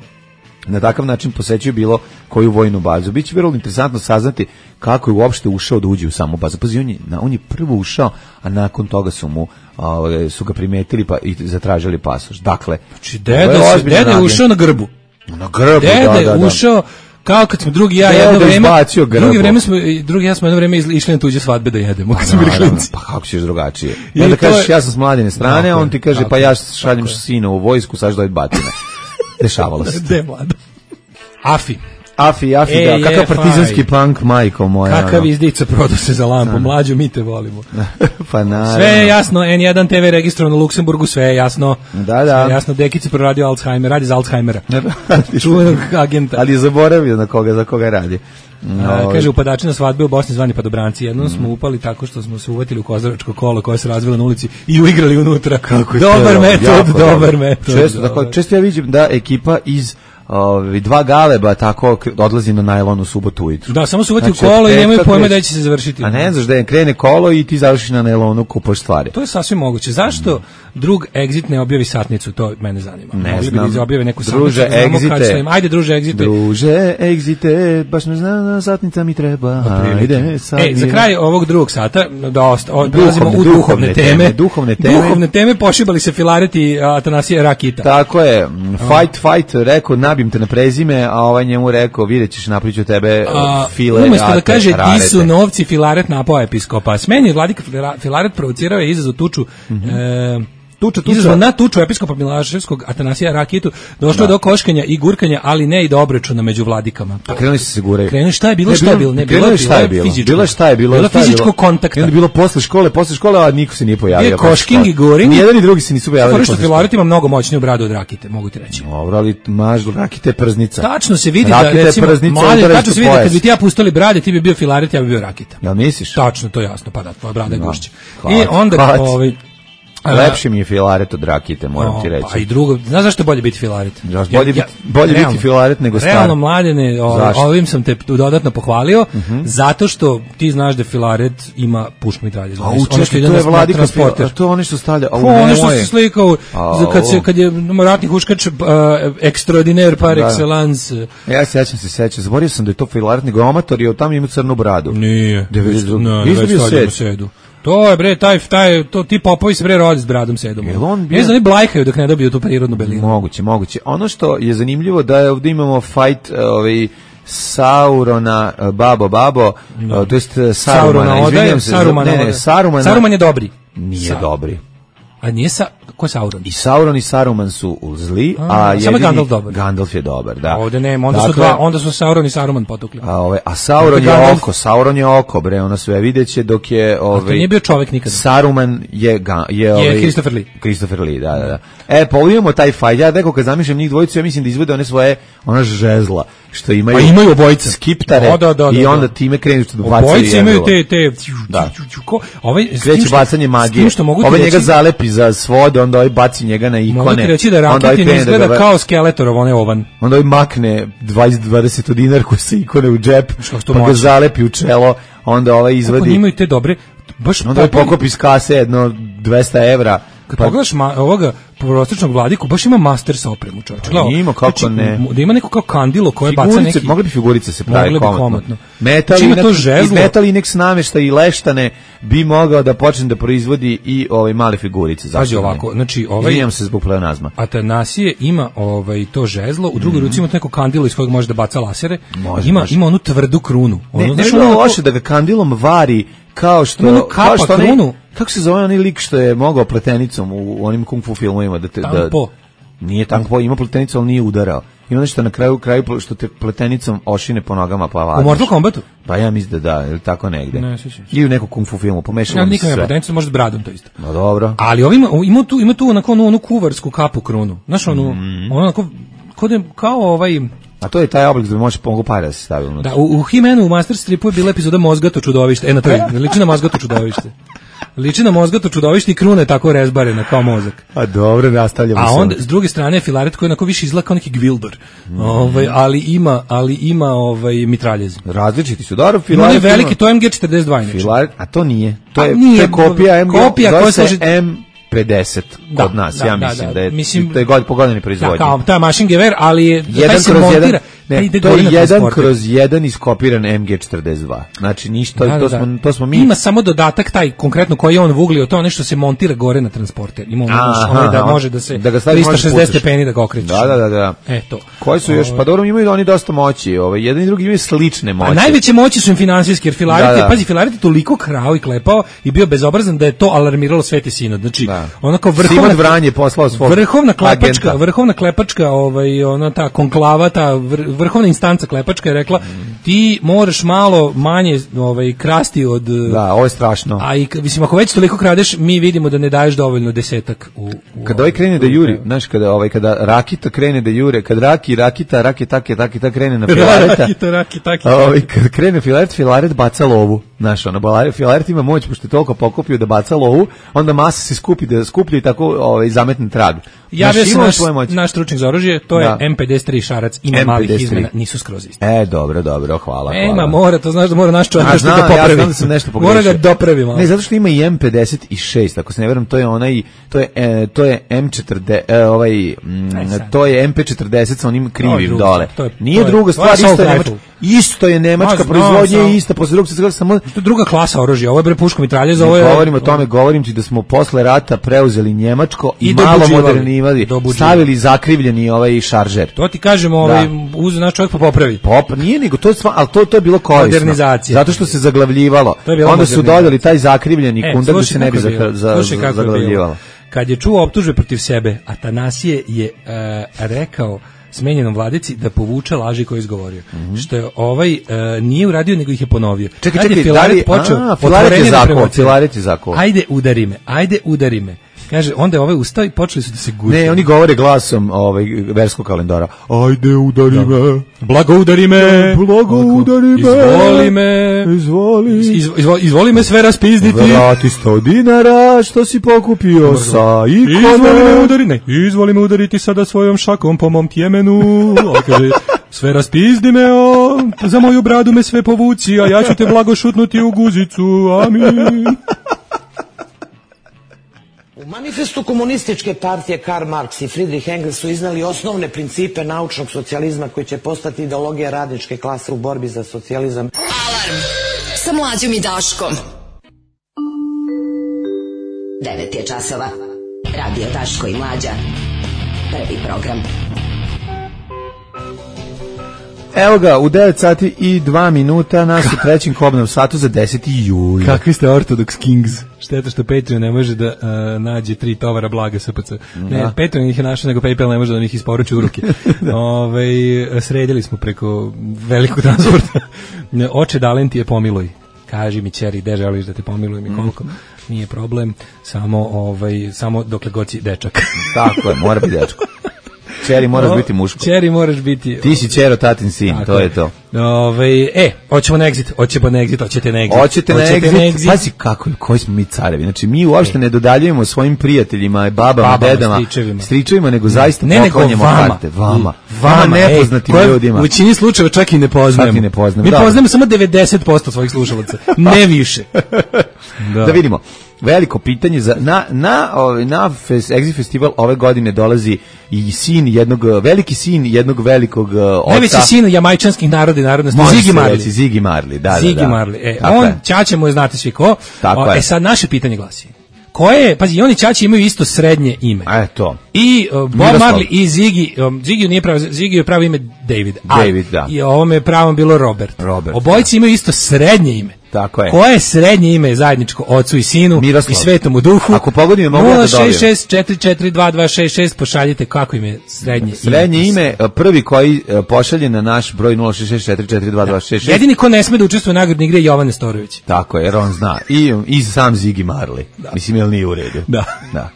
[SPEAKER 6] na takav način posećuje bilo koju vojnu bazu. Biće vrlo interesantno saznati kako je uopšte ušao da uđe u samu bazu. Pazi, on je prvo ušao, a nakon toga su ga primetili i zatražili pasoš. Dakle,
[SPEAKER 5] deda je ušao na grbu.
[SPEAKER 6] Na grbu,
[SPEAKER 5] deda je ušao, Kao kad smo drugi ja jedno vreme išli na tuđe svadbe da jedemo.
[SPEAKER 6] Pa kako ćeš drugačije? I onda kažeš ja sam s Mladine strane, on ti kaže pa ja šaljem sina u vojsku, sad dođe batine. Dešavalo se.
[SPEAKER 5] De mlado. Afi,
[SPEAKER 6] da, kakav partizanski punk, majko moja.
[SPEAKER 5] Kakav izdica, prodao se za lampu, mlađo, mi te volimo.
[SPEAKER 6] Pa naravno.
[SPEAKER 5] Sve je jasno, N1 TV registrovano u Luksemburgu, sve je jasno.
[SPEAKER 6] Da.
[SPEAKER 5] Sve je jasno, Dekica proradio Alzheimer, radi za Alzheimera. Čuvenog agenta.
[SPEAKER 6] Ali je zaboravio za koga radi.
[SPEAKER 5] Kaže, upadači na svadbe u Bosni zvani padobranci. Jednom smo upali tako što smo se uvatili u kozaračko kolo koje se razvilo na ulici i uigrali unutra. Dobar metod.
[SPEAKER 6] Često ja vidim da ekipa iz dva galeba tako odlazi na najlon u subotu ujutru.
[SPEAKER 5] Da, samo su uvati u kolo i nemaju pojma da će se završiti.
[SPEAKER 6] A ne znaš da je krene kolo i ti završiš na najlonu, kupaš stvari.
[SPEAKER 5] To je sasvim moguće. Zašto drug Exit ne objavi satnicu? To mene zanima.
[SPEAKER 6] Ne znam.
[SPEAKER 5] Mogli bi objave neku
[SPEAKER 6] druže
[SPEAKER 5] satnicu. Ajde, druže Exite.
[SPEAKER 6] Druže Exite, baš ne znam, satnica mi treba. Ajde,
[SPEAKER 5] za kraj ovog drugog sata, dolazimo u duhovne teme. Duhovne teme, pošibali se Filareti Atanasije Rakita.
[SPEAKER 6] Tako je. Fight, rekao, nabim te na prezime, a ovaj njemu rekao, vidjet ćeš, napriču tebe file.
[SPEAKER 5] Umesto da kaže, di su novci, Filaret napao episkopa. Smeni vladika Filaret provocirao je izazov tuču, izazov na tuču episkopa Milaševskog Atanasija Rakitu, došlo je do koškanja i gurkanja, ali ne i do obračuna među vladikama.
[SPEAKER 6] Krenuli se guraju.
[SPEAKER 5] Krenuli šta je bilo? Bilo fizičko kontakta.
[SPEAKER 6] Bilo posle škole, a niko se nije pojavio.
[SPEAKER 5] Je košking i goring.
[SPEAKER 6] Nijedan i drugi se nisu pojavili.
[SPEAKER 5] Prvo što Filaret ima mnogo moćniju bradu od Rakite, mogu ti reći.
[SPEAKER 6] Dobro, ali maž Rakite prznica.
[SPEAKER 5] Tačno se vidi da, recimo, tačno se vidi da kad bi ti ja pustili brade, ti bi bio Filaret, ja bi bio Rakita.
[SPEAKER 6] Jel misliš?
[SPEAKER 5] Tačno, to je jasno, pa da, tvoja brada je gušća. I onda,
[SPEAKER 6] lepše mi je Filaret od Rakite, moram ti reći.
[SPEAKER 5] Pa i drugo, znaš zašto je bolje biti Filaret?
[SPEAKER 6] Bolje biti Filaret nego Star.
[SPEAKER 5] Realno, Mladene, ovim sam te dodatno pohvalio, zato što ti znaš da Filaret ima puško mitralje.
[SPEAKER 6] Ono što ide na transporter. To je ono što stavlja.
[SPEAKER 5] Ono što se slikao, kad je ratni huškač extraordinaire par excellence.
[SPEAKER 6] Ja sećam se, zaboravio sam da je to Filaret, nego amator je tamo ima crnu bradu.
[SPEAKER 5] Nije. To je bre to ti popovi se bre rodi s bradom sedom. Ne znam, oni blajkaju dok ne dobiju tu prirodnu belinu.
[SPEAKER 6] Moguće. Ono što je zanimljivo da je ovdje imamo fight Saurona babo, to jest Sarumana.
[SPEAKER 5] Saruman je dobri.
[SPEAKER 6] Nije dobri.
[SPEAKER 5] A nije ko je Sauron?
[SPEAKER 6] I Sauron i Saruman su zli, a jedini Gandalf je dobar, da.
[SPEAKER 5] Ovde nema, onda su Sauron i Saruman potukli.
[SPEAKER 6] A Sauron je oko, bre, ono sve videće dok je
[SPEAKER 5] to nije bio čovjek nikada.
[SPEAKER 6] Saruman je Christopher Lee, da. Pa imamo taj fight, ja neko kad zamišljam njih dvojicu, ja mislim da izvode one svoje žezla, što imaju
[SPEAKER 5] obojice
[SPEAKER 6] skiptare i onda time krenu što bacaju.
[SPEAKER 5] Obojice imaju te
[SPEAKER 6] kreće bacanje magije. Ovaj njega zalepi za svode, onda ovaj baci njega na ikone.
[SPEAKER 5] Mogu ti reći da Rakitin izgleda kao Skeletorov, on je ovan.
[SPEAKER 6] Onda ovaj makne 20 dinar koji se ikone u džep, pa ga zalepi u čelo, onda ovaj izvadi.
[SPEAKER 5] Kako imaju te dobre, baš
[SPEAKER 6] onda ovaj pokopi iz kase jedno 200 evra.
[SPEAKER 5] Kad pogledaš ovoga prosječnog vladiku, baš ima master sa opremu, čovječe.
[SPEAKER 6] Ima, kako ne.
[SPEAKER 5] Da ima neko kao kandilo koje baca neki...
[SPEAKER 6] Mogli bi figurice se pravi komotno.
[SPEAKER 5] Metal
[SPEAKER 6] Inex namješta i leštane bi mogao da počne da proizvodi i male figurice.
[SPEAKER 5] Pazi ovako, znači
[SPEAKER 6] izvinjam se zbog pleonazma.
[SPEAKER 5] Atanasije ima to žezlo, u drugoj ruci ima neko kandilo iz kojeg može da baca lasere. Ima onu tvrdu krunu.
[SPEAKER 6] Ne je loše da ga kandilom vari kao što kako se zove onaj lik što je mogao pletenicom u onim kung fu filmovima nije Tangpo, ima pletenicu, ali nije udarao. Ima nešto na kraju što te pletenicom ošine po nogama pa vadiš.
[SPEAKER 5] U Mortal Kombatu?
[SPEAKER 6] Pa ja mislim da ili tako negde.
[SPEAKER 5] Ne, sjećam se.
[SPEAKER 6] I u nekom kung fu filmu pomešalo mi se sve.
[SPEAKER 5] Pletenicom može s bradom to isto.
[SPEAKER 6] No dobro.
[SPEAKER 5] Ali ima tu onu kuvarsku kapu krunu. Znaš ono onako kao ovaj...
[SPEAKER 6] A to je taj oblik da može pomogu para da se stavi unutra.
[SPEAKER 5] Da, u He-Manu, u Master Stripu je bila epizoda Mozgato čudovište. Na to je, liči na Mozgato čudovište. Liči na Mozgato čudovište i kruna je tako rezbarena kao mozak.
[SPEAKER 6] A dobro, nastavljamo.
[SPEAKER 5] A onda s druge strane je Filaret koji je onako više izgleda kao neki Gvildor. Ali ima mitraljez.
[SPEAKER 6] Različiti su. Dobro, Filaret.
[SPEAKER 5] On je veliki, to je MG42
[SPEAKER 6] Filaret, a to nije. To je kopija MG.
[SPEAKER 5] Kopija koja služi
[SPEAKER 6] M50 kod nas, ja mislim da je to je po godini proizvodnje.
[SPEAKER 5] Da, kao ta mašin gever, ali
[SPEAKER 6] taj se montira. Ne, to je 1/1 iskopiran MG42. Znači ništa, to smo mi.
[SPEAKER 5] Ima samo dodatak taj konkretno koji je on vuglio, to nešto se montira gore na transporter. Ima da može da se 360 stepeni da ga okrećeš.
[SPEAKER 6] Da.
[SPEAKER 5] Eto.
[SPEAKER 6] Koji su još, pa dobro, imaju oni dosta moći, jedan i drugi imaju slične moći.
[SPEAKER 5] A najveće moći su im finansijske, jer Filareti, pazi, Filareti toliko krao i klepao i bio bezobrazan da je to alarmiralo Sveti Sinod. Znači, ono kao
[SPEAKER 6] Simon Vranje poslao svog
[SPEAKER 5] vrhovna klepačka, ona ta konklava, ta vrhovna instanca klepačka je rekla ti moraš malo manje krasti od...
[SPEAKER 6] Da, ovo je strašno.
[SPEAKER 5] A i, mislim, ako već toliko kradeš, mi vidimo da ne daješ dovoljno desetak u
[SPEAKER 6] kada ovaj krene da juri, znaš, kada Rakita krene da jure, kad Rakita krene na Filareta, kad krene Filaret baca lovu, znaš, Filaret ima moć, pošto je toliko pokupio da baca lovu, onda masa se skuplja i tako zametne trag.
[SPEAKER 5] Javio se naš stručnik za oružje, to je M53 šarac, ima malih izmena, nisu skroz isti.
[SPEAKER 6] Dobro, hvala.
[SPEAKER 5] Mora, to znaš da mora naš čovjek nešto da popravi.
[SPEAKER 6] Ja znam da sam nešto pogrešio.
[SPEAKER 5] Mora ga dopravi malo.
[SPEAKER 6] Ne, zato što ima i M56, ako se ne verujem, to je M40, to je MP40 sa onim krivim dole. Nije druga stvar, isto je nemačka proizvodnja i ista, posle drugog svjetskog samo...
[SPEAKER 5] To je druga klasa oružja, ovo je bre puško mitraljeza, ovo je...
[SPEAKER 6] Govorim o tome, govorim ti da smo posle rata preuzeli njemačko i malo modernivali, stavili zakrivljeni šaržer.
[SPEAKER 5] To ti kažemo, uz naš čovjek popravi.
[SPEAKER 6] Nije nego, ali to je bilo korisno.
[SPEAKER 5] Modernizacija.
[SPEAKER 6] Zato što se zaglavljivalo. Onda su dodali taj zakrivljeni kundar da se ne bi zaglavljivalo.
[SPEAKER 5] Kad je čuo optužbe protiv sebe, Atanasije je rekao smenjenom vladici da povuče laži koje je izgovorio. Što je nije uradio, nego ih je ponovio.
[SPEAKER 6] Čekaj, Filaret je zakon.
[SPEAKER 5] Ajde udari me. Kaže, onda je ustao i počeli su da se gušte.
[SPEAKER 6] Ne, oni govore glasom verskog kalendara. Ajde, udari me.
[SPEAKER 5] Blago udari me. Izvoli me. Izvoli me sve raspizditi.
[SPEAKER 6] Vrati 100 dinara što si pokupio sa ikone.
[SPEAKER 5] Izvoli me udariti sada svojom šakom po mom tjemenu. Kaže, sve raspizdi me, za moju bradu me sve povuci, a ja ću te blago šutnuti u guzicu. Amin.
[SPEAKER 13] U manifestu komunističke partije Karl Marx i Friedrich Engels su iznali osnovne principe naučnog socijalizma koji će postati ideologija radničke klase u borbi za socijalizam.
[SPEAKER 9] Alarm sa Mlađom i Daškom. 9 je časova. Radio Daško i Mlađa. Prvi program.
[SPEAKER 6] Evo ga, u 9 sati i 2 minuta nas u trećem kobnom satu za 10. juli.
[SPEAKER 5] Kakvi ste Orthodox Kings? Šteta što Patreon ne može da nađe 3 tovara blaga SPC. Ne, Patreon ih je našao, nego PayPal ne može da ih isporuči u ruke. Sredili smo preko velikog transporta. Oče Dalenti je pomiluj. Kaži mi, ćeri, gde želiš da te pomilujem i koliko? Nije problem, samo dokle god si dečak.
[SPEAKER 6] Tako je, mora biti dečko. Čeri moraš biti muško.
[SPEAKER 5] Čeri moraš biti...
[SPEAKER 6] Ti si Čero, tatin sin, tako, to je to.
[SPEAKER 5] Hoćemo na exit, hoćete na exit.
[SPEAKER 6] Pazi koji smo mi carevi. Znači, mi uopšte ne dodaljujemo svojim prijateljima, babama, dedama, stričevima, nego zaista poklanjamo karte. Vama nepoznatim ljudima.
[SPEAKER 5] U većini slučajeva čak i ne poznajemo. Mi poznajemo samo 90% svojih slušalaca, ne više.
[SPEAKER 6] Da vidimo. Veliko pitanje na Exit Festival ove godine dolazi i veliki sin jednog velikog oca.
[SPEAKER 5] Najveći sin jamajčanskih naroda i narodnosti,
[SPEAKER 6] Ziggy Marley, da.
[SPEAKER 5] Ziggy Marley. On Ćaća mu je, znate svi ko. Sad naše pitanje glasi. Koje, pazi, oni Ćaći imaju isto srednje ime.
[SPEAKER 6] To.
[SPEAKER 5] I Bob Marley i Ziggy je pravo ime David, da. I ovome je pravo bilo Robert. Obojici imaju isto srednje ime.
[SPEAKER 6] Tako je.
[SPEAKER 5] Koje srednje ime je zajedničko ocu i sinu i svetom u duhu?
[SPEAKER 6] Ako pogodim, mogu da dobijem.
[SPEAKER 5] 066-442-266, pošaljite kako im je srednje ime.
[SPEAKER 6] Srednje ime, prvi koji pošalje na naš broj 066-442-266.
[SPEAKER 5] Jedini ko ne sme da učestvuje u nagradnoj igri je Jovan Nestorović.
[SPEAKER 6] Tako je, jer on zna. I sam Ziggy Marley. Mislim, jel nije u redu?
[SPEAKER 5] Da.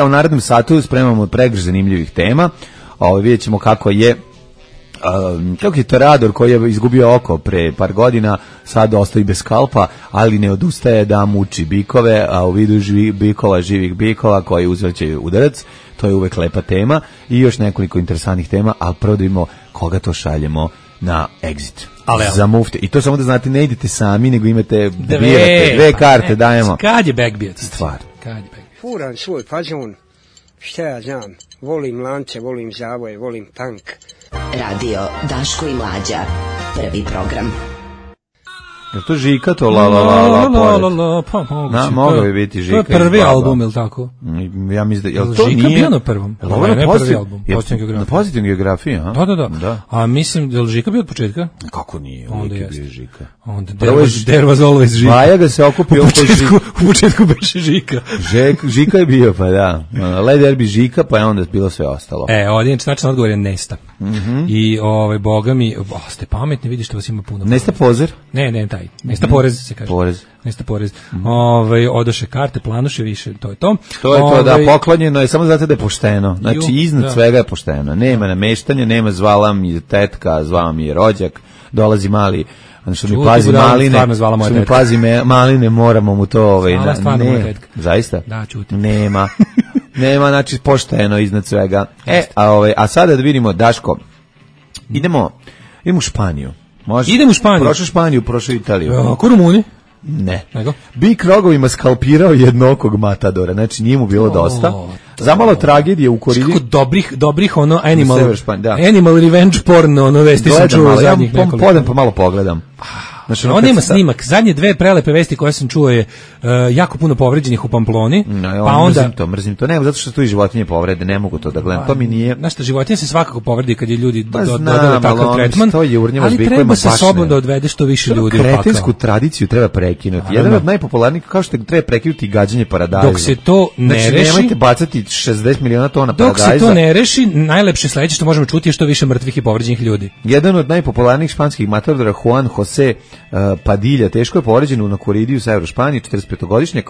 [SPEAKER 6] U narednom satu spremamo pregršt zanimljivih tema. Vidjet ćemo kako je Torador koji je izgubio oko pre par godina, sad ostaje bez skalpa, ali ne odustaje da muči bikove, a u vidu živih bikova koji uzvraćaju udarac. To je uvek lepa tema i još nekoliko interesantnih tema, ali prvo da vidimo koga to šaljemo na Exit. Za mufte. I to samo da znate, ne idete sami, nego imate dve karte, dajemo.
[SPEAKER 5] Kad je backbeat?
[SPEAKER 6] Stvar.
[SPEAKER 1] Furan svoj fazon, šta ja znam, volim lance, volim zavoje, volim punk.
[SPEAKER 9] Radio Daško i Mlađa, prvi program.
[SPEAKER 6] Je to Žika to la la la la la,
[SPEAKER 5] pa moguće.
[SPEAKER 6] Mogao bi biti Žika.
[SPEAKER 5] To je prvi album, ili tako?
[SPEAKER 6] Ja mislim da, jel to
[SPEAKER 5] Žika
[SPEAKER 6] nije?
[SPEAKER 5] Bio na prvom.
[SPEAKER 6] Ovo je
[SPEAKER 5] prvi album, Pozitivna geografija.
[SPEAKER 6] Na Pozitivna geografija, a?
[SPEAKER 5] Da. A mislim, je li Žika bio od početka?
[SPEAKER 6] Kako nije,
[SPEAKER 5] onda
[SPEAKER 6] je bio Žika.
[SPEAKER 5] Onda there was always Žika.
[SPEAKER 6] Baja ga se okupio
[SPEAKER 5] u početku beše Žika.
[SPEAKER 6] Žika je bio, pa da. Led Derby Žika, pa je onda bilo sve ostalo.
[SPEAKER 5] Ovdje tačan odgovor je Nesta. I boga mi, ste pametni, vidiš što vas ima puno.
[SPEAKER 6] Nesta Pozer?
[SPEAKER 5] Ne, taj. Nesta Porez se kaže. Nesta Porez. Odoše karte, planoše više, to je to.
[SPEAKER 6] To je to, da, poklonjeno je samo zato da je pošteno. Znači, iznad svega je pošteno. Nema nameštanja, nema zvala mi tetka, zvala mi rođak, dolazi mali, što mi pazi maline, što mi pazi maline, moramo mu to... Ne, zaista?
[SPEAKER 5] Da, čuti.
[SPEAKER 6] Nema, znači, pošteno iznad svega. A sada da vidimo, Daško, idemo u Španiju.
[SPEAKER 5] Idemo u Španiju.
[SPEAKER 6] Prošao Španiju, prošao Italiju.
[SPEAKER 5] Ko Rumuni?
[SPEAKER 6] Ne. Bik rogovima skalpirao jednokog matadora, znači nije mu bilo dosta. Zamalo tragedije u Koridi.
[SPEAKER 5] Kako dobrih ono animal revenge porno, vesti sam čuo zadnjih nekoliko.
[SPEAKER 6] Podem pa malo pogledam.
[SPEAKER 5] Znači, on ima snimak. Zadnje dve prelepe vesti koje sam čuo je jako puno povređenih u Pamploni.
[SPEAKER 6] Pa onda mrzim to. Ne, zato što tu i životinje povrede, ne mogu to da gledam. To mi nije.
[SPEAKER 5] Znaš šta, životinje se svakako povredi kad je ljudi dodali takav tretman. Ali treba sa sobom da odvede što više ljudi u pakao.
[SPEAKER 6] Kretensku tradiciju treba prekinuti. Jedan od najpopularnijih, kao što treba prekinuti gađanje paradajza.
[SPEAKER 5] Dok se to ne reši,
[SPEAKER 6] nemojte bacati 60 miliona tona paradajza.
[SPEAKER 5] Dok se to ne reši, najlepše sledeće što možemo čuti je što više mrtvih i povređenih ljudi.
[SPEAKER 6] Jedan od najpopularnijih španskih matadora, Juan José Padilla, teško je povređen na koridiju sa Španije, 45-godišnjak,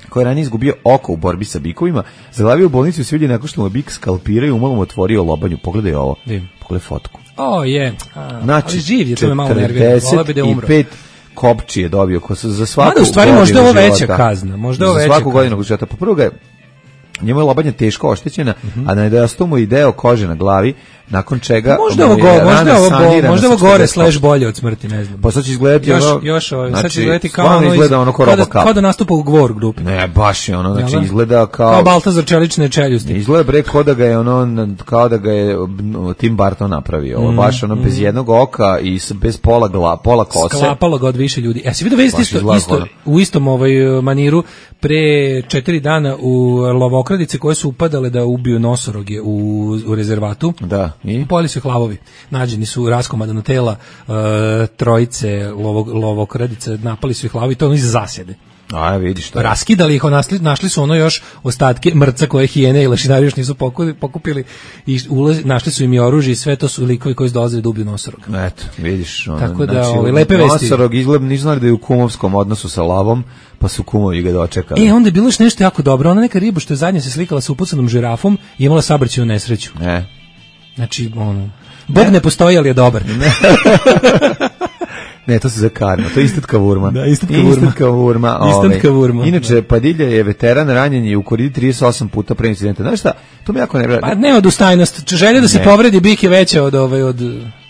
[SPEAKER 6] koji je ranije izgubio oko u borbi sa bikovima, zaglavio u bolnicu i svi ljudi nakon što mu bik skalpirao i umolom otvorio lobanju. Pogledaj ovo. Pogledaj fotku.
[SPEAKER 5] Znači, ali živ je, to me malo nervira.
[SPEAKER 6] 45 kopči je dobio za svaku godinu.
[SPEAKER 5] U stvari možda ovo veća kazna.
[SPEAKER 6] Za svaku godinu života. Po prvo ga je, njemu je lobanja teško oštećena, a nedostaje mu i deo kože na glavi, nakon čega
[SPEAKER 5] možda ovo gore / bolje od smrti, ne znam.
[SPEAKER 6] Pa sad će izgledati
[SPEAKER 5] sad će izgledati
[SPEAKER 6] kao
[SPEAKER 5] da nastupa u Gvor grupi.
[SPEAKER 6] Ne, baš je ono, znači izgleda kao
[SPEAKER 5] Baltazar čelične čeljusti.
[SPEAKER 6] Izgleda bre kao da ga je Tim Burton napravio. Ovo baš ono bez jednog oka i bez pola kose.
[SPEAKER 5] Sklapalo ga od više ljudi. Si vidio vesti isto u istom maniru pre 4 dana u lovokradice koje su upadale da ubiju nosoroge u rezervatu.
[SPEAKER 6] Da.
[SPEAKER 5] Pojeli su hlavovi. Nađeni su raskomadana tela trojice lovokradice, napali su ih hlavovi, to ono iz zasjede.
[SPEAKER 6] Vidiš to.
[SPEAKER 5] Raskidali ih, našli su ono još ostatke mrca koje hijene i lešinari još nisu pokupili i našli su im i oružje i sve to su likovi koji su dolazili da ubiju nosorog.
[SPEAKER 6] Eto, vidiš.
[SPEAKER 5] Tako da, lepe vesti.
[SPEAKER 6] Nosorog izgleda, nisu znali da je u kumovskom odnosu sa lavom, pa su kumovi ga dočekali.
[SPEAKER 5] Onda je bilo još nešto jako dobro. Ona neka riba što je zadnje se slikala sa upucanom žirafom i imala saobraćajnu nesreću. Znači, Bog ne postoji, ali je dobar.
[SPEAKER 6] Ne, to se za karma, to je istatka vurma.
[SPEAKER 5] Da, istatka vurma.
[SPEAKER 6] Inače, Padilla je veteran, ranjen je u koridi 38 puta pre incidenta. Znaš šta, to mi jako ne vreda.
[SPEAKER 5] Pa ne odustajnost, želja da se povredi bik je veća od...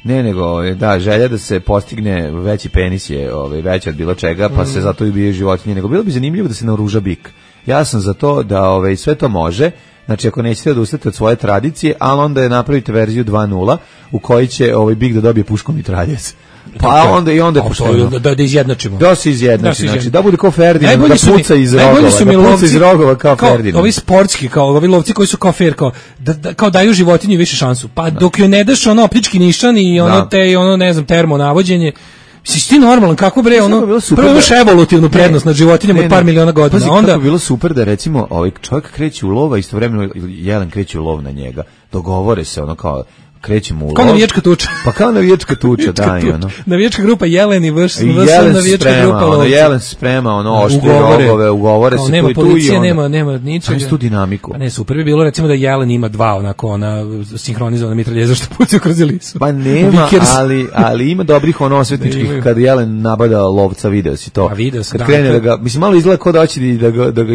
[SPEAKER 6] Ne, nego, želja da se postigne veći penis je veća od bilo čega, pa se zato i ubije životinje. Nego bilo bi zanimljivo da se naoruža bik. Ja sam za to da sve to može. Znači, ako nećete odustati od svoje tradicije, ali onda je napravite verziju 2.0 u kojoj će bik da dobije puškom mitraljez. Pa onda je pošteno.
[SPEAKER 5] Da izjednačimo.
[SPEAKER 6] Da se izjednači, znači da bude kao Ferdinand, da puca iz rogova kao Ferdinand.
[SPEAKER 5] Ovi sportski, kao ovi lovci koji su kao fair, kao daju životinju više šansu. Pa dok joj ne daš optički nišan i ne znam, termo navođenje, si ti normalan, kako bre, prvo imaš evolutivnu prednost nad životinjama od par miliona godina.
[SPEAKER 6] Pazi, onda kako bilo super da recimo čovjek kreće u lov, a istovremeno jelen kreće u lov na njega. Dogovore se kao krećemo u lov.
[SPEAKER 5] Kao navijačka tuča.
[SPEAKER 6] Pa kao navijačka tuča, da, i ono.
[SPEAKER 5] Navijačka grupa Jelen i navijačka grupa
[SPEAKER 6] Jelen se sprema, oštri rogove, ugovore se
[SPEAKER 5] nema policije, nema ničega.
[SPEAKER 6] Ima tu dinamiku.
[SPEAKER 5] Pa ne, super bi bilo recimo da Jelen ima dva sinhronizovana mitraljeza što pucaju kroz lisu.
[SPEAKER 6] Pa nema, ali ima dobrih osvetničkih kad Jelen nabada lovca, video si to.
[SPEAKER 5] A video sam,
[SPEAKER 6] kad krene da ga, mislim, malo izgleda kao da hoće da ga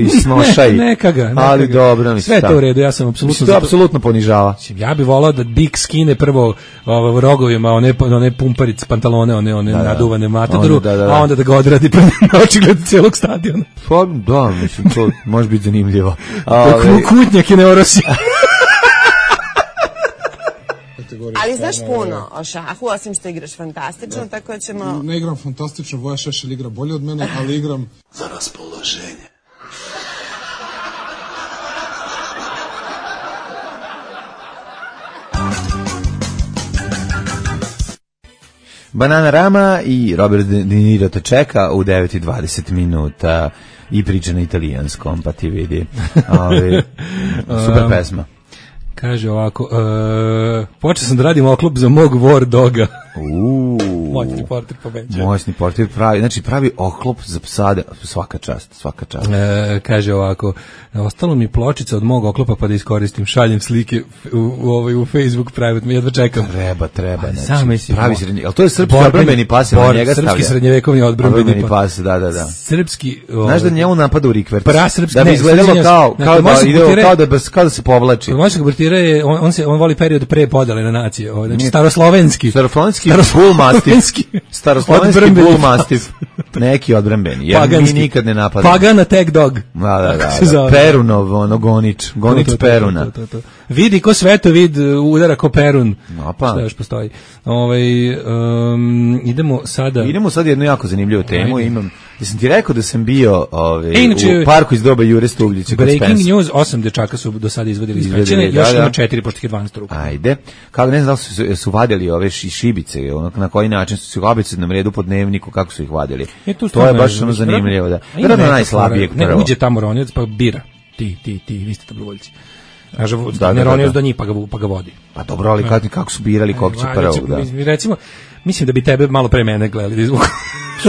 [SPEAKER 5] neka ga.
[SPEAKER 6] Ali dobro,
[SPEAKER 5] sve to u redu, ja sam apsolutno
[SPEAKER 6] to apsolutno ponižava.
[SPEAKER 5] Ja bih volao da Big Skin skine prvo rogovima one pumparice, pantalone, one naduvane matadoru, a onda da ga odradi na očigled celog stadiona.
[SPEAKER 6] Pa da, mislim, to može biti zanimljivo.
[SPEAKER 5] Kutnjak je neorosi.
[SPEAKER 14] Ali znaš puno o šahu, osim što igraš fantastično, tako da ćemo...
[SPEAKER 10] Ne igram fantastično, Voja Šešelj igra bolje od mene, ali igram za raspoloženje.
[SPEAKER 6] Bananarama i Robert De Niro te čeka u 9:20 minuta i priča na italijanskom, pa ti vidi. Super pesma.
[SPEAKER 5] Kaže ovako, počeo sam da radim oklop za mog War Doga. Moćni portir pobeđuje.
[SPEAKER 6] Moćni portir pravi oklop za psade, svaka čast.
[SPEAKER 5] Kaže ovako, ostalo mi pločica od mog oklopa pa da iskoristim, šaljem slike u Facebook private, jedva čekam.
[SPEAKER 6] Treba.
[SPEAKER 5] Pravi
[SPEAKER 6] srednji, ali to je srpski odbrambeni pas, na njega stavlja.
[SPEAKER 5] Srpski srednjevekovni odbrambeni pas,
[SPEAKER 6] da.
[SPEAKER 5] Srpski...
[SPEAKER 6] Znaš da njemu napada u rikverc?
[SPEAKER 5] Prasrpski,
[SPEAKER 6] da bi izgledalo kao da se povlači.
[SPEAKER 5] Moćnog Bertira je, on voli period pre podele na nacije, znači staroslovenski
[SPEAKER 6] bull mastiff, neki odbrambeni, jer mi nikad ne napadamo.
[SPEAKER 5] Pagana tag dog.
[SPEAKER 6] Da. Perunov, gonič Peruna.
[SPEAKER 5] Vidi ko svetovid udara ko Perun. Šta još postoji? Idemo sada
[SPEAKER 6] jednu jako zanimljivu temu. Jesam ti rekao da sam bio u parku iz doba Jure Stubljića.
[SPEAKER 5] Breaking news, 8 dečaka su do sada izvadili iz pećine, još ima 4 pošto ih je 12 ruku.
[SPEAKER 6] Ajde. Kako ne znam da li su vadili ove šibice, na koji način su se vabice na redu po dnevniku, kako su ih vadili. To je baš ono zanimljivo. Vjerojatno najslabijeg prvo.
[SPEAKER 5] Ne, uđe tamo Ronjac pa bira. Ti, vi ste dobrovoljci. Ne Ronjac do njih pa ga vodi.
[SPEAKER 6] Pa dobro, ali kako su birali kog će prvo?
[SPEAKER 5] Recimo, mislim da bi tebe malo pre mene gledali da izvuku.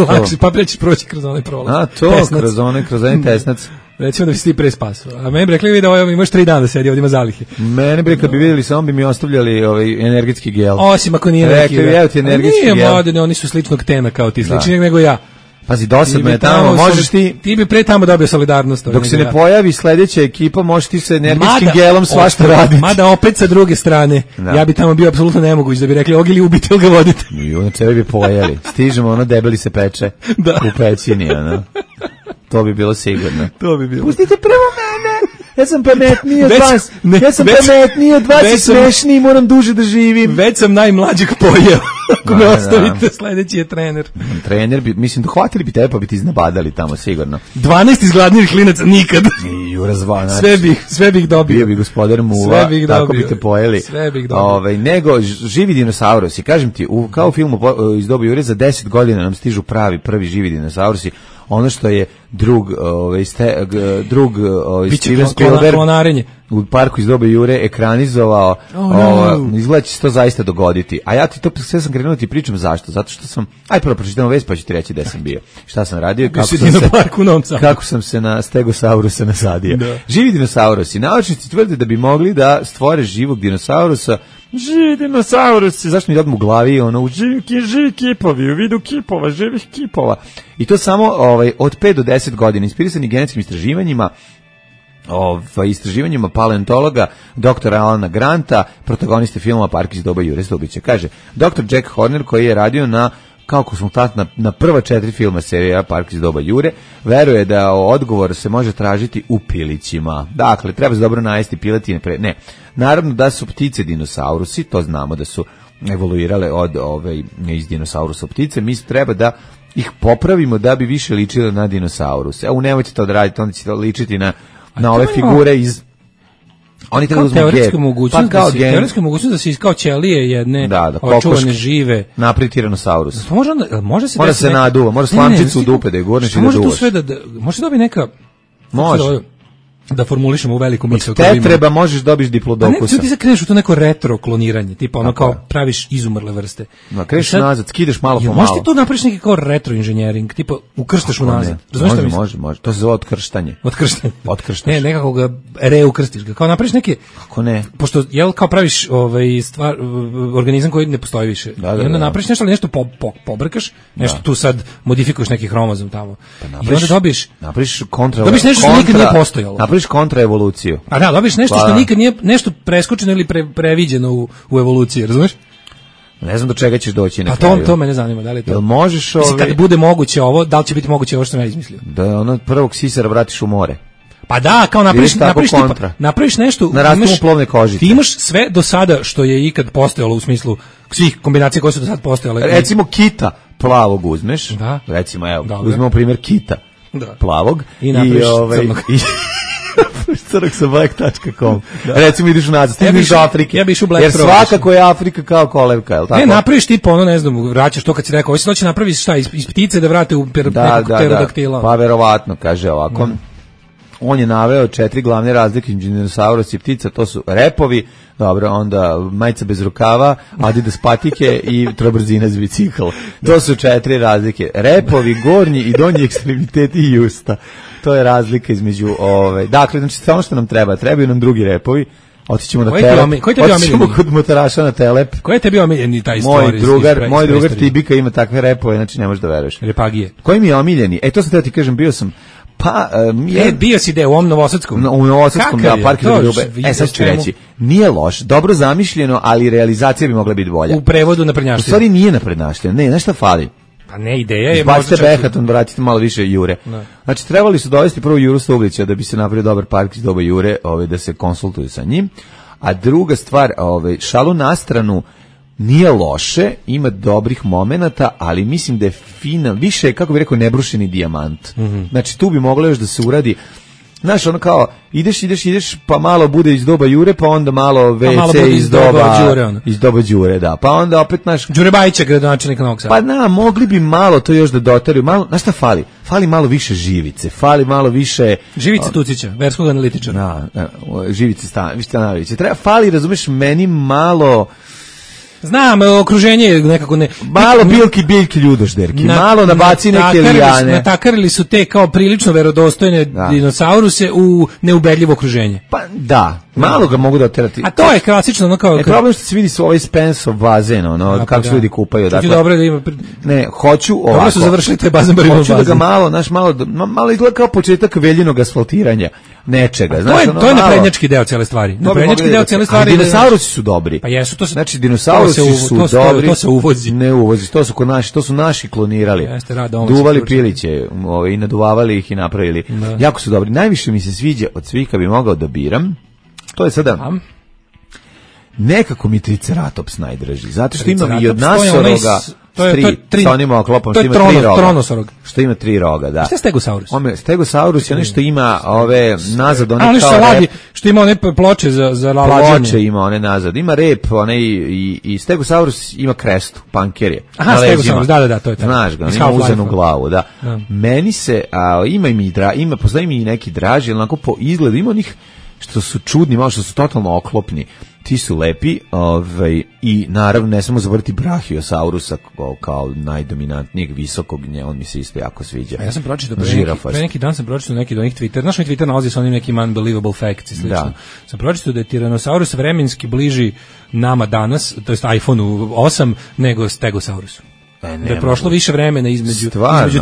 [SPEAKER 5] Lakše, pa preći proći kroz onaj prolaz.
[SPEAKER 6] A to, kroz onaj tesnac.
[SPEAKER 5] Recimo da bi se ti pre spasao. A meni bi rekli da imaš 3 dana da sedi, ovdje ima zalihe.
[SPEAKER 6] Mene bi kad bi vidjeli, samo bi mi ostavljali energetski gel.
[SPEAKER 5] Osim ako nije
[SPEAKER 6] neki. Rekli, evo ti energetski gel.
[SPEAKER 5] Nije moderne, oni su sličnog tena kao ti, sličnijeg nego ja.
[SPEAKER 6] Pazi, dosadno je tamo, možeš ti...
[SPEAKER 5] Ti bi pre tamo dobio solidarnost.
[SPEAKER 6] Dok se ne pojavi sljedeća ekipa, možeš ti sa energetskim gelom svašta raditi.
[SPEAKER 5] Mada opet sa druge strane, ja bi tamo bio apsolutno nemoguć da bi rekli, og ili ubite, ili ga vodite.
[SPEAKER 6] I onda tebe bi pojeli. Stižemo, debeli se peče u pećini, To bi bilo sigurno. Pustite prvo mene! Ja sam pametniji od vas. Pametniji od vas i smešniji, moram duže da živim.
[SPEAKER 5] Već sam najmlađeg pojeo. Ako me ostavite, sljedeći je trener.
[SPEAKER 6] Trener bi, mislim, dohvatili bi tebe pa bi ti iznabadali tamo, sigurno.
[SPEAKER 5] 12 izgladnijih klinaca nikad. Sve bih dobio.
[SPEAKER 6] Bio bi gospodar Muva, tako bi te pojeli.
[SPEAKER 5] Sve bih dobio.
[SPEAKER 6] Nego, živi dinosaurusi. Kažem ti, kao u filmu iz doba Jure, za 10 godina nam stižu prvi živi dinosaurusi. Ono što je drug Steven Spielberg u parku iz doba Jure ekranizovao, izgleda će se to zaista dogoditi. A ja ti to sve sam krenuo ti pričam zašto? Zato što sam, prvo pročitamo vest pa ću ti reći gde sam bio. Šta sam radio i kako sam se na Stegosaurusa nasadio. Živi dinosaurusi. Naučnici tvrde da bi mogli da stvore živog dinosaurusa. Živi dinosaurusi, zašto mi odmah u glavi živi kipovi, u vidu kipova, živih kipova. I to samo od 5 do 10 godina, inspirisani genetskim istraživanjima, istraživanjima paleontologa dr. Alana Granta, protagoniste filmova Park iz doba Jure Stubljića. Kaže, dr. Jack Horner, koji je radio kao konsultant na prva 4 filma serija Park iz doba Jure, veruje da odgovor se može tražiti u pilićima. Dakle, treba se dobro najesti piletine. Ne, naravno da su ptice dinosaurusi, to znamo da su evoluirale iz dinosaurusa ptice, mi treba da ih popravimo da bi više ličile na dinosauruse. Nemojte to da radite, onda će to ličiti na ove figure iz... Oni
[SPEAKER 5] kao teoretska mogućnost da se kao ćelije jedne očuvane žive
[SPEAKER 6] napravi tiranosaurus.
[SPEAKER 5] Može
[SPEAKER 6] se naduva, može slamčicu u dupe da je gurneš i da duvaš.
[SPEAKER 5] Može tu sve može dobiti neka...
[SPEAKER 6] Može.
[SPEAKER 5] Da formulišemo u veliku misao.
[SPEAKER 6] Te treba možeš dobiš diplodokusa.
[SPEAKER 5] Ne, ti se kreneš u to neko retro kloniranje, tipa kao praviš izumrle vrste.
[SPEAKER 6] Kreneš nazad, skidaš malo po malo.
[SPEAKER 5] Možeš ti tu napraviš neki kao retro inženjering, tipa ukrštaš unazad.
[SPEAKER 6] Može. To se zove otkrštanje.
[SPEAKER 5] Ne, nekako ga reukrstiš ga. Kao napraviš neke...
[SPEAKER 6] Kako ne?
[SPEAKER 5] Pošto, kao praviš organizam koji ne postoji više. I onda napraviš nešto, ali nešto pobrkaš, nešto tu sad modifikuješ neki hromozom tamo. I onda dobiš
[SPEAKER 6] nešto
[SPEAKER 5] što nikad nije postojalo.
[SPEAKER 6] Napraviš dobiješ kontraevoluciju.
[SPEAKER 5] A da, dobiješ nešto što nikad nije nešto preskočeno ili previđeno u evoluciji, razumeš?
[SPEAKER 6] Ne znam do čega ćeš doći na kraju.
[SPEAKER 5] Pa to mene zanima, da li to.
[SPEAKER 6] Jel možeš
[SPEAKER 5] kad bude moguće ovo, da li će biti moguće ovo što sam ja izmislio?
[SPEAKER 6] Da ono prvog sisara vratiš u more.
[SPEAKER 5] Pa da, kao napraviš nešto,
[SPEAKER 6] na rastumu plovne kožice.
[SPEAKER 5] Ti imaš sve do sada što je ikad postojalo u smislu svih kombinacija koje su do sada postojale.
[SPEAKER 6] Recimo kita plavog uzmeš, da. Recimo evo, uzmemo primjer kita plavog
[SPEAKER 5] i napraviš crnog.
[SPEAKER 6] Crnog sa black.com. Recimo ideš nazad, stigneš do Afrike.
[SPEAKER 5] Ja bi išao Black.
[SPEAKER 6] Jer svakako je Afrika kao kolevka, je li tako?
[SPEAKER 5] Ne, napraviš tipa ono, ne znam, vraćaš to kad si rekao, hoće napraviš šta, iz ptice da vrate u nekog pterodaktila.
[SPEAKER 6] Pa verovatno, kaže ovako. On je naveo 4 glavne razlike između dinosaurusa i ptica, to su repovi, dobro, onda majica bez rukava, Adidas patike i trobrzina za bicikl. To su 4 razlike. Repovi, gornji i donji ekstremiteti i usta. To je razlika između dakle, znači ono što nam trebaju nam drugi repovi. Otićemo na Telep. Otićemo kod motoraša na Telep.
[SPEAKER 5] Koji je tebi omiljeni taj
[SPEAKER 6] moj drugar Tibika ima takve repove, znači ne možeš da veruješ.
[SPEAKER 5] Repagije.
[SPEAKER 6] Koji mi je omiljeni? To sam teo ti kažem, bio sam
[SPEAKER 5] bio si u ovom Novosadskom.
[SPEAKER 6] U Novosadskom, da, park Ljube. Sad ću reći, nije loš, dobro zamišljeno, ali realizacija bi mogla biti bolja.
[SPEAKER 5] U prevodu naprednjaštine.
[SPEAKER 6] U stvari nije naprednjaštine, ne, nešto fali.
[SPEAKER 5] Pa ne, ideja je...
[SPEAKER 6] Izbacite Behaton, vratite malo više Jure. Ne. Znači, trebali su dovesti prvo Juru Stublića da bi se napravio dobar park iz doba Jure, da se konsultuju sa njim. A druga stvar, šalu na stranu, nije loše, ima dobrih momenata, ali mislim da je više, kako bih rekao, nebrušeni dijamant. Znači, tu bi moglo još da se uradi. Znaš, ono kao, ideš, pa malo bude iz doba Jure, pa onda malo WC iz doba Đure, da. Pa onda opet, znaš...
[SPEAKER 5] Đure Bajića, gradonačelnika Novog Sada.
[SPEAKER 6] Pa da, mogli bi malo to još da dotariju. Znaš šta fali? Fali malo više Živice, fali malo više...
[SPEAKER 5] Živice Tucića, verskog analitičara.
[SPEAKER 6] Da, Živice Stanovića. Fali, razumeš, meni malo...
[SPEAKER 5] Znam, okruženje je nekako ne...
[SPEAKER 6] Malo biljki ljudožderki, malo nabaci neke lijane.
[SPEAKER 5] Natakarili su te kao prilično verodostojne dinosauruse u neubedljivo okruženje.
[SPEAKER 6] Pa da, malo ga mogu da oterati.
[SPEAKER 5] A to je klasično, ono kao...
[SPEAKER 6] problem što se vidi su ovaj Spensov bazen, kako se ljudi kupaju.
[SPEAKER 5] Dakle, dobro da ima...
[SPEAKER 6] Ne, hoću ovako.
[SPEAKER 5] Dobro su završili te bazen barimo bazen.
[SPEAKER 6] Hoću da ga malo izgleda kao početak veljenog asfaltiranja nečega.
[SPEAKER 5] To je naprednjački deo cijele stvari. Naprednjački deo cijele stvari.
[SPEAKER 6] Dinosaurusi su dobri.
[SPEAKER 5] Pa jesu, to se...
[SPEAKER 6] Znači, dinosaurusi su dobri.
[SPEAKER 5] To se uvozi.
[SPEAKER 6] Ne uvozi, to su naši klonirali. Duvali piliće i naduvavali ih i napravili. Jako su dobri. Najviše mi se sviđa od svih kad bi mogao da biram. To je sada... Nekako mi Triceratops najdraži. Zato što ima i od nasoroga... sa onim oklopom, što ima 3 roga.
[SPEAKER 5] Tronosorog.
[SPEAKER 6] Što ima 3 roga, da.
[SPEAKER 5] Šta je Stegosaurus?
[SPEAKER 6] Stegosaurus je nešto ima ove nazad, one
[SPEAKER 5] kao rep. Što ima one ploče za lađanje.
[SPEAKER 6] Ploče ima one nazad. Ima rep, i Stegosaurus ima krestu, panker je.
[SPEAKER 5] Aha, Stegosaurus, da, to je tako.
[SPEAKER 6] Znaš ga, ima uzenu glavu, da. Meni se, postoji mi i neki draži, onako po izgledu, ima onih što su čudni, malo što su totalno oklopni. Ti su lepi, i naravno ne samo zavrti Brachiosaurusa kao najdominantnijeg visokog, on mi se isto jako sviđa.
[SPEAKER 5] A ja sam pročitao pre neki dan neki od onih Twitter, znaš mi Twitter nalazi sa onim nekim unbelievable facts i slično. Da. Sam pročitao da je Tyrannosaurus vremenski bliži nama danas, to jest iPhone-u 8, nego Stegosaurusu. Da je prošlo više vremena između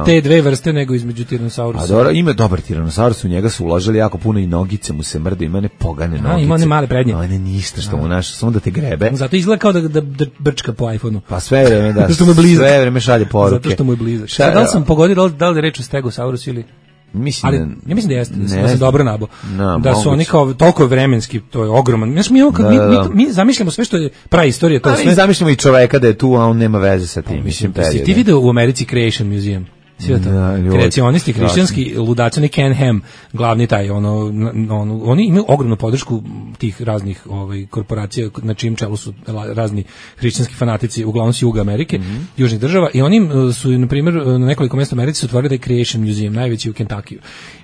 [SPEAKER 5] te dve vrste nego između Tyrannosaurusa.
[SPEAKER 6] A dobro, ima dobar Tyrannosaurus, u njega su uložili jako puno i nogice mu se mrde, ima one pogane nogice.
[SPEAKER 5] Ima one male prednje.
[SPEAKER 6] No, ne ništa što mu naš, samo da te grebe.
[SPEAKER 5] Zato izgleda kao da brčka po iPhone-u.
[SPEAKER 6] Pa sve vreme sve vreme šalje poruke.
[SPEAKER 5] Zato što mu je blizak. Da li sam pogodio da li je reč o Stegosaurus ili... Ja mislim da jeste, da sam dobro nabo. Da su oni kao toliko vremenski, to je ogroman. Mi zamišljamo sve što je praistorija, to sve.
[SPEAKER 6] Mi zamišljamo i čoveka da je tu, a on nema veze sa tim.
[SPEAKER 5] Mislim, ti video u Americi Creation Museum? Sve to. Kreacionisti, hrišćanski ludaci, oni Ken Ham, glavni taj, oni imaju ogromnu podršku tih raznih korporacija na čijem čelu su razni hrišćanski fanatici, uglavnom s juga Amerike, južnih država, i oni su, na primjer, na nekoliko mjesta u Americi su otvorili taj Creation Museum, najveći u Kentuckiju.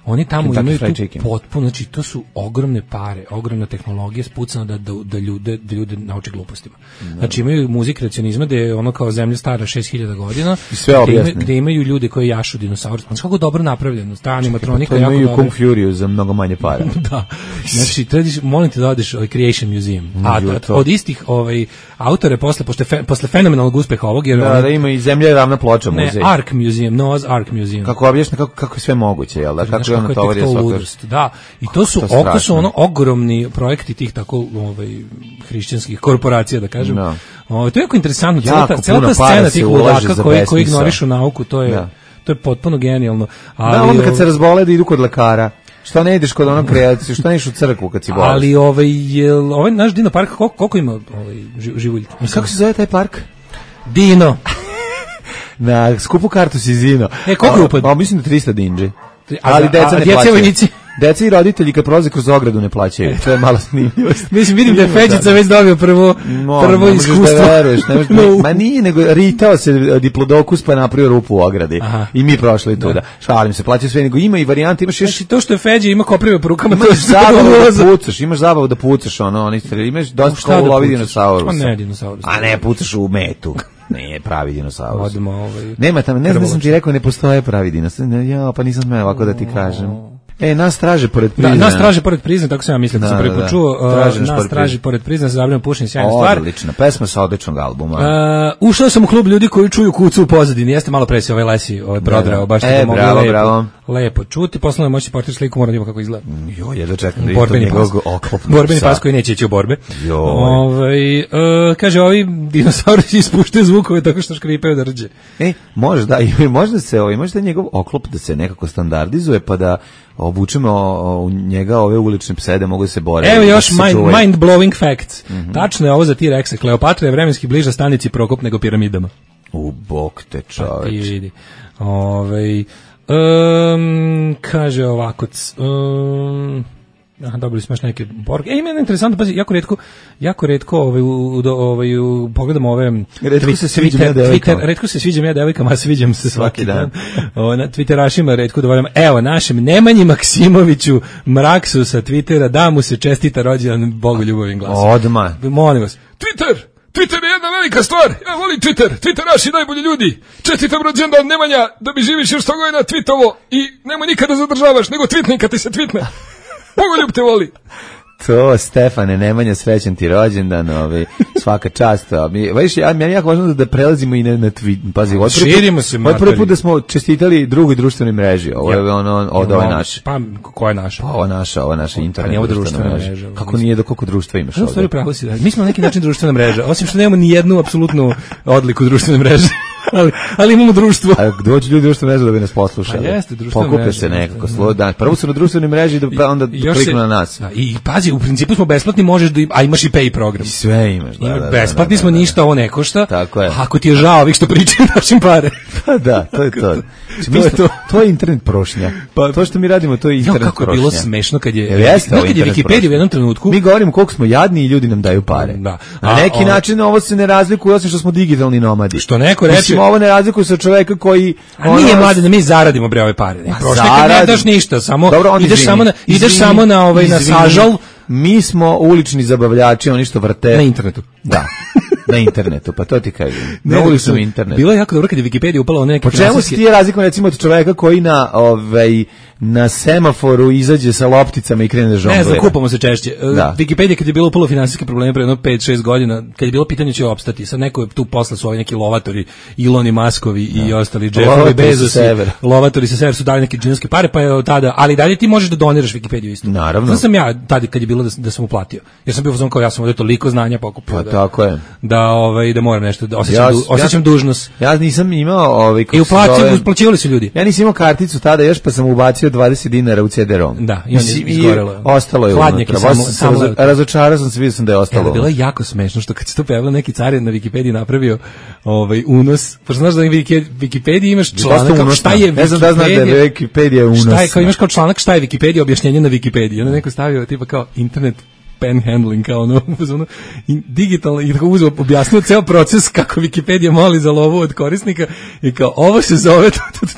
[SPEAKER 5] Oni tamo imaju tu potpuno, znači to su ogromne pare, ogromna tehnologija spucana da ljude nauče glupostima. Znači imaju muzik kreacionizma gde je ono kao zemlja stara 6000 godina, gde imaju ljude koji je jašu dinosaur. Znači kako dobro napravljeno, ta animatronika
[SPEAKER 6] jako
[SPEAKER 5] dobro.
[SPEAKER 6] Kung Fury za mnogo manje para.
[SPEAKER 5] Da. Znači trebaš, molim te da odeš u Creation Museum. Od istih autore posle fenomenalnog uspeha ovog jer
[SPEAKER 6] da ima i Zemlja je ravna ploča muzej.
[SPEAKER 5] Ark Museum, Noah's Ark Museum.
[SPEAKER 6] Kako objašnja kako je sve moguće, jel da? Kako je ono tovar je svaka.
[SPEAKER 5] Da. I to su ogromni projekti tih tako hrišćanskih korporacija da kažem. No. To je jako interesantno, cela ta scena tih ludaka koji ignorišu nauku, to je potpuno genijalno.
[SPEAKER 6] Ali, da, onda kad se razbole da idu kod lekara. Što ne ideš kod onog kreacije, što ne ideš u crkvu kad si bolest?
[SPEAKER 5] Ali ovaj naš Dino park, koliko ima živuljki?
[SPEAKER 6] Kako se zove taj park?
[SPEAKER 5] Dino.
[SPEAKER 6] Na skupu kartu si Zino.
[SPEAKER 5] Koliko je upad?
[SPEAKER 6] Mislim da 300 dinđe. Ali deca ne plaćaju. Deca i roditelji kad prolaze kroz ogradu ne plaćaju. To je malo snimljivo.
[SPEAKER 5] Mislim, vidim da je Feđica već dobio prvo iskustvo.
[SPEAKER 6] Da veruješ, ma nije, nego ritao se diplodokus pa je napravio rupu u ogradi. I mi prošli tuda. Šalim se, plaćaju sve, nego ima i varijante, imaš još...
[SPEAKER 5] Znači to što je Feđa ima koprive po rukama,
[SPEAKER 6] imaš zabavu da pucaš, imaš dosta kao u lovi dinosaurusa.
[SPEAKER 5] Ne dinosaurusa.
[SPEAKER 6] A ne, pucaš u metu. Nije pravi dinosaurus. Nema tamo, ne znam da sam ti rekao, ne postoje pravi dinosaurus. Ja, pa nisam smeo ovako da ti kažem. Nas traže pored Prizna.
[SPEAKER 5] Nas traže pored Prizna, tako sam ja mislio da sam prvi put čuo. Nas traži pored Prizna, se zabranjeno pušenje, sjajna stvar.
[SPEAKER 6] Odlična, pesma sa odličnog albuma.
[SPEAKER 5] Ušao sam u klub ljudi koji čuju kucu u pozadini. Jeste malo pre si Lesi prodrao, baš tako mogli lepo čuti. Poslovno moći portir sliku, mora da ima kako izgleda.
[SPEAKER 6] Ja da čekam da vidim njegov oklop.
[SPEAKER 5] Borbeni pas koji neće ići u borbe. Kaže, ovi dinosaurusi ispuštaju zvukove tako što škripaju da rđe.
[SPEAKER 6] Možda njegov oklop da se nekako standardizuje, pa da obučemo u njega ove ulične pse da mogu da se bore.
[SPEAKER 5] Evo još mind-blowing facts. Tačno je ovo za T-Rexe. Kleopatra je vremenski bliža stanici Prokop nego piramidama.
[SPEAKER 6] U bok te čoveč.
[SPEAKER 5] Ti vidi. Kaže ovako... dobili smo još neke borge. Ima jedna interesantna, pazi, jako retko pogledamo ove retko se sviđam ja devojkama, a sviđam se svaki dan. Na Twitterašima retko dovoljamo. Evo, našem Nemanji Maksimoviću Mraksu sa Twittera, da mu se čestita rođendan Bogu ljubavim glasom.
[SPEAKER 6] Odmah.
[SPEAKER 5] Molim vas.
[SPEAKER 7] Twitter je jedna velika stvar. Ja volim Twitter. Twitteraši najbolji ljudi. Čestitam rođendan Nemanja, da mi živiš još 100 godina twittovo i nemoj nikada zadržavaš, nego tweetni kad ti se tweetne. Bogoljub te voli.
[SPEAKER 6] To, Stefane, Nemanja, srećan ti rođendan, svaka čast. Meni jako važno da prelazimo i na tweet. Pazi,
[SPEAKER 5] širimo se.
[SPEAKER 6] Ovo je prvi put da smo čestitali drugoj društvenoj mreži. Ovo je ovo je naše.
[SPEAKER 5] Pa, koja je naša?
[SPEAKER 6] Pa, ovo je naša internet društvena mreža. Kako nije, koliko društva imaš ovdje?
[SPEAKER 5] Stvari pravo si da. Mi smo na neki način društvena mreža, osim što nemamo ni jednu apsolutnu odliku društvene mreže. Ali imamo društvo.
[SPEAKER 6] A dođu ljudi društvene mreže da bi nas poslušali.
[SPEAKER 5] Pa jeste, društvene
[SPEAKER 6] mreže. Pokupe se nekako slodan. Prvo su na društvenoj mreži da onda kliknu na nas.
[SPEAKER 5] I pazi, u principu smo besplatni, možeš a imaš i pay program.
[SPEAKER 6] I sve imaš, da.
[SPEAKER 5] Besplatni smo, ništa ovo ne košta.
[SPEAKER 6] Tako je.
[SPEAKER 5] Ako ti je žao ovih što pričaju našim pare.
[SPEAKER 6] Pa da, to je to. To je internet prošnja. To što mi radimo, to je internet prošnja.
[SPEAKER 5] Kako je bilo smešno kad je Wikipedia u jednom trenutku.
[SPEAKER 6] Mi govorimo koliko smo jadni i ljudi nam daju pare. Na neki način ovo se ne razlikuje, osim što smo digitalni nomadi.
[SPEAKER 5] Što neko reče,
[SPEAKER 6] ovo ne razlikuje se od čoveka koji
[SPEAKER 5] nije mlade da mi zaradimo bre ove pare. Prošle kad ne daš ništa, samo ideš samo na na sažal.
[SPEAKER 6] Mi smo ulični zabavljači, oni što vrte
[SPEAKER 5] na internetu.
[SPEAKER 6] Da. Na internetu, pa to ti kažem. Na uličnom internetu.
[SPEAKER 5] Bilo je jako dobro kad je Wikipedia upala neke.
[SPEAKER 6] Po čemu se ti razlikuje recimo od čoveka koji na semaforu izađe sa lopticama i krene da žonglira?
[SPEAKER 5] Ne znam, kupamo se češće. Wikipedia kad je bilo upalo finansijske probleme pre 5-6 godina, kad je bilo pitanje će opstati, sad neko je tu posle su ovi neki lovatori, Iloni Maskovi i ostali Jeffovi Bezosi, lovatori sa severa su dali neke džinovske pare, pa je tada, ali dalje ti možeš da doniraš Wikipediju isto.
[SPEAKER 6] Naravno.
[SPEAKER 5] Znam sam ja tada kad je bilo da sam uplatio. Jer sam bio fazon kao ja sam ovdje toliko znanja pokupio.
[SPEAKER 6] Pa tako je.
[SPEAKER 5] Da moram nešto da osjećam dužnost.
[SPEAKER 6] Ja nisam imao
[SPEAKER 5] i uplaćivali su ljudi.
[SPEAKER 6] Ja nisam imao karticu tada još, pa sam ubacio 20 dinara u CD-ROM.
[SPEAKER 5] Da, i on je izgorelo.
[SPEAKER 6] Ostalo je unutra. Razočarao sam se, vidio sam da je ostalo.
[SPEAKER 5] Bilo je jako smešno što kad se to pojavilo neki carin na Wikipediji napravio unos. Pa znaš da na Wikipediji imaš članak šta je Wikipedija.
[SPEAKER 6] Ne znam da znaš da je Wikipedija unos.
[SPEAKER 5] Šta je, kao imaš kao članak šta je Wikipedija, objašnjenje na Wikipediji. Onda neko stavio tipa kao internet panhandling, kao ono, digitalno, i tako uzeo, objasnio ceo proces kako Wikipedia moli za lovu od korisnika i kao, ovo se zove,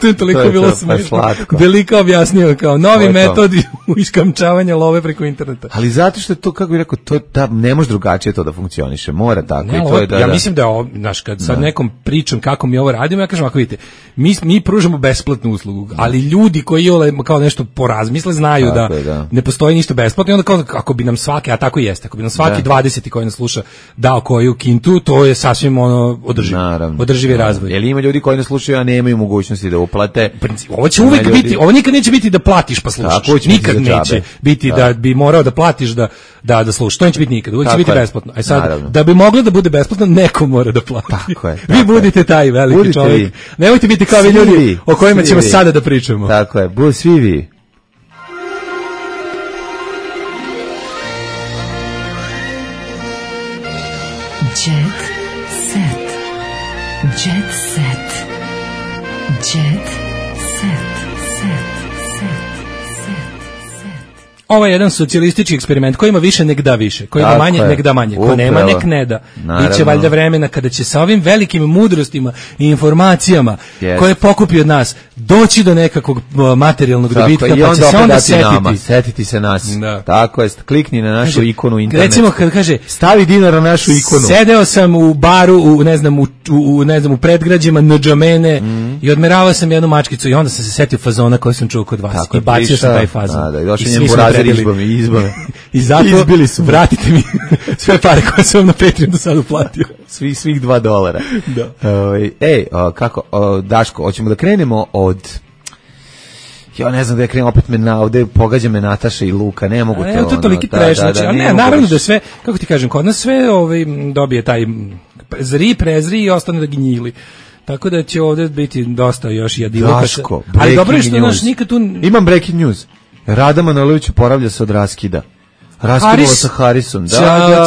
[SPEAKER 5] to je toliko bilo smešno. Delika objasnio kao novi metod iskamčavanja love preko interneta.
[SPEAKER 6] Ali zato što je to, kako bih rekao, to da ne može drugačije to da funkcioniše, mora tako.
[SPEAKER 5] Ne,
[SPEAKER 6] i to je
[SPEAKER 5] ja mislim da je ovo, znaš, kad sad nekom pričam kako mi ovo radimo, ja kažem, ako vidite, mi pružamo besplatnu uslugu, ali ljudi koji kao nešto porazmisle znaju da ne postoji ništa besplatno i onda kao, ako bi nam svaki, a tako jeste, ako bi nam svaki 20. koji nas sluša dao koju kintu, to je sasvim održivi razvoj.
[SPEAKER 6] Jer ima ljudi koji nas slušaju, a nemaju mogućnosti da uplate.
[SPEAKER 5] Ovo će uvek biti, ovo nikad neće biti da platiš pa slušaš. Nikad neće biti da bi morao da platiš da slušaš. To neće biti nikad, uvek će biti besplatno. A sad, da bi moglo da bude besplatno, neko mora da plati.
[SPEAKER 6] Tako je.
[SPEAKER 5] Vi budite taj veliki čovjek. Nemojte biti kao vi ljudi o kojima ćemo sada da pričamo.
[SPEAKER 6] Tako je, budite svi vi.
[SPEAKER 2] Jet set. Jet set. Jet set.
[SPEAKER 5] Ovo je jedan socijalistički eksperiment koji ima više nek da više, koji ima manje nek da manje, ko nema nek ne da. Biće valjda vremena kada će sa ovim velikim mudrostima i informacijama koje pokupi od nas doći do nekakvog materijalnog dobitka, pa će se onda
[SPEAKER 6] setiti se nas. Tako je, klikni na našu ikonu internet.
[SPEAKER 5] Recimo kad kaže
[SPEAKER 6] stavi dinar na našu ikonu.
[SPEAKER 5] Sedeo sam u baru u predgrađima Ndžamene i odmeravao sam jednu mačkicu i onda sam se setio fazona koji sam čuo kod vas i bacio sam taj fazon.
[SPEAKER 6] Izbave.
[SPEAKER 5] I zato vratite mi sve pare koje sam vam na Patreon do sada uplatio.
[SPEAKER 6] Svih $2. Da. Kako, Daško, hoćemo da krenemo od... Ja ne znam da ja krenem, opet ovde pogađa me Nataša i Luka, ne mogu to.
[SPEAKER 5] Evo to toliki treš, ali ne, naravno da sve, kako ti kažem, kod nas sve dobije taj prezri i ostane da gnjili. Tako da će ovde biti dosta još jadilaka.
[SPEAKER 6] Daško,
[SPEAKER 5] ali dobro je što naš nikad tu...
[SPEAKER 6] Imam breaking news. Rada Manojlović oporavlja se od raskida. Raskidala sa Harisom.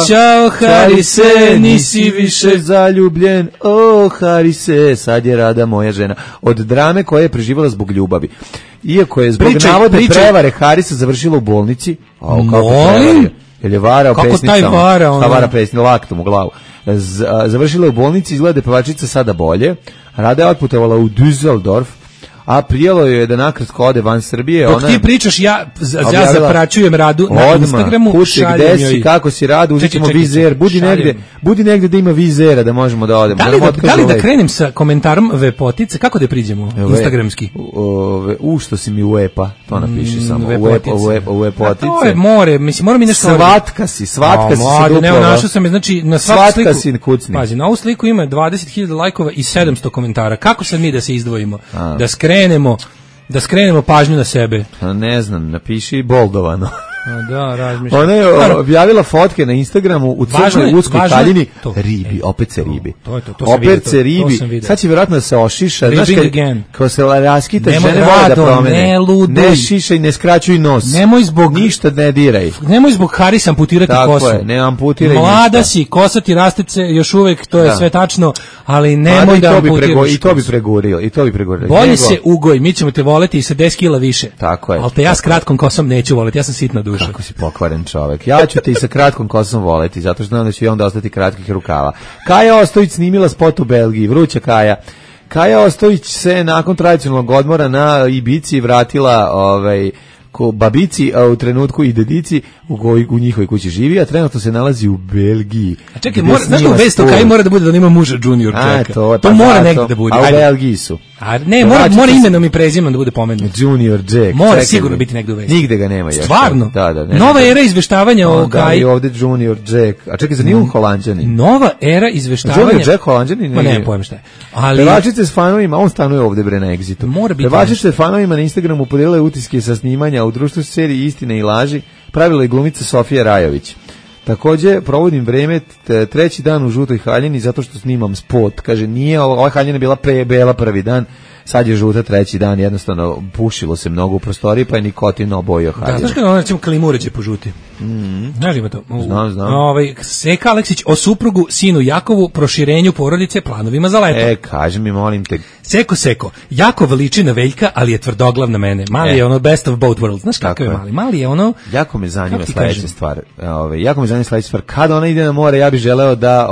[SPEAKER 5] Ćao, Harise, nisi više
[SPEAKER 6] zaljubljen. Harise, sad je Rada moja žena. Od drame koja je preživala zbog ljubavi. Iako je zbog navodne prevare Harisa završila u bolnici.
[SPEAKER 5] Molim?
[SPEAKER 6] Jer je varao pesnicama.
[SPEAKER 5] Kako taj vara?
[SPEAKER 6] Vara pesnicama, laktom u glavu. Završila je u bolnici, izgleda je pevačica sada bolje. Rada je otputovala u Düsseldorf, a prijelo je da nakratko ode van Srbije.
[SPEAKER 5] Dok ti pričaš, ja zapraćujem Radu na Instagramu,
[SPEAKER 6] šaljem joj. Kako si Radu, uzet ćemo vizer, budi negde da ima vizera da možemo da odemo.
[SPEAKER 5] Da li da krenem sa komentarom Vepotice, kako da priđemo instagramski?
[SPEAKER 6] Što si mi uepa, to napiši samo, Vepotice.
[SPEAKER 5] To je more, mislim, mora mi nešto...
[SPEAKER 6] Svatka si se duplava.
[SPEAKER 5] Ne, našao sam je, znači, na svaku sliku, pazi, na ovu sliku ima 20.000 lajkova i 700 komentara. Kako sad mi da se izdvojimo? Da skrenemo pažnju na sebe.
[SPEAKER 6] Ne znam, napiši boldovano.
[SPEAKER 5] Da, razmišljam.
[SPEAKER 6] Ona je objavila fotke na Instagramu u crnoj uskoj haljini. Ribi, opet se ribi. Opet se ribi. Sad će vjerojatno da se ošiša. Kao se raskita, žene vole da promene. Ne šišaj, ne skraćuj nos. Ništa ne diraj.
[SPEAKER 5] Nemoj zbog Harisa amputirati kosu.
[SPEAKER 6] Tako je, ne amputiraj ništa.
[SPEAKER 5] Mlada si, kosa ti rastice, još uvek, to je sve tačno, ali nemoj da amputiraš.
[SPEAKER 6] I to bi pregurilo.
[SPEAKER 5] Bolje se ugoj, mi ćemo te voleti i sa 10 kila više.
[SPEAKER 6] Tako je.
[SPEAKER 5] Ali te ja s kratkom kosom neću voleti, ja sam sitna duša.
[SPEAKER 6] Kako si pokvaren čovek. Ja ću te i sa kratkom kosom voleti, zato što znam da će i onda ostati kratkih rukava. Kaja Ostojić snimila spot u Belgiji, vruća Kaja. Kaja Ostojić se nakon tradicionalnog odmora na Ibici vratila ko babici, a u trenutku i dedici u njihovoj kući živi, a trenutno se nalazi u Belgiji.
[SPEAKER 5] A čekaj, znaš da u vesti o Kaji mora da bude da ima muža Junior Jacka? To mora negdje da bude.
[SPEAKER 6] A u Belgiji su.
[SPEAKER 5] Ne, mora imenom i prezimenom da bude pomenut.
[SPEAKER 6] Junior Jack.
[SPEAKER 5] Mora sigurno biti negdje u vesti.
[SPEAKER 6] Nigde ga nema još.
[SPEAKER 5] Stvarno?
[SPEAKER 6] Da.
[SPEAKER 5] Nova era izveštavanja o Kaji.
[SPEAKER 6] Da, i ovde Junior Jack. A čekaj, za nije Holanđanin.
[SPEAKER 5] Nova era izveštavanja.
[SPEAKER 6] Junior Jack Holanđanin?
[SPEAKER 5] Ma nemam pojma šta je.
[SPEAKER 6] Pevačice s fanovima, on stanuje ovde bre na Exitu. Pevačice s fanovima na Instagramu podijelile utiske sa snimanja u društvu seriji Istine i laži, pravila je glumica Sofija Rajović. Takođe, provodim vreme treći dan u žutoj haljini zato što snimam spot. Kaže, nije, ova haljina bila bela prvi dan, sad je žuta treći dan, jednostavno pušilo se mnogo u prostoriji, pa je nikotin obojio haljinu.
[SPEAKER 5] Da, znaš kada recimo klimu uređe po žuti? Znaš ima to?
[SPEAKER 6] Znam.
[SPEAKER 5] Seka Aleksić o suprugu, sinu Jakovu, proširenju porodice, planovima za leto.
[SPEAKER 6] Kaži mi, molim te.
[SPEAKER 5] Seko, Jakov liči na Veljka, ali je tvrdoglav na mene. Mali je ono best of both worlds. Znaš kakav je Mali? Mali je ono...
[SPEAKER 6] Jako me zanima sledeća stvar. Kada ona ide na more, ja bih želeo da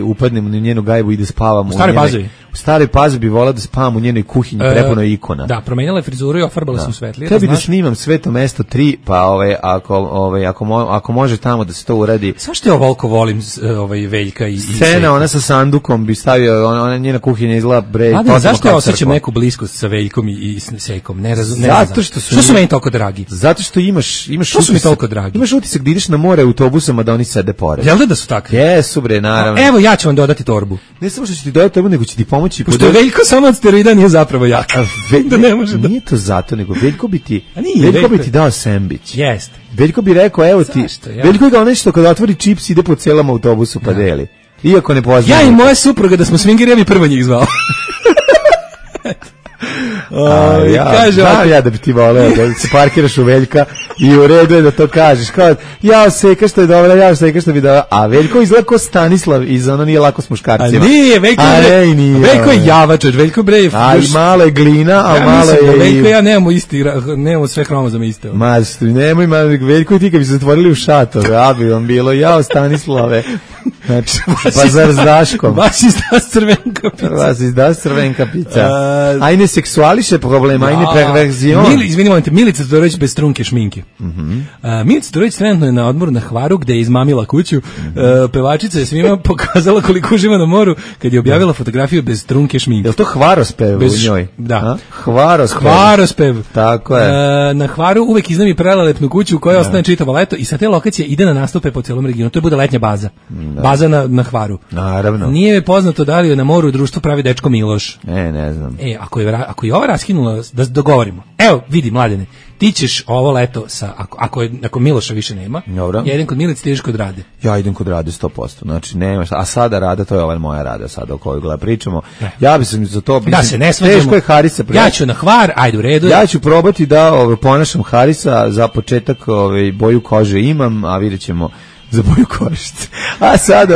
[SPEAKER 6] upadnem u njenu gajbu i da spavam
[SPEAKER 5] u Staroj Pazovi.
[SPEAKER 6] U Staroj Pazovi bi volao da spavam u njenoj kuhinji, prepunoj ikona.
[SPEAKER 5] Da, promenila je frizuru i ofarbala sam svetlije.
[SPEAKER 6] Tebi da snimam Sveto mesto 3, pa ako može tamo da se to uradi.
[SPEAKER 5] Zašto ja ovoliko volim Veljka i
[SPEAKER 6] scena, ona sa sandukom bi stavio, ona njena kuhinja izgleda
[SPEAKER 5] zašto ja osjećam neku bliskost sa Veljkom i Sekom? Ne znam. Što su meni toliko dragi?
[SPEAKER 6] Zato što imaš
[SPEAKER 5] što su mi toliko dragi?
[SPEAKER 6] Imaš utisak da ideš na more autobusama da oni sede pored.
[SPEAKER 5] Jel da su takvi?
[SPEAKER 6] Jesu bre, naravno.
[SPEAKER 5] Evo ja ću vam dodati torbu.
[SPEAKER 6] Ne samo što ću ti dodati torbu, nego ću ti pomoći.
[SPEAKER 5] Pošto Veljko samo od steroida nije zapravo jak. Da ne može da...
[SPEAKER 6] Nije to zato, nego Veljko bi ti dao sendvič.
[SPEAKER 5] Jeste.
[SPEAKER 6] Veljko bi rekao, evo ti. Veljko je kao nešto kada otvori čips ide po celom autobusu pa deli. Iako ne poznaje.
[SPEAKER 5] Ja i moja supruga da smo swingeri, ja bi prvo njih zvao.
[SPEAKER 6] Ja da bi ti voleo da se parkiraš u Veljka i u redu je da to kažeš kao, Seka što je dobra, Seka što bi dobra, a Veljko izgleda kao Stanislav iz ono nije lako s muškarcima.
[SPEAKER 5] A nije, Veljko je javač, Veljko bre.
[SPEAKER 6] A i malo je glina, a malo je...
[SPEAKER 5] Veljko ja nemamo sve hromozome iste.
[SPEAKER 6] Nemoj, Veljko i ti kad bi se zatvorili u šator, ja bi vam bilo, Stanislave. Znači, pa zar s Daškom?
[SPEAKER 5] Vas
[SPEAKER 6] izda crvenka pica. Ajne seksuališe problem, ajne perverzion.
[SPEAKER 5] Izvinite, Milica Todorović bez trunke šminke. Milica Todorović trenutno je na odmoru na Hvaru gde je izmamila kuću. Pevačica je svima pokazala koliko uživa na moru kad je objavila fotografiju bez trunke šminke.
[SPEAKER 6] Je li to hvarospev u njoj?
[SPEAKER 5] Da.
[SPEAKER 6] Hvarospev. Tako je.
[SPEAKER 5] Na Hvaru uvek iznami prelelepnu kuću koja ostane čitavo leto i sa te lokacije ide na nastupe po celom regionu. To je bude letnja baza. Baza na Hvaru.
[SPEAKER 6] Naravno.
[SPEAKER 5] Nije mi poznato da li je na moru društvo pravi dečko Miloš.
[SPEAKER 6] Ne znam.
[SPEAKER 5] Ako je ova raskinula, da dogovorimo. Evo, vidi, Mladene, ti ćeš ovo leto ako Miloša više nema.
[SPEAKER 6] Dobro.
[SPEAKER 5] Ja idem kod Milice, ti ideš kod Rade.
[SPEAKER 6] Ja idem kod Rade 100%. Znači nema šta. A sada Rada, to je ova moja Rada sada o kojoj pričamo. Ja bi se za to
[SPEAKER 5] da se ne svađamo.
[SPEAKER 6] Teško je Harisa.
[SPEAKER 5] Ja ću na Hvar, ajde u redu.
[SPEAKER 6] Ja ću probati da ponašam Harisa, za početak boju kože imam, a vidjet ćemo za boju kožice. A sad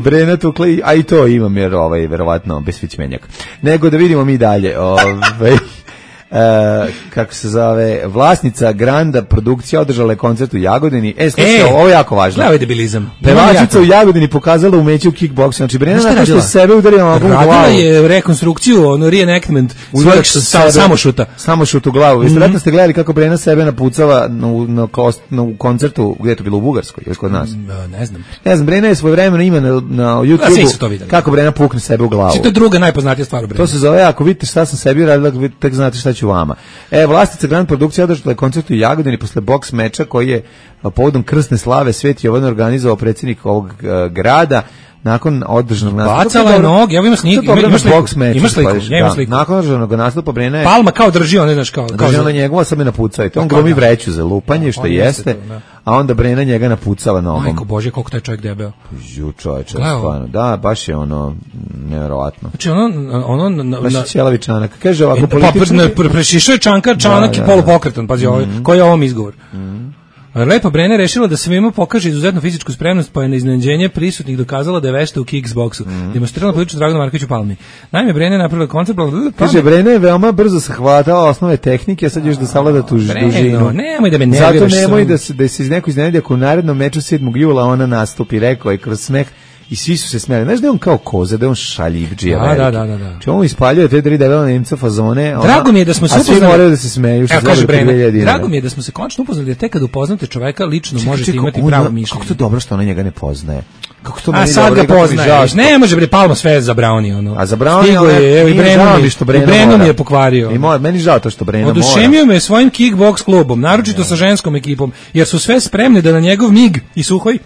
[SPEAKER 6] Brena tukla, a i to imam jer verovatno besfićmenjak. Nego da vidimo mi dalje. Kako se zove, vlasnica Granda produkcija održala je koncert u Jagodini. Slušaj, ovo je jako važno.
[SPEAKER 5] Gledaj debilizam.
[SPEAKER 6] Pevačica u Jagodini pokazala umeće u kickboksu. Znači Brena nakon što sebe udarila u glavu.
[SPEAKER 5] Radila je rekonstrukciju, reenactment svojeg
[SPEAKER 6] samošut u glavu. Vjerojatno ste gledali kako Brena sebe napucava na koncertu, gdje je to bilo u Bugarskoj ili kod nas? Ne znam, Brena je svojevremeno ima na YouTubeu kako Brena pukne sebe u glavu.
[SPEAKER 5] To je druga najpoznatija stvar u Breni.
[SPEAKER 6] To se zove, ako vidite šta sam sebi radila, tek znate šta ću vama. Vlasnica Grand produkcija održala je koncert u Jagodini posle boks meča koji je povodom krsne slave Sveti Jovan organizovao predsjednik ovog grada. Nakon održanog nastupa
[SPEAKER 5] bacala je noge, evo ima sliku, imaš sliku.
[SPEAKER 6] Nakon održanog nastupa Brena je
[SPEAKER 5] Palma kao drži, ne znaš kao
[SPEAKER 6] drži ona njegova, sad me napucao. On glumi vreću za lupanje, što jeste, a onda Brena njega napucava nogom.
[SPEAKER 5] Majko Bože, koliko taj čovjek debeo.
[SPEAKER 6] Čovječe, stvarno. Da, baš je nevjerovatno.
[SPEAKER 5] Znači ono
[SPEAKER 6] baš je ćelavi čanak. Kaže ovako politično.
[SPEAKER 5] Prešišao je čanak i polupokretan, pazi ovo, koji je ovom izgovor. Lepa Brena je rešila da svima pokaže izuzetnu fizičku spremnost, pa je na iznenađenje prisutnih dokazala da je vešta u kickboksu. Demonstrirala političku Draganu Markoviću Palmi. Naime, Brena je napravila koncert...
[SPEAKER 6] Kaže, Brena je veoma brzo savladala osnove tehnike, a sad još da savlada tu dužinu.
[SPEAKER 5] Nemoj da me nerviraš.
[SPEAKER 6] Zato nemoj da se neko iznenadi ako u narednom meču 7. jula ona nastupi, rekao je kroz smeh. I svi su se smijali. Znaš da je on kao koza, da je on šaljivdžija veliki.
[SPEAKER 5] Da.
[SPEAKER 6] Če on ispaljuje te 3 debela Nemca fazone.
[SPEAKER 5] Drago mi je da smo se
[SPEAKER 6] upoznali. A svi moraju da se smeju.
[SPEAKER 5] Drago mi je da smo se konačno upoznali, jer tek kad upoznate čoveka lično možete imati pravo mišljenje.
[SPEAKER 6] Kako to dobro što ona njega ne poznaje. Kako to
[SPEAKER 5] a sad ga poznaješ. Ne može bre, Palma sve zabraoni ono.
[SPEAKER 6] A zabraoni
[SPEAKER 5] je, i Breno mi je pokvario.
[SPEAKER 6] I meni žao to što Breno mora.
[SPEAKER 5] Oduševio me svojim kickboks klubom, naročito sa ženskom ekipom, jer su sve spremni da na njegov mig i Suhoj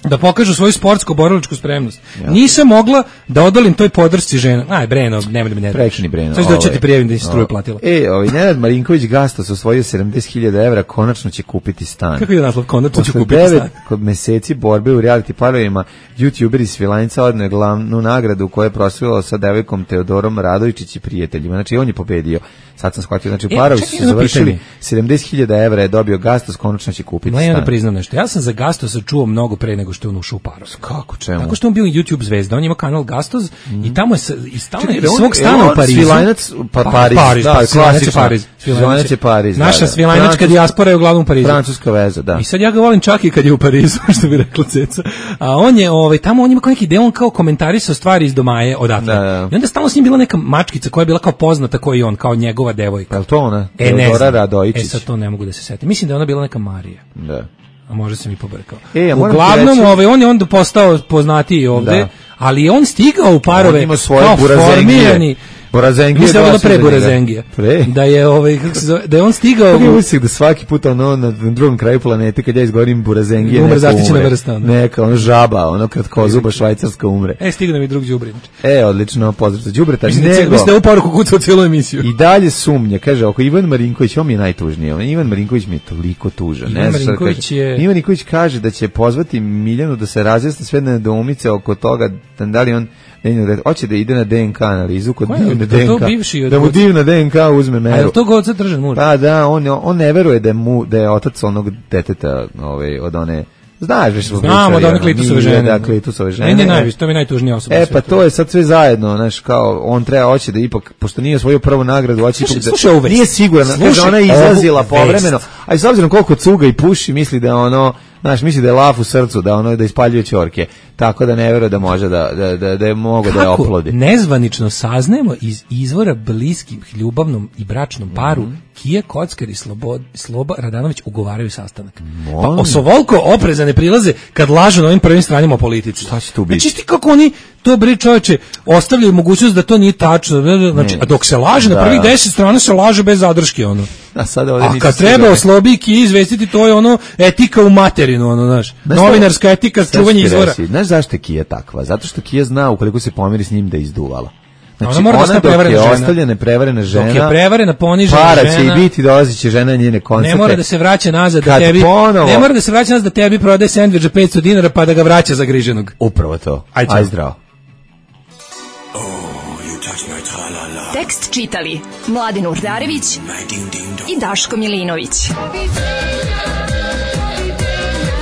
[SPEAKER 5] da pokažu svoju sportsko-borilačku spremnost. Nisam mogla da odolim toj podršci žena. Aj, Breno, nemoj da me ne daš.
[SPEAKER 6] Prekini, Breno.
[SPEAKER 5] Sad da ću ti prijavim da si struju platila.
[SPEAKER 6] Nenad Marinković Gastos osvojio 70.000 evra, konačno će kupiti stan.
[SPEAKER 5] Kako je naslov? Konačno će kupiti stan.
[SPEAKER 6] Kod meseci borbe u reality parovima, YouTuber iz Svilajnca odneo glavnu nagradu koju je proslavila sa devojkom Teodorom Radovičić i prijateljima. Znači, on je pobedio. Sad sam shvatio, znači parovi su završili 70.000 evra je dobio Gastos, konačno će kupiti stan.
[SPEAKER 5] Da priznam nešto. Ja sam za Gastosa čuo mnogo pre nego što je on ušao u parove.
[SPEAKER 6] Kako, čemu?
[SPEAKER 5] Tako što on bio YouTube zvezda, on ima kanal Gastos i tamo je iz svog stana u Parizu.
[SPEAKER 6] Svilajnac, Pariz, da, Svilajnac je Pariz.
[SPEAKER 5] Naša svilajnačka dijaspora je uglavnom u Parizu.
[SPEAKER 6] Francuska veza, da.
[SPEAKER 5] I sad ja ga volim čak i kad je u Parizu, što bi rekla Ceca. A on je, tamo on ima kao neki deo, on kao komentarisao stvari iz domaje odatle. I onda stalno s njim bila neka mačkica koja je bila kao poznata koji on, kao njegova devojka.
[SPEAKER 6] Je li to ona? Teodora Radojičić.
[SPEAKER 5] Sad to ne mogu da se setim. Mislim da je ona bila neka Marija.
[SPEAKER 6] Da.
[SPEAKER 5] A možda sam i pobrkao. Uglavnom, on je onda postao poznatiji ovde, ali on stigao u parove kao formirani.
[SPEAKER 6] Burazengije.
[SPEAKER 5] Mislim da je pre Burazengije. Da je kako se zove, da je on stigao.
[SPEAKER 6] Kako je usik da svaki put na drugom kraju planete kad ja izgovorim Burazengije
[SPEAKER 5] umre zaštićena vrsta.
[SPEAKER 6] Neka žaba, kratkozuba švajcarska umre.
[SPEAKER 5] Stigao nam i drug đubre.
[SPEAKER 6] Odlično, pozdrav za đubreta.
[SPEAKER 5] Mislim da je u poruku kucao cijelu emisiju.
[SPEAKER 6] I dalje sumnja, kaže, oko Ivan Marinković, on mi je najtužniji. Ivan Marinković mi je toliko tužan. Ivan Marinković kaže da će pozvati Miljanu da se razjasne sve nedoumice oko toga da li on hoće da ide na DNK analizu kod divne DNK, da mu divna DNK uzme meru.
[SPEAKER 5] A je to god držan muž?
[SPEAKER 6] Pa da, on ne veruje da je otac onog deteta od one. Znaš već smo pričali.
[SPEAKER 5] Znamo da one klitusove žene.
[SPEAKER 6] Da, klitusove žene.
[SPEAKER 5] Meni je najviše, to mi je najtužnija osoba.
[SPEAKER 6] Pa to je sad sve zajedno, znaš, kao, on hoće da ipak, pošto nije svoju prvu nagradu, hoće ipak da, nije siguran, kaže, ona je izlazila povremeno, a i s obzirom koliko cuga i puši, misli da misli da je laf u srcu, da ispaljuje ćorke, tako da ne veruje da može da je mogo da je oplodi.
[SPEAKER 5] Kako nezvanično saznajemo iz izvora bliskih ljubavnom i bračnom paru, Kija Kockar i Sloba Radanović ugovaraju sastanak. Pa osovolko oprezane prilaze kad lažu na ovim prvim stranima o politici.
[SPEAKER 6] Šta će tu biti?
[SPEAKER 5] Znači ti kako oni to bre čoveče ostavljaju mogućnost da to nije tačno. Znači, a dok se laže na prvih 10 strana se laže bez zadrške ono. A kad treba o Slobi i Kiji izvestiti, to je etika u materinu, znaš. Novinarska etika, čuvanje izvora.
[SPEAKER 6] Znaš zašto je Kija takva? Zato što Kija zna ukoliko se pomiri s njim da je izduvala. Znači,
[SPEAKER 5] ona dok je
[SPEAKER 6] ostavljena prevarena žena,
[SPEAKER 5] dok je prevarena, ponižena žena,
[SPEAKER 6] para će i biti, dolazit će žena njene koncerte.
[SPEAKER 5] Ne mora da se vraća nazad da tebi prodaje sendvič za 500 dinara pa da ga vraća zagriženog.
[SPEAKER 6] Upravo to. Aj zdravo.
[SPEAKER 2] Tekst čitali Mladin Urdarević i Daško Milinović.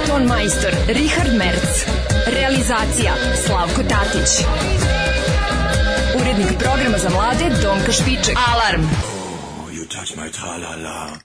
[SPEAKER 2] Ton majstor Richard Merc. Realizacija Slavko Tatić. Urednik programa za mlade Donka Špiček. Alarm! Oh, you touch my tra-la-la.